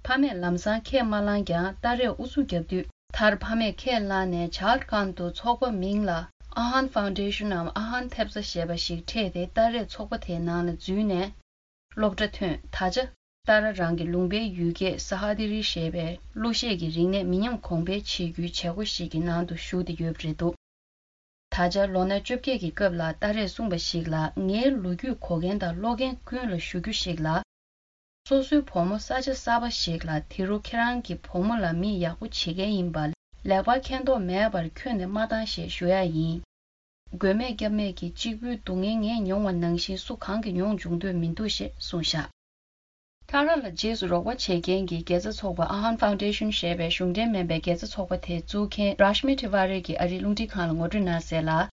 ཕ་མས་ལམ་སང་ཁས་མ་བླངས་ཀྱང་ཏཱ་རས་ཨུ་ཚུགས་བརྒྱབ་དུས། མཐར་ཕ་མས་ཁས་བླངས་ནས་ཇར་ཁན་དུ་ཚོགས་པ་མིང་ལ་ཨ་ཧན་ཕའུན་ཌེ་ཤན་ནམ་ཨ་ཧན་ཐེབས་རྩ་ཞེས་པ་ཞིག་འཕྲད་དེ། ཏཱ་རས་ཚོགས་པ་དེའི་ནང་ལ་འཛུལ་ནས་སློབ་གྲྭ་ཐོན། ད་ཆ་ཏཱ་ར་རང་གི་ལུང་པའི་ཡུལ་སྐད་ས་ཧ་དི་རི་ཞེས་པའི་གླུ་གཞས་ཀྱི་རིག་གནས་མི་ཉམས་གོང་འཕེལ་བྱེད་རྒྱུའི་བྱེད་སྒོ་ཞིག་གི་ནང་དུ་ཞུགས་ཏེ་ཡོད་པ་རེད་འདུག་ད་ཆ་ལོ་ན་བཅོ་བརྒྱད་ཀྱི་སྐབས་ལ་ཏཱ་རས་གསུངས་པ་ཞིག་ལ། ངའི་ལོ་རྒྱུས་གོ་མཁན་དང་ཀློག་མཁན་ཀུན་ལ་ཞུ་རྒྱུ་ཞིག་ལ། སོ་སོའི་བུ་མོ་ས་ཆ་གསར་པ་ཞིག་ལ་དེ་རུ་ཁྱེད་རང་གི་བུ་མོ་ལ་མི་ཡག་པོ་བྱེད་མཁན་ཡིན་པ། ལེགས་པར་མཁྱེན་རྟོགས་མེད་པར་ཁྱོན་ནས་མ་བཏང་ཞེས་ཞུ་ཡ་ཡིན། དགོས་མེད་སྐྱབས་མེད་ཀྱི་གཅིག་པུའི་སྡུག་བསྔལ་ངས་མྱོང་བ་ནང་བཞིན་སུ་གང་གིས་མྱོང་འབྱུང་འདོད་མི་འདུག་ཞེས་གསུངས་བཞག་ཏཱ་ར་ལ་རྗེས་སུ་རོགས་པ་བྱེད་མཁན་གྱི་དགེ་རྩ་ཚོགས་པ་ཨ་ཧན་ཕའུན་ཌེ་ཤན་ཞེས་པའི་གཞུང་འབྲེལ་མིན་པའི་དགེ་རྩ་ཚོགས་པ་དེ་བཙུགས་མཁན་རཱཤ་མི་ཐི་ཝ་རི་གིས་ཨ་རིའི་རླུང་འཕྲིན་ཁང་ལ་ངོ་སྤྲོད་གནང་གསལ་ལ།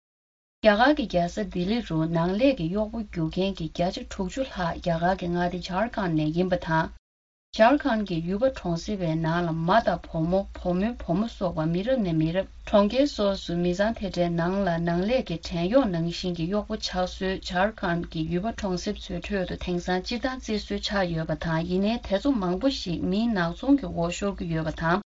རྒྱ་གར་གྱི་རྒྱལ་ས་ལྡི་ལི་རུ་ནང་ལས་ཀྱི་གཡོག་པོ་རྒྱུག་མཁན་གྱི་བརྒྱ་ཆ་དྲུག་ཅུ་ལྷག་རྒྱ་གར་གྱི་མངའ་སྡེ་ཇར་ཁན་ནས་ཡིན་པ་དང་། ཇར་ཁན་གྱི་ཡུལ་པ་གྲོང་གསེབ་པའི་ནང་ལ་མ་དང་བུ་མོ། བུ་མོའི་བུ་མོ་སོགས་པ་མི་རབས་ནས་མི་རབས་གྲོང་ཁྱེར་སོགས་སུ་མི་ཚང་དེ་འདྲའི་ནང་ལ་ནང་ལས་ཀྱི་བྲན་གཡོག་ནང་བཞིན་གྱི་གཡོག་པོ་ཆགས་སྲོལ་ཇར་ཁན་གྱི་ཡུལ་པ་གྲོང་གསེབ་ཚོའི་ཁྲོད་དུ་དེང་སང་སྤྱིར་བཏང་བརྩི་སྲོལ་ཆགས་ཡོད་པ་དང་། ཡིན་ནའི་དེ་ཚོ་མང་པོ་ཞིག་མིའི་ནག་ཚོང་གི་འོག་ཤོར་གྱི་ཡོད་པ་དང་།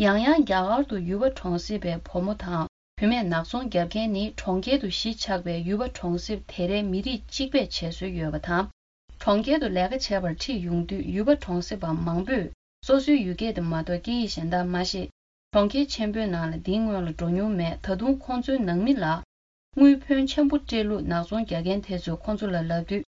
ཡང་ཡང་རྒྱ་གར་དུ་ཡུལ་པ་གྲོང་གསེབ་པའི་བུ་མོ་དང་བུད་མེད་ནག་ཚོང་རྒྱབ་མཁན་ནི་གྲོང་ཁྱེར་དུ་གཞིས་ཆགས་པའི་ཡུལ་པ་གྲོང་གསེབ་དེ་རའི་མི་རིགས་གཅིག་པས་བྱེད་སྲོལ་ཡོད་པ་དང་། གྲོང་ཁྱེར་དུ་ལས་ཀ་བྱེད་པར་ཁྲིད་ཡོང་དུས་ཡུལ་པ་གྲོང་གསེབ་པ་མང་པོས་སོ་སོའི་ཡུལ་སྐད་དེ་མ་གཏོགས་སྐད་ཡིག་གཞན་དག་མ་ཤེས། གྲོང་ཁྱེར་ཆེན་པོའི་ནང་ལ་འདིའི་སྔོན་ལ་འགྲོ་མྱོང་མེད། ད་དུང་ཁོང་ཚོའི་ནང་མི་ལ་དངུལ་ཕོན་ཆེན་པོ་སྤྲད་ལུགས་ནག་ཚོང་རྒྱག་མཁན་དེ་ཚོས་ཁོང་ཚོ་ལ་ལབ་དུས།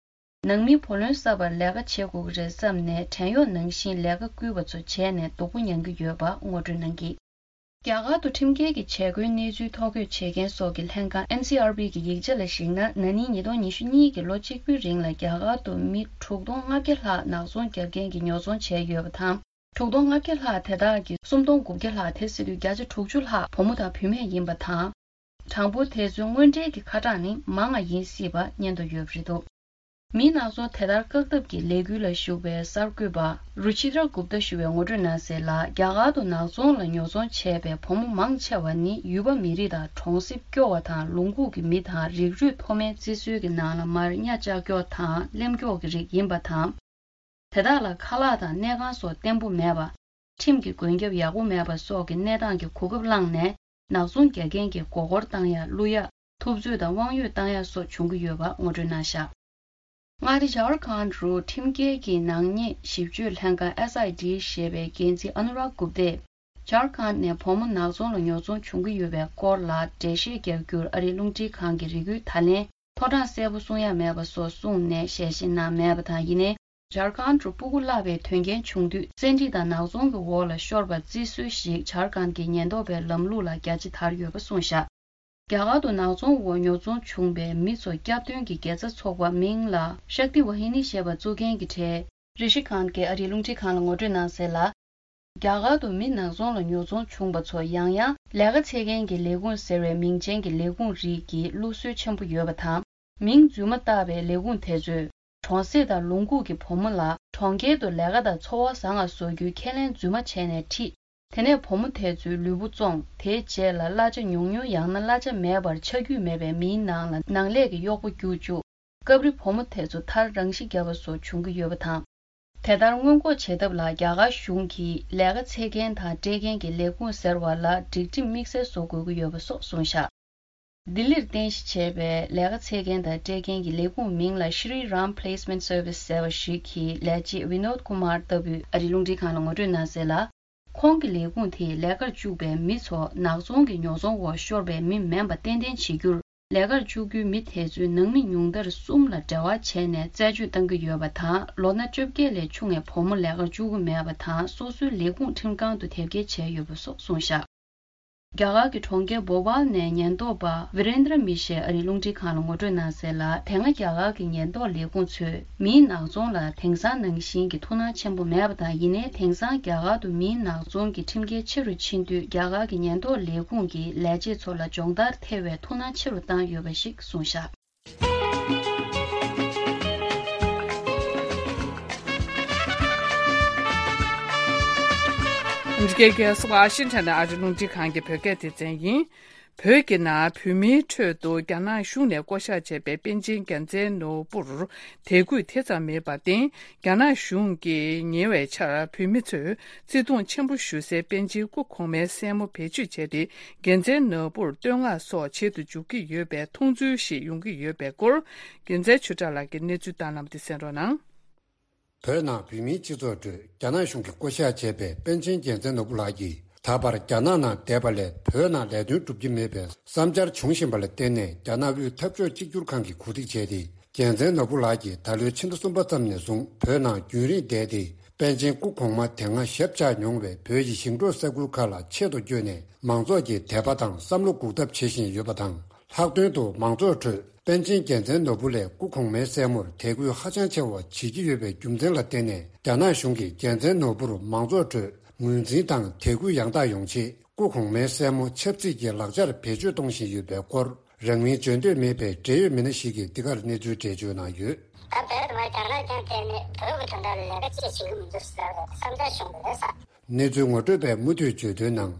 ནང་མིས་བུ་ལོན་གསབ་པར་ལས་ཀ་བྱེད་དགོས་ཀྱི་རེད་བསམ་ནས་བྲན་གཡོག་ནང་བཞིན་ལས་ཀ་བསྐུལ་བ་ཚོ་བྱས་ནས་སྡུག་པོ་མྱང་གི་ཡོད་པ་ངོ་སྤྲོད་གནང་གིས། རྒྱ་གར་དུ་ཁྲིམས་འགལ་གྱི་བྱེད་སྒོའི་གནས་ཚུལ་ཐོ་འགོད་བྱེད་མཁན་སོགས་ཀྱི་ལྷན་ཁང་ཨེན་སི་ཨར་བི་གི་ཡིག་ཆ་ལ་གཞིགས་ན། ན་ནིང་ཉིས་སྟོང་ཉི་ཤུ་གཉིས་ཀྱི་ལོ་གཅིག་པུའི་རིང་ལ་རྒྱ་གར་དུ་མི་དྲུག་སྟོང་ལྔ་བརྒྱ་ལྷག་ནག་ཚོང་རྒྱག་མཁན་གྱི་ཉོ་ཚོང་བྱས་ཡོད་པ་དང་། དྲུག་སྟོང་ལྔ་བརྒྱ་ལྷག་དེ་དག་གི་སུམ་སྟོང་དགུ་བརྒྱ་ལྷག་དེ་ཟེར་དུས་བརྒྱ་ཆ་དྲུག་ཅུ་ལྷག་བུ་མོ་དང་བུད་མེད་ཡིན་པ་དང་། གྲངས་འབོར་དེ་ཚོའི་དངོས་འབྲེལ་གྱི་ཁ་གྲངས་ནི་མང་བ་ཡིན་སྲིད་པ་སྙན་ཐོ་ཡོད་པ་རེད་འདུག་མིའི་ནག་ཚོང་དེ་ལྟར་བཀག་ཐབས་ཀྱི་ལས་འགུལ་ལ་ཞུགས་པའི་གསར་འགོད་པ་རུ་ཆི་དྲ་གུབ་ཏ་ཞུ་བས་ངོ་སྤྲོད་གནང་གསལ་ལ། རྒྱ་གར་དུ་ནག་ཚོང་ལ་ཉོ་ཚོང་བྱས་པའི་བུ་མོ་མང་ཆེ་བ་ནི་ཡུལ་པ་མི་རིགས་དང་གྲོང་གསེབ་སྐྱོ་བ་དང་། ལུང་ཁུག་གི་མི་དང་རིགས་རུས་མཐོ་དམན་བརྩི་སྲོལ་གྱི་ནང་ལ་མར་གཉའ་བཅག་ཀྱོག་དང་ལེམ་ཀྱོག་གི་རིགས་ཡིན་པ་དང་། དེ་དག་ལ་ཁ་ལག་དང་གནས་ཁང་སོགས་བརྟན་པོ་མེད་པ། ཁྲིམས་ཀྱི་མགོན་སྐྱབས་ཡག་པོ་མེད་པ་སོགས་ཀྱི་གནས་སྟངས་ཀྱི་གོ་སྐབས་བླངས་ནས། ནག་ཚོང་རྒྱག་མཁན་གྱི་མགོ་སྐོར་བཏང་ཡ། བླུ་ཡ། ཐུབ་ཚོད་དང་དབང་ཡོད་བཏང་ཡ་སོགས་བྱུང་གི་ཡོད་པ་ངོ་སྤྲོད་གནང་བཞག་མངའ་སྡེ་ཇར་ཁན་རུ་ཁྲིམས་འགལ་གྱི་ནག་ཉེས་ཞིབ་དཔྱོད་ལྷན་ཁང་ཨེས་ཨའི་ཌི་ཞེས་པའི་འགན་འཛིན་ཨ་ནུ་རག་གུབ་ཏས། ཇར་ཁན་ནས་བུ་མོ་ནག་ཚོང་ལ་ཉོ་ཚོང་བྱུང་གི་ཡོད་པའི་སྐོར་ལ་འགྲེལ་བཤད་རྒྱག་རྒྱུར་ཨ་རིའི་རླུང་འཕྲིན་ཁང་གི་རེ་སྐུལ་ད་ལན་ཐོ་གྲངས་གསལ་པོ་གསུང་ཡ་མེད་པ་སོགས་གསུངས་ནས་ཞལ་བཞེས་གནང་མེད་པ་དང་། ཡིན་ནའི། ཇར་ཁན་དུ་སྤུ་གུ་བརླག་པའི་དོན་རྐྱེན་བྱུང་དུས་བཙན་ཁྲིད་དང་ནག་ཚོང་གི་འོག་ལ་ཤོར་བ་བརྩི་སྲོལ་ཞིག་ཇར་ཁན་གྱི་ཉེན་རྟོག་པའི་ལམ་ལུགས་ལ་རྒྱ་ཆེ་དར་ཡོད་པ་གསུངས་བཞག་རྒྱ་གར་དུ་ནག་ཚོང་འོག་ཉོ་ཚོང་བྱུང་བའི་མི་ཚོ་སྐྱབས་སྟོན་གྱི་དགེ་རྩ་ཚོགས་པ་མིང་ལ་ཤཀ་ཏི་ཝ་ཧི་ནི་ཞེས་པ་བཙུགས་མཁན་གྱི་གྲས་རི་ཤི་ཁན་གྱིས་ཨ་རིའི་རླུང་འཕྲིན་ཁང་ལ་ངོ་སྤྲོད་གནང་གསལ་ལ། རྒྱ་གར་དུ་མི་ནག་ཚོང་ལ་ཉོ་ཚོང་བྱུང་བ་ཚོ་ཡང་ཡང་ལས་ཀ་འཚོལ་མཁན་གྱི་ལས་ཁུངས་ཟེར་བའི་མིང་ཅན་གྱི་ལས་ཁུངས་རིགས་ཀྱི་བླུགས་སྲོལ་ཆེན་པོ་ཡོད་པ་དང་། མིང་རྫུན་མ་བཏགས་པའི་ལས་ཁུངས་དེ་ཚོས་ གྲོང་གསེབ་དང་ལུང་ཁུག་གི་བུ་མོ་ལ་གྲོང་ཁྱེར་དུ་ལས་ཀ་དང་འཚོ་བ་བཟང་ང་བཟོ་རྒྱུའི་ཁས་ལེན་རྫུན་མ་བྱས་ནས་ཁྲིད། དེ་ནས་བུ་མོ་དེ་ཚོའི་ལུས་པོ་བཙོངས། དེའི་རྗེས་ལ་གླ་ཆ་ཉུང་ཉུང་ཡང་ན་གླ་ཆ་མེད་པར་ཆ་རྒྱུས་མེད་པའི་མིའི་ནང་ལ་ནང་ལས་ཀྱི་གཡོག་པོ་བསྐྱུར་བཅུག་སྐབས་རེ་བུ་མོ་དེ་ཚོ་མཐར་རང་ཤི་བརྒྱབ་པ་སོགས་བྱུང་གི་ཡོད་པ་དང་། དེ་ལྟར་སྔོན་འགོག་བྱེད་ཐབས་ལ་རྒྱ་གར་གཞུང་གིས་ལས་ཀ་འཚོལ་མཁན་དང་སྤྲད་མཁན་གྱི་ལས་ཁུངས་ཟེར་བ་ལ་སྒྲིག་ཁྲིམས་དམིགས་བསལ་བཟོ་དགོས་ཀྱི་ཡོད་པ་སོགས་གསུངས་བཞག་ལྡི་ལིར་རྟེན་གཞི་བྱས་པའི་ལས་ཀ་འཚོལ་མཁན་དང་སྤྲད་མཁན་གྱི་ལས་ཁུངས་མིང་ལ་Shri Ram Placement Service ཟེར་བ་ཞིག་གི་ལས་བྱེད་Vinod Kumar ལྟ་བུས་ཨ་རིའི་རླུང་འཕྲིན་ཁང་ལ་ངོ་སྤྲོད་གནང་གསལ་ལ། ཁོང་གི་ལས་ཁུངས་དེས་ལས་ཀར་བཅུག་པའི་མི་ཚོ་ནག་ཚོང་གི་ཉོ་ཚོང་འོག་ཤོར་བའི་མི་མིན་པ་ཏན་ཏན་བྱེད་རྒྱུར། ལས་ཀར་བཅུག་རྒྱུའི་མི་དེ་ཚོའི་ནང་མི་ཉུང་མཐར་གསུམ་ལ་འབྲེལ་བ་བྱས་ནས་རྩད་གཅོད་གཏང་གི་ཡོད་པ་དང་། ལོ་ན་བཅོ་བརྒྱད་ལས་ཆུང་བའི་བུ་མོ་ལས་ཀར་བཅུག་གི་མེད་པ་དང་། སོ་སོའི་ལས་ཁུངས་ཁྲིམས་ཁང་དུ་དེབ་སྐྱེལ་བྱས་ཡོད་པ་སོགས་གསུངས་བཞག་རྒྱ་གར་གྱི་གྲོང་ཁྱེར་བོ་པཱལ་ནས་ཉེན་རྟོག་པ་Virendra Mishra ཨ་རིའི་རླུང་འཕྲིན་ཁང་ལ་ངོ་སྤྲོད་གནང་གསལ་ལ། དེ་སྔ་རྒྱ་གར་གྱི་ཉེན་རྟོག་ལས་ཁུངས་ཚོས་མིའི་ནག་ཚོང་ལ་དེང་སང་ནང་བཞིན་གྱི་ཐུགས་སྣང་ཆེན་པོ་མེད་པ་དང་། ཡིན་ནའི་དེང་སང་རྒྱ་གར་དུ་མིའི་ནག་ཚོང་གི་ཁྲིམས་འགལ་ཆེ་རུ་ཕྱིན་དུས། རྒྱ་གར་གྱི་ཉེན་རྟོག་ལས་ཁུངས་ཀྱིས་ལས་བྱེད་ཚོ་ལ་སྦྱོང་བརྡར་ཐེབས་པའི་ཐུགས་སྣང་ཆེ་རུ་བཏང་ཡོད་པ་ཞིག་གསུངས་བཞག་འདི་གའི་གསར་ཤིན་ཅང་ནས་ཨ་རི་རླུང་འཕྲིན་ཁང་གི་བོད་སྐད་སྡེ་ཚན་ཡིན། བོད་ཀྱི་ནང་བོད་མིའི་ཁྲོད་དུ་རྒྱ་ནག་གཞུང་ནས་བསྐོ་གཞག་བྱས་པའི་པཎ་ཆེན་རྒྱལ་མཚན་ནོར་བུར་དད་གུས་དེ་ཙམ་མེད་པར་བརྟེན། རྒྱ་ནག་གཞུང་གིས་ཉེ་བའི་ཆར་བོད་མི་ཚོས་བརྩི་མཐོང་ཆེན་པོ་ཞུ་སའི་པཎ་ཆེན་སྐུ་གོང་མའི་སྲས་མོ་བེད་སྤྱོད་བྱས་ཏེ། རྒྱལ་མཚན་ནོར་བུར་བསྟོད་བསྔགས་སོགས་བྱེད་དུ་འཇུག་གི་ཡོད་པའི་མཐོང་ཚུལ་ཞིག་ཡོང་གི་ཡོད་པའི་སྐོར། རྒྱལ་མཚན་ཆོས་གྲགས་ལགས་ཀྱིས་གནས་ཚུལ་བཏང་གནང་བ་དེ་གསན་རོགས་གནང་། བོད་ནང་བོད་མིའི་སྤྱི་ཚོགས་ཁྲོད་རྒྱ་ནག་གཞུང་གིས་བསྐོ་གཞག་བྱས་པའི་པཎ་ཆེན་རྒྱལ་མཚན་ནོར་བུ་ལགས་ཀྱིས། ད་བར་རྒྱ་ནག་ནང་བསྡད་པ་ལས་བོད་ནང་ལས་དོན་སྒྲུབ་ཀྱི་མེད་པའི་བསམ་འཆར་བྱུང་བཞིན་པ་ལ་བརྟེན་ནས། རྒྱ་ནག་དབུས་འཐབ་ཕྱོགས་གཅིག་གྱུར་ཁང་གིས་གོ་སྒྲིག་བྱས་ཏེ། རྒྱལ་མཚན་ནོར་བུ་ལགས་ཀྱིས་ད་ལོའི་ཕྱི་ཟླ་གསུམ་པ་ཙམ་ནས་བཟུང་བོད་ནང་རྒྱུན་རིང་བསྡད་དེ། པཎ་ཆེན་སྐུ་གོང་མ་དེ་སྔ་ཞབས་བཅགས་མྱོང་བའི་བོད་ཀྱི་ཞིང་འབྲོག་ས་ཁུལ་ཁག་ལ་ཆེད་དུ་བསྐྱོད་ནས། མང་ཚོགས་ཀྱི་དད་པ་དང་བསམ་བློ་འགུག་ཐབས་བྱེད་བཞིན་ཡོད་པ་དང་། ལྷག་དོན་དུ་མང་ཚོགས་ཁྲོད་པཎ་ཆེན་རྒྱལ་མཚན་ནོར་བུ་ལས་སྐུ་གོང་མའི་སྲས་མོར་དད་གུས་ཧ་ཅང་ཆེ་བ་བྱེད་ཀྱི་ཡོད་པའི་རྒྱུ་མཚན་ལ་བརྟེན་ནས། རྒྱ་ནག་གཞུང་གིས་རྒྱལ་མཚན་ནོར་བུར་མང་ཚོགས་ཁྲོད་ངོས་འཛིན་དང་དད་གུས་ཡང་དག་ཡོང་ཆེད། སྐུ་གོང་མའི་སྲས་མོ་ཆབ་སྲིད་ཀྱི་ལག་ཆར་བེད་སྤྱོད་གཏོང་བཞིན་ཡོད་པའི་སྐོར། རང་མིང་བརྗོད་འདོད་མེད་པའི་འབྲེལ་ཡོད་མི་སྣ་ཞིག་གིས་འདི་གར་གནས་ཚུལ་འགྲེལ་བརྗོད་གནང་ཡོད། ད་བོད་དུ་མ་རྒྱ་ནག་ཀྱང་དེ་ནས་བོད་ཀྱི་དོན་དག་ལ་ལས་ཀ་ཅི་བྱེད་ཀྱི་མི་འདུག་ཟེར་བའི་བསམ་འཆར་བྱུང་བ་རེད་ཟེར། གནས་ཚུལ་ངོ་སྤྲོད་པས་མུ་མཐུད་བརྗོད་དོན་ནང་།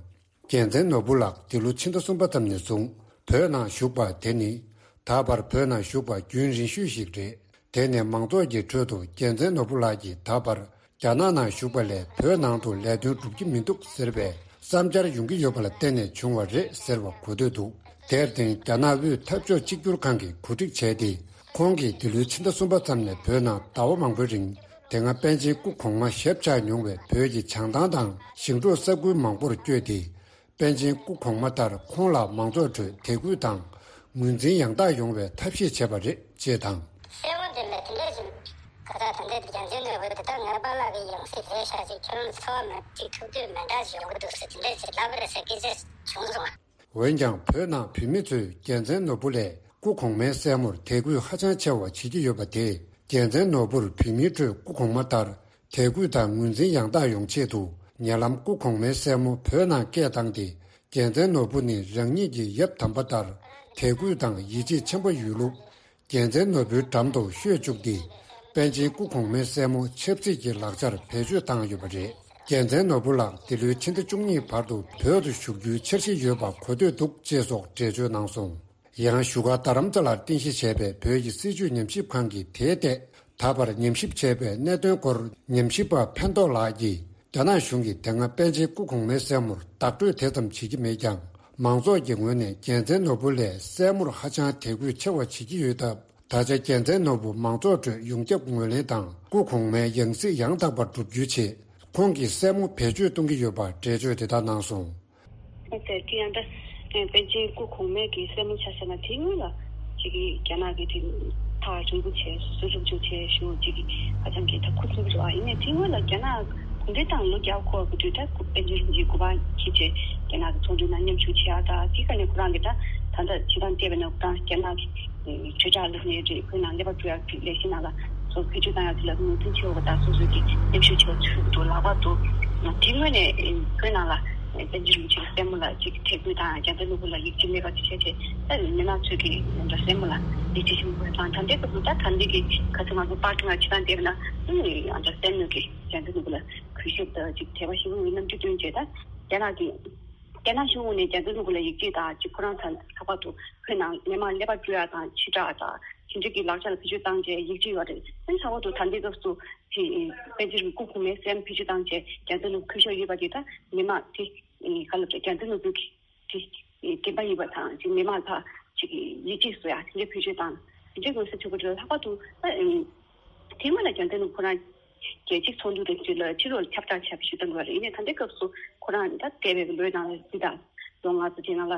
རྒྱལ་མཚན་ནོར་བུ་ལགས་འདི་ལོ་ཕྱི་ཟླ་གསུམ་པ་ཙམ་ནས་བཟུང་བོད་ནང་བཞུགས་པ་དེ་ནི། ད་བར་བོད་ནང་བཞུགས་པ་རྒྱུན་རིང་ཤོས་ཤིག་རེད། དེ་ནས་མང་ཚོགས་ཀྱི་ཁྲོད་དུ་རྒྱལ་མཚན་ནོར་བུ་ལགས་ཀྱིས་ད་བར་རྒྱ་ནག་ནང་བཞུགས་པ་ལས་བོད་ནང་དུ་ལས་དོན་སྒྲུབ་ཀྱི་མི་འདུག་ཟེར་བའི་བསམ་འཆར་ཡོང་གི་ཡོད་པ་ལ་བརྟེན་ནས་བྱུང་བ་རེད་ཟེར་བ་གོ་ཐོས་འདུག་དེར་བརྟེན་རྒྱ་ནག་དབུས་འཐབ་ཕྱོགས་གཅིག་གྱུར་ཁང་གིས་གོ་སྒྲིག་བྱས་ཏེ། ཁོང་གིས་འདི་ལོའི་ཕྱི་ཟླ་གསུམ་པ་ཙམ་ནས་བོད་ནང་ཟླ་བ་མང་པོའི་རིང་དེ་སྔ་པཎ་ཆེན་སྐུ་གོང་མ་ཞབས་བཅགས་མྱོང་བའི་བོད་ཀྱི་བྱང་ཐང་དང་ཞིང་འབྲོག་ས་ཁུལ་མང་པོར་བསྐྱོད་དེ། པཎ་ཆེན་སྐུ་གོང་མ་ལྟར་ཁོང་ལ་མང་ཚོགས་ཁྲོད་དད་གུས་དང་ངོས་འཛིན་ཡང་དག་ཡོང་བའི་ཐབས་ཤེས་བྱས་པ་རེད་ཅེས་དང་། སྲས་མོ་འདི་ལ་དེ་འདྲ་ཞིག་ཁ་ཚ་དེ་འདྲ་རྒྱལ་མཚན་ནོར་བུ་འདི་དག་ངའི་པཱ་ལགས་ཀྱི་ཡང་སྲིད་རེད་ཤག་ཅིག་ཁྱེད་རང་ཚོར་བ་མ་ཅིག་ཐུག་དུས་མེ་མདའ་ཞིག་ཡོང་གི་འདུག་ཟེར་དེ་འདྲ་ཞིག་ལབ་པ་རེད་ཟེར་སྐད་ཆ་བྱུང་སོང་། འོན་ཀྱང་བོད་ནང་བོད་མི་ཚོས་རྒྱལ་མཚན་ནོར་བུ་ལས་སྐུ་གོང་མའི་སྲས་མོར་དད་གུས་ཧ་ཅང་ཆེ་བ་བྱེད་ཀྱི་ཡོད་པ་དེས་རྒྱལ་མཚན་ནོར་བུར་བོད་མིའི་ཁྲོད་སྐུ་གོང་མ་ལྟར། དད་གུས་དང་ངོས་འཛིན་ཡང་དག་ཡོང་ཆེད་དུ་ཉེ་ལམ་སྐུ་གོང་མའི་སྲས་མོ་བོད་ནང་སྐད་བཏང་སྟེ། རྒྱལ་མཚན་ནོར་བུ་ནི་རང་ཉིད་ཀྱི་ཡབ་དམ་པ་ལྟར་དད་གུས་དང་ཡིད་ཆེས་ཆེན་པོ་ཡོད་ལུགས། རྒྱལ་མཚན་ནོར་བུའི་འགྲམ་དུ་ཤོད་བཅུག་སྟེ། པཎ་ཆེན་སྐུ་གོང་མའི་སྲས་མོ་ཆབ་སྲིད་ཀྱི་ལག་ཆར་བེད་སྤྱོད་བཏང་ཡོད་པ་རེད། རྒྱལ་མཚན་ནོར་བུ་ལགས་འདི་ལོའི་ཕྱི་ཟླ་བཅུ་གཉིས་བར་དུ་བོད་དུ་བཞུགས་རྒྱུའི་འཆར་གཞི་ཡོད་པ་གོ་ཐོས་འདུག་ཅེས་སོགས་འགྲེལ་བརྗོད་གནང་སོང་། ཡང་བཞུགས་སྒར་རྡ་རམ་ས་ལར་རྟེན་གཞི་བྱས་པའི་བོད་ཀྱི་སྲིད་བྱུས་ཉམས་ཞིབ་ཁང་གིས་དེའི་ཐད་ད་བར་ཉམས་ཞིབ་བྱས་པའི་གནད་དོན་སྐོར་ཉམས་ཞིབ་པ་ཕན་ཐོགས་ལགས་ཀྱིས། རྒྱ་ནག་གཞུང་གིས་དེ་སྔ་པཎ་ཆེན་སྐུ་གོང་མའི་སྲས་མོར་བདག་སྤྲོད་དེ་ཙམ་བྱེད་ཀྱི་མེད་ཀྱང་། མང་ཚོགས་ཀྱི་ངོས་ནས་རྒྱལ་མཚན་ནོར་བུ་ལས་སྲས་མོར་ཧ་ཅང་དད་གུས་ཆེ་བ་བྱེད་ཀྱི་ཡོད་སྟབས། ད་ཆ་རྒྱལ་མཚན་ནོར་བུ་མང་ཚོགས་ཁྲོད་ཡོངས་ཁྱབ་ངོས་ལེན་དང་། སྐུ་གོང་མའི་ཡང་སྲིད་ཡང་དག་པར་བསྒྲུབ་རྒྱུའི་ཆེད། ཁོང་གི་སྲས་མོ་བེད་སྤྱོད་གཏོང་གི་ཡོད་པར་འགྲེལ་བརྗོད་དེ་ལྟར་གནང་སོང་། ཨ་ཙི། དེ་ཡང་ད་པཎ་ཆེན་སྐུ་གོང་མའི་གི་སྲས་མོ་ཆ་བཞག་ན་དེའི་སྔོན་ལ་ཅིག་གི་རྒྱ་ནག་གི་དེ་ཐག་རིང་པོ་བྱས་སུ་རུབ་ཅུག་བྱས་ཞུ་ཅིག་གི་ཧ་ཅང་གི་ད་ཁུ་སིམ་པོ་རེད་བ། ཡིན་ནའི་དེའི་སྔོན་ལ་རྒྱ་ནག་གུང་ཁྲན་ཏང་ལོ་བརྒྱ་འཁོར་བ་གི་དུས་ད་པཎ་ཆེན་རིན་པོ་ཆེ་གོ་འཕང་འཁྱེར་བྱས་རྒྱ་ནག་གི་ཚོང་འབྲེལ་ནང་མཉམ་ཞུགས་བྱས་ཨ། ད་དེ་ག་ནས་ཁོ་རང་གི་ད་ད་ད་བྱེད་སྟངས་བལྟས་པ་ན་ད་རྒྱ་ནག་གི་ཆོས་གྲགས་ལགས་ནས་རེད། ཁོའི་ནང་ཀླད་པ་བཀྲུ་ཡག་གི་ལས་གཞི་ནང་ལ་སོ་བེད་སྤྱོད་བཏང་ཡག་དེ་ལ་ངོས་འཛིན་བྱེད་འོ་ད་སོ་སོའི་གི་མཉམ་ཞུགས་བྱེད་པ་ཚུལ་འདུག་ལག་པ་འདུག་དེའི་སྔོན་ནས་ཁོའི་ནང་ལ། པཎ་ཆེན་རིན་པོ་ཆེ་གི་སྲས་མོ་ལ་ཅིག་དད་གུས་དང་རྒྱལ་མཚན་ནོར་བུ་ལ་ཡིད་ཆེས་མེད་པ་ཅིག་བྱས་བྱས། ད་མི་མང་ཚོས་ཀྱི་ད་སྲས་མོ་ལ་ཡིད་ཆེས་ཆེན་པོ་དང་། ད་ལྟའི་སྐབས་སུ་ད་ད་ལྟའི་གི་ཁ་སང་ང་ཚོ་པར་སྐྲུན་ལ་ཕྱི་ཐང་བལྟས་ན། ཨ་ནི་ང་ཚོ་སྲས་མོ་གི་རྒྱལ་མཚན་ནོར་བུ་ལ་གུས་ཞབས་དང་ཅིག་དད་པ་ཞེ་པོ་ཡི་རྣམ་འགྱུར་སྟོན་བྱས། ད་རྒྱ་ནག་གི་རྒྱ་ནག་གཞུང་ངོས་ནས་རྒྱལ་མཚན་ནོར་བུ་ལ་ཡིད་ཆེས་དང་ཅིག་ཁོ་རང་ཚོ་ལྷག་པར་དུ་བོད་ནང་མི་མང་ཀླད་པ་བཀྲུ་ཡ་དང་ཕྱི་དྲགས་དང་དེ་འདྲ་གི་ལག་ཆ་ལ་བེད་སྤྱོད་བཏང་བྱས་ཡིད་ཆེས་ཡོད་རེད། ཨ་ནི་ལྷག་པར་དུ་ད་ལྟའི་སྐབས་སུ་དེ་པཎ་ཆེན་གྱི་སྐུ་གོང་མའི་སྲས་མོ་བེད་སྤྱོད་བཏང་བྱས་རྒྱལ་མཚན་ནོར་བུ་གུས་ཞབས་ཡོད་པ་དེ་ད་མི་མང་དེ་ག་ལ་རྒྱལ་མཚན་ནོར་བུ་གི་དེ་དགོན་པ་ཡིན་པ་དང་ཅིག་མི་མང་ལ་ཅིག་ཡིད་ཆེས་བཟོ་ཡ་དེ་འདྲ་བེད་སྤྱོད་བཏང་། དེ་འདྲ་དགོས་ས་ཆོག་གི་རེད། ལྷག་པར་དུ་ད་དེ་སྔོན་ལ་རྒྱལ་མཚན་ནོར་བུ་ཁོ་རང་རྒྱལ་གཅེས་ཚོགས་འདུ་དང་འབྲེལ་ལ་ཕྱི་ལོགས་ལ་ཁྱབ་བསྒྲགས་བྱས་པ་ཞིག་བཏང་དགོས་རེད། ཡིན་ནའི་ད་ལྟའི་སྐབས་སུ་ཁོ་རང་ད་འདས་པའི་ལོའི་ནང་ལ་འདི་དང་ལོ་ལྔ་ཙམ་དེ་ནང་ལ་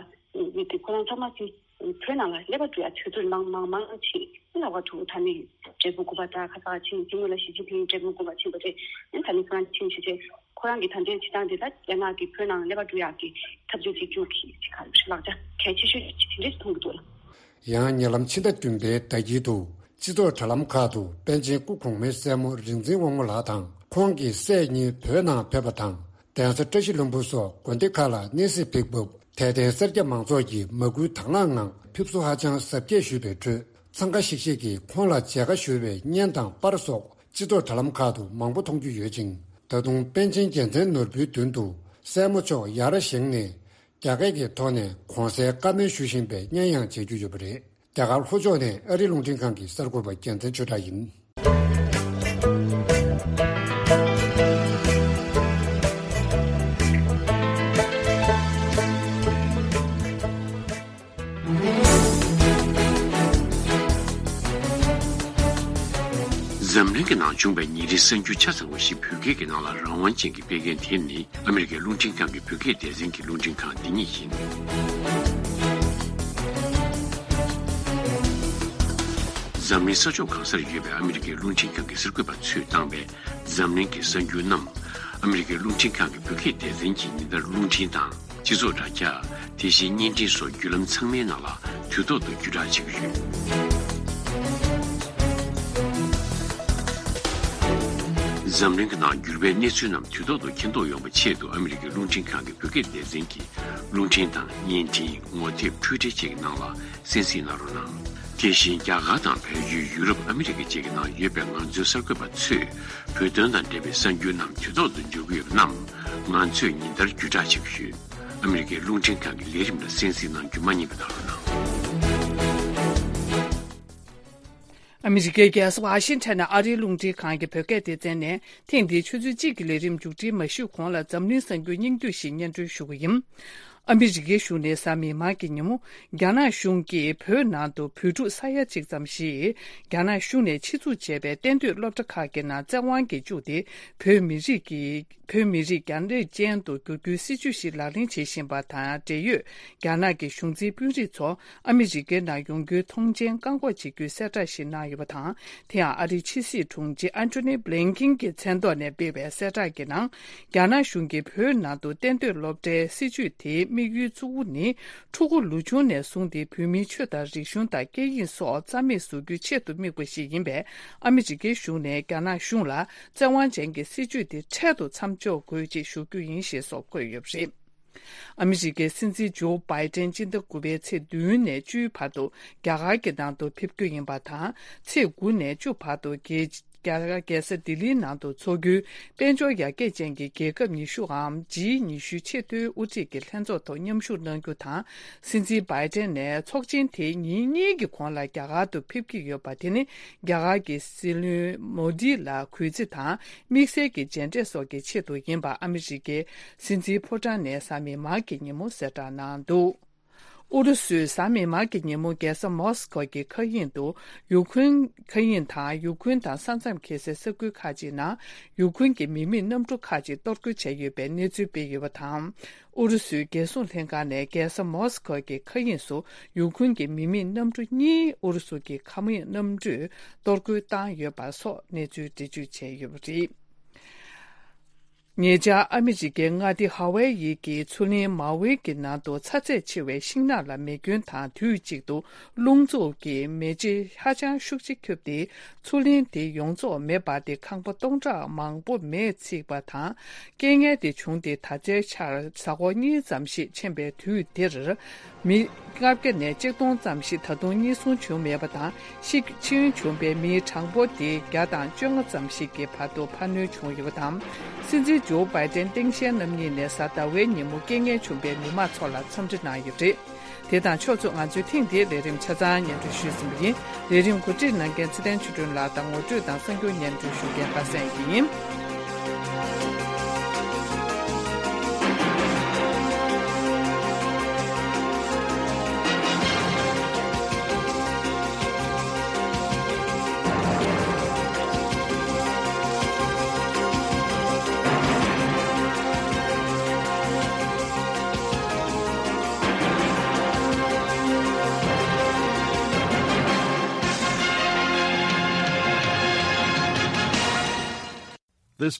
ཡིན་ཏེ་ཁོ་རང་ཚང་མ་ཅིག་བོད་ནང་ལ་ཀླད་པ་བཀྲུ་ཡ་དུས་ཚོད་མང་མང་མང་ཕྱིན། ལྷག་པར་དུ་ད་ནི་འབྲས་སྤུངས་དགོན་པ་དང་ཁ་སང་ཕྱིན་དེ་སྔོན་ལ་ཞི་ཅིན་ཕིང་འབྲས་སྤུངས་དགོན་པ་ཕྱིན་པ་རེད། ཨ་ནི་ད་ནི་ཁོ་རང་ཕྱིན་བྱས་བྱས་ཁོ་རང་གི་ད་ལྟའི་བྱེད་སྟངས་དེ་ད་རྒྱ་ནག་གིས་བོད་ནང་ཀླད་པ་བཀྲུ་ཡག་གི་འཐབ་རྩོད་བྱེད་རྒྱུ་གི་ཅིག་ག་ལག་ཆ་གལ་ཆེ་ཤོས་ཅིག་དེ་འདྲས་མཐོང་གི་འདུག་ལ། ཡང་ཉེ་ལམ་ཕྱི་ཟླ་བདུན་པའི་ཟླ་དཀྱིལ་དུ་སྤྱི་ཚོགས་དྲ་ལམ་ཁག་ཏུ་པཎ་ཆེན་སྐུ་གོང་མའི་སྲས་མོ་རིག་འཛིན་དབང་མོ་ལགས་དང་ཁོང་གི་སྲས་གཉིས་བོད་ནང་ཕེབས་པ་དང་། གདན་ས་བཀྲ་ཤིས་ལྷུན་པོ་སོགས་དགོན་སྡེ་ཁག་ལ་གནས་གཟིགས་ཕེབས་སྐབས་དད་ལྡན་སེར་སྐྱ་མང་ཚོགས་ཀྱིས་མ་བསྐུལ་དང་བླངས་ངང་ཕེབས་བསུ་ཧ་ཅང་གཟབ་རྒྱས་ཞུས་པའི་ཁྲོད། འཚང་ཁ་ཤིག་ཤིག་གིས་ཁོང་ལ་མཇལ་ཁ་ཞུ་བའི་བརྙན་དང་པར་སོགས་སྤྱི་ཚོགས་དྲ་ལམ་ཁག་ཏུ་མང་པོ་མཐོང་རྒྱུ་ཡོད་ཅིང་། ད་དུང་པཎ་ཆེན་རྒྱལ་མཚན་ནོར་བུའི་མདུན་དུ་སྲས་མོ་མཆོག་ཡར་བཞེངས་ནས་རྒྱ་སྐད་ཀྱི་ཐོག་ནས་གོང་གསལ་བཀའ་མོལ་ཞུ་བཞིན་པའི་བརྙན་ཡང་མཇལ་རྒྱུ་ཡོད་པ་རེད། རྒྱ་གར་ལྷོ་ཕྱོགས་ནས་ཨ་རིའི་རླུང་འཕྲིན་ཁང་གི་གསར་འགོད་པ་རྒྱལ་མཚན་ཆོས་གྲགས་ཡིན། འཛམ་གླིང་གི་ནང་བྱུང་བའི་ཉིན་རེའི་གསར་འགྱུར་ཆ་ཚང་བ་ཞིག་བོད་སྐད་ཀྱི་ནང་ལ་རང་དབང་ཅན་གྱིས་སྤེལ་མཁན་དེ་ནི་ཨ་མི་རི་ཀའི་རླུང་འཕྲིན་ཁང་གི་བོད་སྐད་སྡེ་ཚན་གྱི་རླུང་འཕྲིན་ཁང་འདི་ཉིད་ཡིན། འཛམ་གླིང་ས་ཕྱོགས་གང་སར་ཡོད་པའི་ཨ་མི་རི་ཀའི་རླུང་འཕྲིན་ཁང་གི་གསར་འགོད་པ་ཚོས་བཏང་བའི་འཛམ་གླིང་གི་གསར་འགྱུར་རྣམས། ཨ་མི་རི་ཀའི་རླུང་འཕྲིན་ཁང་གི་བོད་སྐད་སྡེ་ཚན་གྱིས་ཉིན་ལྟར་རླུང་འཕྲིན་དང་། སྤྱི་ཚོགས་དྲ་རྒྱ། དེ་བཞིན་བརྙན་འཕྲིན་སོགས་བརྒྱུད་ལམ་ཚང་མའི་ནང་ལ་དུས་ཐོག་ཏུ་བརྒྱུད་བསྒྲགས་བྱེད་ཀྱི་ཡོད། འཛམ་གླིང་གི་ནང་འགྱུར་བའི་གནས་ཚུལ་རྣམས་དུས་ཐོག་ཏུ་མཁྱེན་རྟོགས་ཡོང་བའི་ཆེད་དུ་ཨ་མི་རི་ཀའི་རླུང་འཕྲིན་ཁང་གི་བོད་སྐད་སྡེ་ཚན་གྱིས་རླུང་འཕྲིན་དང་བརྙན་འཕྲིན། ངོ་དེབ། འཕྲུལ་འཕྲིན་བཅས་ཀྱི་ནང་ལ་གསན་གཟིགས་གནང་རོགས་གནང་། དེ་བཞིན་རྒྱ་གར་དང་བལ་ཡུལ། ཡུ་རོབ། ཨ་མི་རི་ཀ་བཅས་ཀྱི་ནང་ཡོད་པའི་ང་ཚོའི་གསར་འགོད་པ་ཚོས་བོད་དོན་དང་འབྲེལ་བའི་གསར་འགྱུར་རྣམས་དུས་ཐོག་ཏུ་འབྱོར་གྱི་ཡོད་པ་རྣམས་ང་ཚོས་ཉིན་ལྟར་བརྒྱུད་བསྒྲགས་བྱེད་ཀྱི་ཡོད། ཨ་མི་རི་ཀའི་རླུང་འཕྲིན་ཁང་གི་ལས་རིམ་ལ་གསན་གཟིགས་གནང་རྒྱུ་མ་བསྙེལ་བ་གནང་རོགས་གནང་། ཨ་མི་རི་ཀའི་རྒྱལ་ས་ཝ་ཤིང་ཊོན་ནས་ཨ་རིའི་རླུང་འཕྲིན་ཁང་གི་བོད་སྐད་སྡེ་ཚན་ནས་ཐེངས་འདིའི་ཆུ་ཚོད་གཅིག་གི་ལས་རིམ་མཇུག་སྒྲིལ་མ་ཞུས་གོང་ལ་འཛམ་གླིང་གསར་འགྱུར་སྙིང་བསྡུས་ཤིག་སྙན་སྒྲོན་ཞུ་གི་ཡིན། ཨ་མི་རི་ཀའི་གཞུང་ནས་གཟའ་མིག་དམར་གྱི་ཉིན་མོ། རྒྱ་ནག་གཞུང་གིས་བོད་ནང་དུ་བོད་ཕྲུག་ས་ཡ་གཅིག་ཙམ་ཞིག་རྒྱ་ནག་གཞུང་ནས་ཆེད་འཛུགས་བྱས་པའི་གཏན་སྡོད་སློབ་གྲྭ་ཁག་གི་ནང་བཙན་དབང་གིས་བཅུག་སྟེ། བོད་མི་རིགས་ཀྱི། བོད་མི་རིགས་རྒྱ་རིགས་ཅན་དུ་བསྒྱུར་རྒྱུའི་སྲིད་བྱུས་ཤིག་ལག་ལེན་བྱེད་བཞིན་པ་དང་འབྲེལ་ཡོད། རྒྱ་ནག་གི་གཞུང་འཛིན་དཔོན་རིགས་ཚོ་ཨ་མི་རི་ཀའི་ནང་ཡོང་རྒྱུའི་མཐོང་མཆན་བཀག་འགོག་བྱེད་རྒྱུའི་གསལ་བསྒྲགས་ཤིག་གནང་ཡོད་པ་དང་། དེ་ཡང་ཨ་རིའི་ཕྱི་སྲིད་དྲུང་ཆེ་ཨན་ཐོ་ནི་བྷི་ལིན་ཀིན་གྱི་མཚན་ཐོག་ནས་སྤེལ་བའི་གསལ་བསྒྲགས་ཀྱི་ནང་། རྒྱ་ནག་གཞུང་གིས་བོད་ནང་དུ་གཏན་སྡོད་སློབ་གྲྭའི་སྲིད་བྱུས་དེའི་དམིགས་ཡུལ་གཙོ་བོ་ནི། ཕྲུ་གུ་ལོ་ཆུང་ནས་བཟུང་སྟེ་བོད་མིའི་ཆོས་དང་རིག་གཞུང་དང་སྐད་ཡིག་སོགས་རྩ་མེད་བཟོ་རྒྱུའི་ཆེད་དུ་དམིགས་པ་ཞིག་ཡིན་པས། ཨ་མི་རི་ཀའི་གཞུང་ནས་རྒྱ་ནག་གཞུང་ལ་བཙན་དབང་ཅན་གྱི་སྲིད་བྱུས་དེ་འཕྲལ་དུ་མཚམས་འཇོག་དགོས་ཅེས་ཞུ་རྒྱུ་ཡིན་ཞེས་སོགས་འཁོད་ཡོད་པ་རེད། ཨ་མི་རི་ཀའི་སྲིད་འཛིན་ཇོ་བྷའི་ཏན་སྤྱི་ཟླ་དགུ་པའི་ཚེས་བདུན་ནས་བཅུའི་བར་དུ་རྒྱ་གར་གྱི་ནང་དུ་ཕེབས་རྒྱུ་ཡིན་པ་དང་། ཚེས་དགུ་ནས་བཅུ་བར་དུ་རྒྱལ། རྒྱ་གར་རྒྱལ་ས་ལྡི་ལིའི་ནང་དུ་འཚོགས་རྒྱུའི་དཔལ་འབྱོར་ཡར་རྒྱས་ཅན་གྱི་རྒྱལ་ཁབ་ཉི་ཤུའམ་ཇི་ཉི་ཤུ་ཆེས་མཐོའི་དབུ་ཁྲིད་ཀྱི་ལྷན་ཚོགས་ཐོག་མཉམ་ཞུགས་གནང་རྒྱུ་དང་། སྲིད་འཛིན་བྷའི་ཏན་ནས་ཚོགས་ཆེན་དེའི་ཉིན་གཉིས་ཀྱི་གོང་ལ་རྒྱ་གར་དུ་ཕེབས་ཀྱི་ཡོད་པ་དེ་ནི་རྒྱ་གར་གྱི་སྲིད་བློན་མོ་དི་ལ་གུས་བརྩི་དང་དམིགས་བསལ་གྱི་མཇལ་འཕྲད་སོགས་ཀྱི་ཆེད་དུ་ཡིན་པ་ཨ་མི་རི་ཀའི་སྲིད་འཛིན་ཕོ་བྲང་ནས་གཟའ་མིག་དམར་གྱི་ཉིན་མོ་གསལ་བསྒྲགས་གནང་འདུག་ཨུ་རུ་སུས་གཟའ་མིག་དམར་གྱི་ཉིན་མོ་རྒྱལ་ས་མོ་སི་ཁོ་གི་མཁའ་དབྱིངས་དུ་ཡུ་ཁུན། མཁའ་དབྱིངས་དང་ཡུ་ཁུན་དང་ས་མཚམས་འཁེལ་སའི་ས་ཁུལ་ཁག་ཅིག་ནང་ཡུ་ཁུན་གྱི་མི་མེད་གནམ་གྲུ་ཁག་ཅིག་གཏོར་རྒོལ་བྱས་ཡོད་པའི་གནས་ཚུལ་སྤེལ་ཡོད་པ་དང་། ཨུ་རུ་སུའི་རྒྱལ་སྲུང་ལྷན་ཁང་ནས་རྒྱལ་ས་མོ་སི་ཁོ་གི་མཁའ་དབྱིངས་སུ་ཡུ་ཁུན་གྱི་མི་མེད་གནམ་གྲུ་གཉིས་ཨུ་རུ་སུ་གྱི་མཁའ་དབྱིངས་གནམ་གྲུས་གཏོར་རྒོལ་བཏང་ཡོད་པ་སོགས་གནས་ཚུལ་འགྲེལ་བརྗོད་བྱས་ཡོད་པ་རེད། ཉེ་ཆར་ཨ་མི་རི་ཀའི་མངའ་སྡེ་ཧ་ཝའེ་ཡི་གི་མཚོ་གླིང་མའོ་ཝི་གི་ནང་དུ་ཚ་ཚད་ཆེ་བའི་ཤིང་ནགས་ལ་མེ་སྐྱོན་དང་དུས་གཅིག་ཏུ་རླུང་འཚུབ་ཀྱིས་མེ་ལྕེ་ཧ་ཅང་ཤུགས་ཆེ་ཁྱབ་སྟེ། མཚོ་གླིང་དེ་ཡོངས་རྫོགས་མེ་འབར་ཏེ་ཁང་པ་སྟོང་ཕྲག་མང་པོ་མེས་ཚིག་པ་དང་། རྐྱེན་ངན་དེ་བྱུང་སྟེ་ད་ལྟའི་ཆར་གཟའ་འཁོར་གཉིས་ཙམ་ཞིག་ཕྱིན་པའི་དུས་འདིར། མི་ལྔ་བརྒྱ་ནས་ཆིག་སྟོང་ཙམ་ཞིག་ད་དུང་གཉིད་སྲུང་བྱུང་མེད་པ་དང་། ཤི་འཕྱི་སྐྱོན་བྱུང་པའི་མིའི་གྲངས་འབོར་དེ་བརྒྱ་དང་བཅོ་ལྔ་ཙམ་ཞིག་གི་བར་དུ་འཕར་སྣོན་བྱུང་ཡོད་པ་དང་། སྲིད་འཛིན་ཇོ་བྷའི་ཏན་སྟངས་དབང་ཆེན་རྣམ་གཉིས་ནས་གཟའ་ཟླ་བའི་ཉིན་མོ་རྐྱེན་ངན་བྱུང་པའི་མི་མང་ཚོ་ལ་འཚམས་འདྲི་གནང་ཡོད་པ་རེད། དེ་དང་ཕྱོགས་མཚུངས། ང་ཚོས་ཐེངས་འདིའི་ལས་རིམ་ཆ་ཚང་སྙན་སྒྲོན་ཞུས་ཟིན་པ་ཡིན། ལས་རིམ་གོ་སྒྲིག་གནང་མཁན་ཚེ་བརྟན་ཆོས་སྒྲོན་ལགས་དང་ངོ་སྤྲོད་དང་གསར་འགྱུར་སྙན་སྒྲོན་ཞུ་མཁན་པ་སངས་སྐྱིད་ཡིན།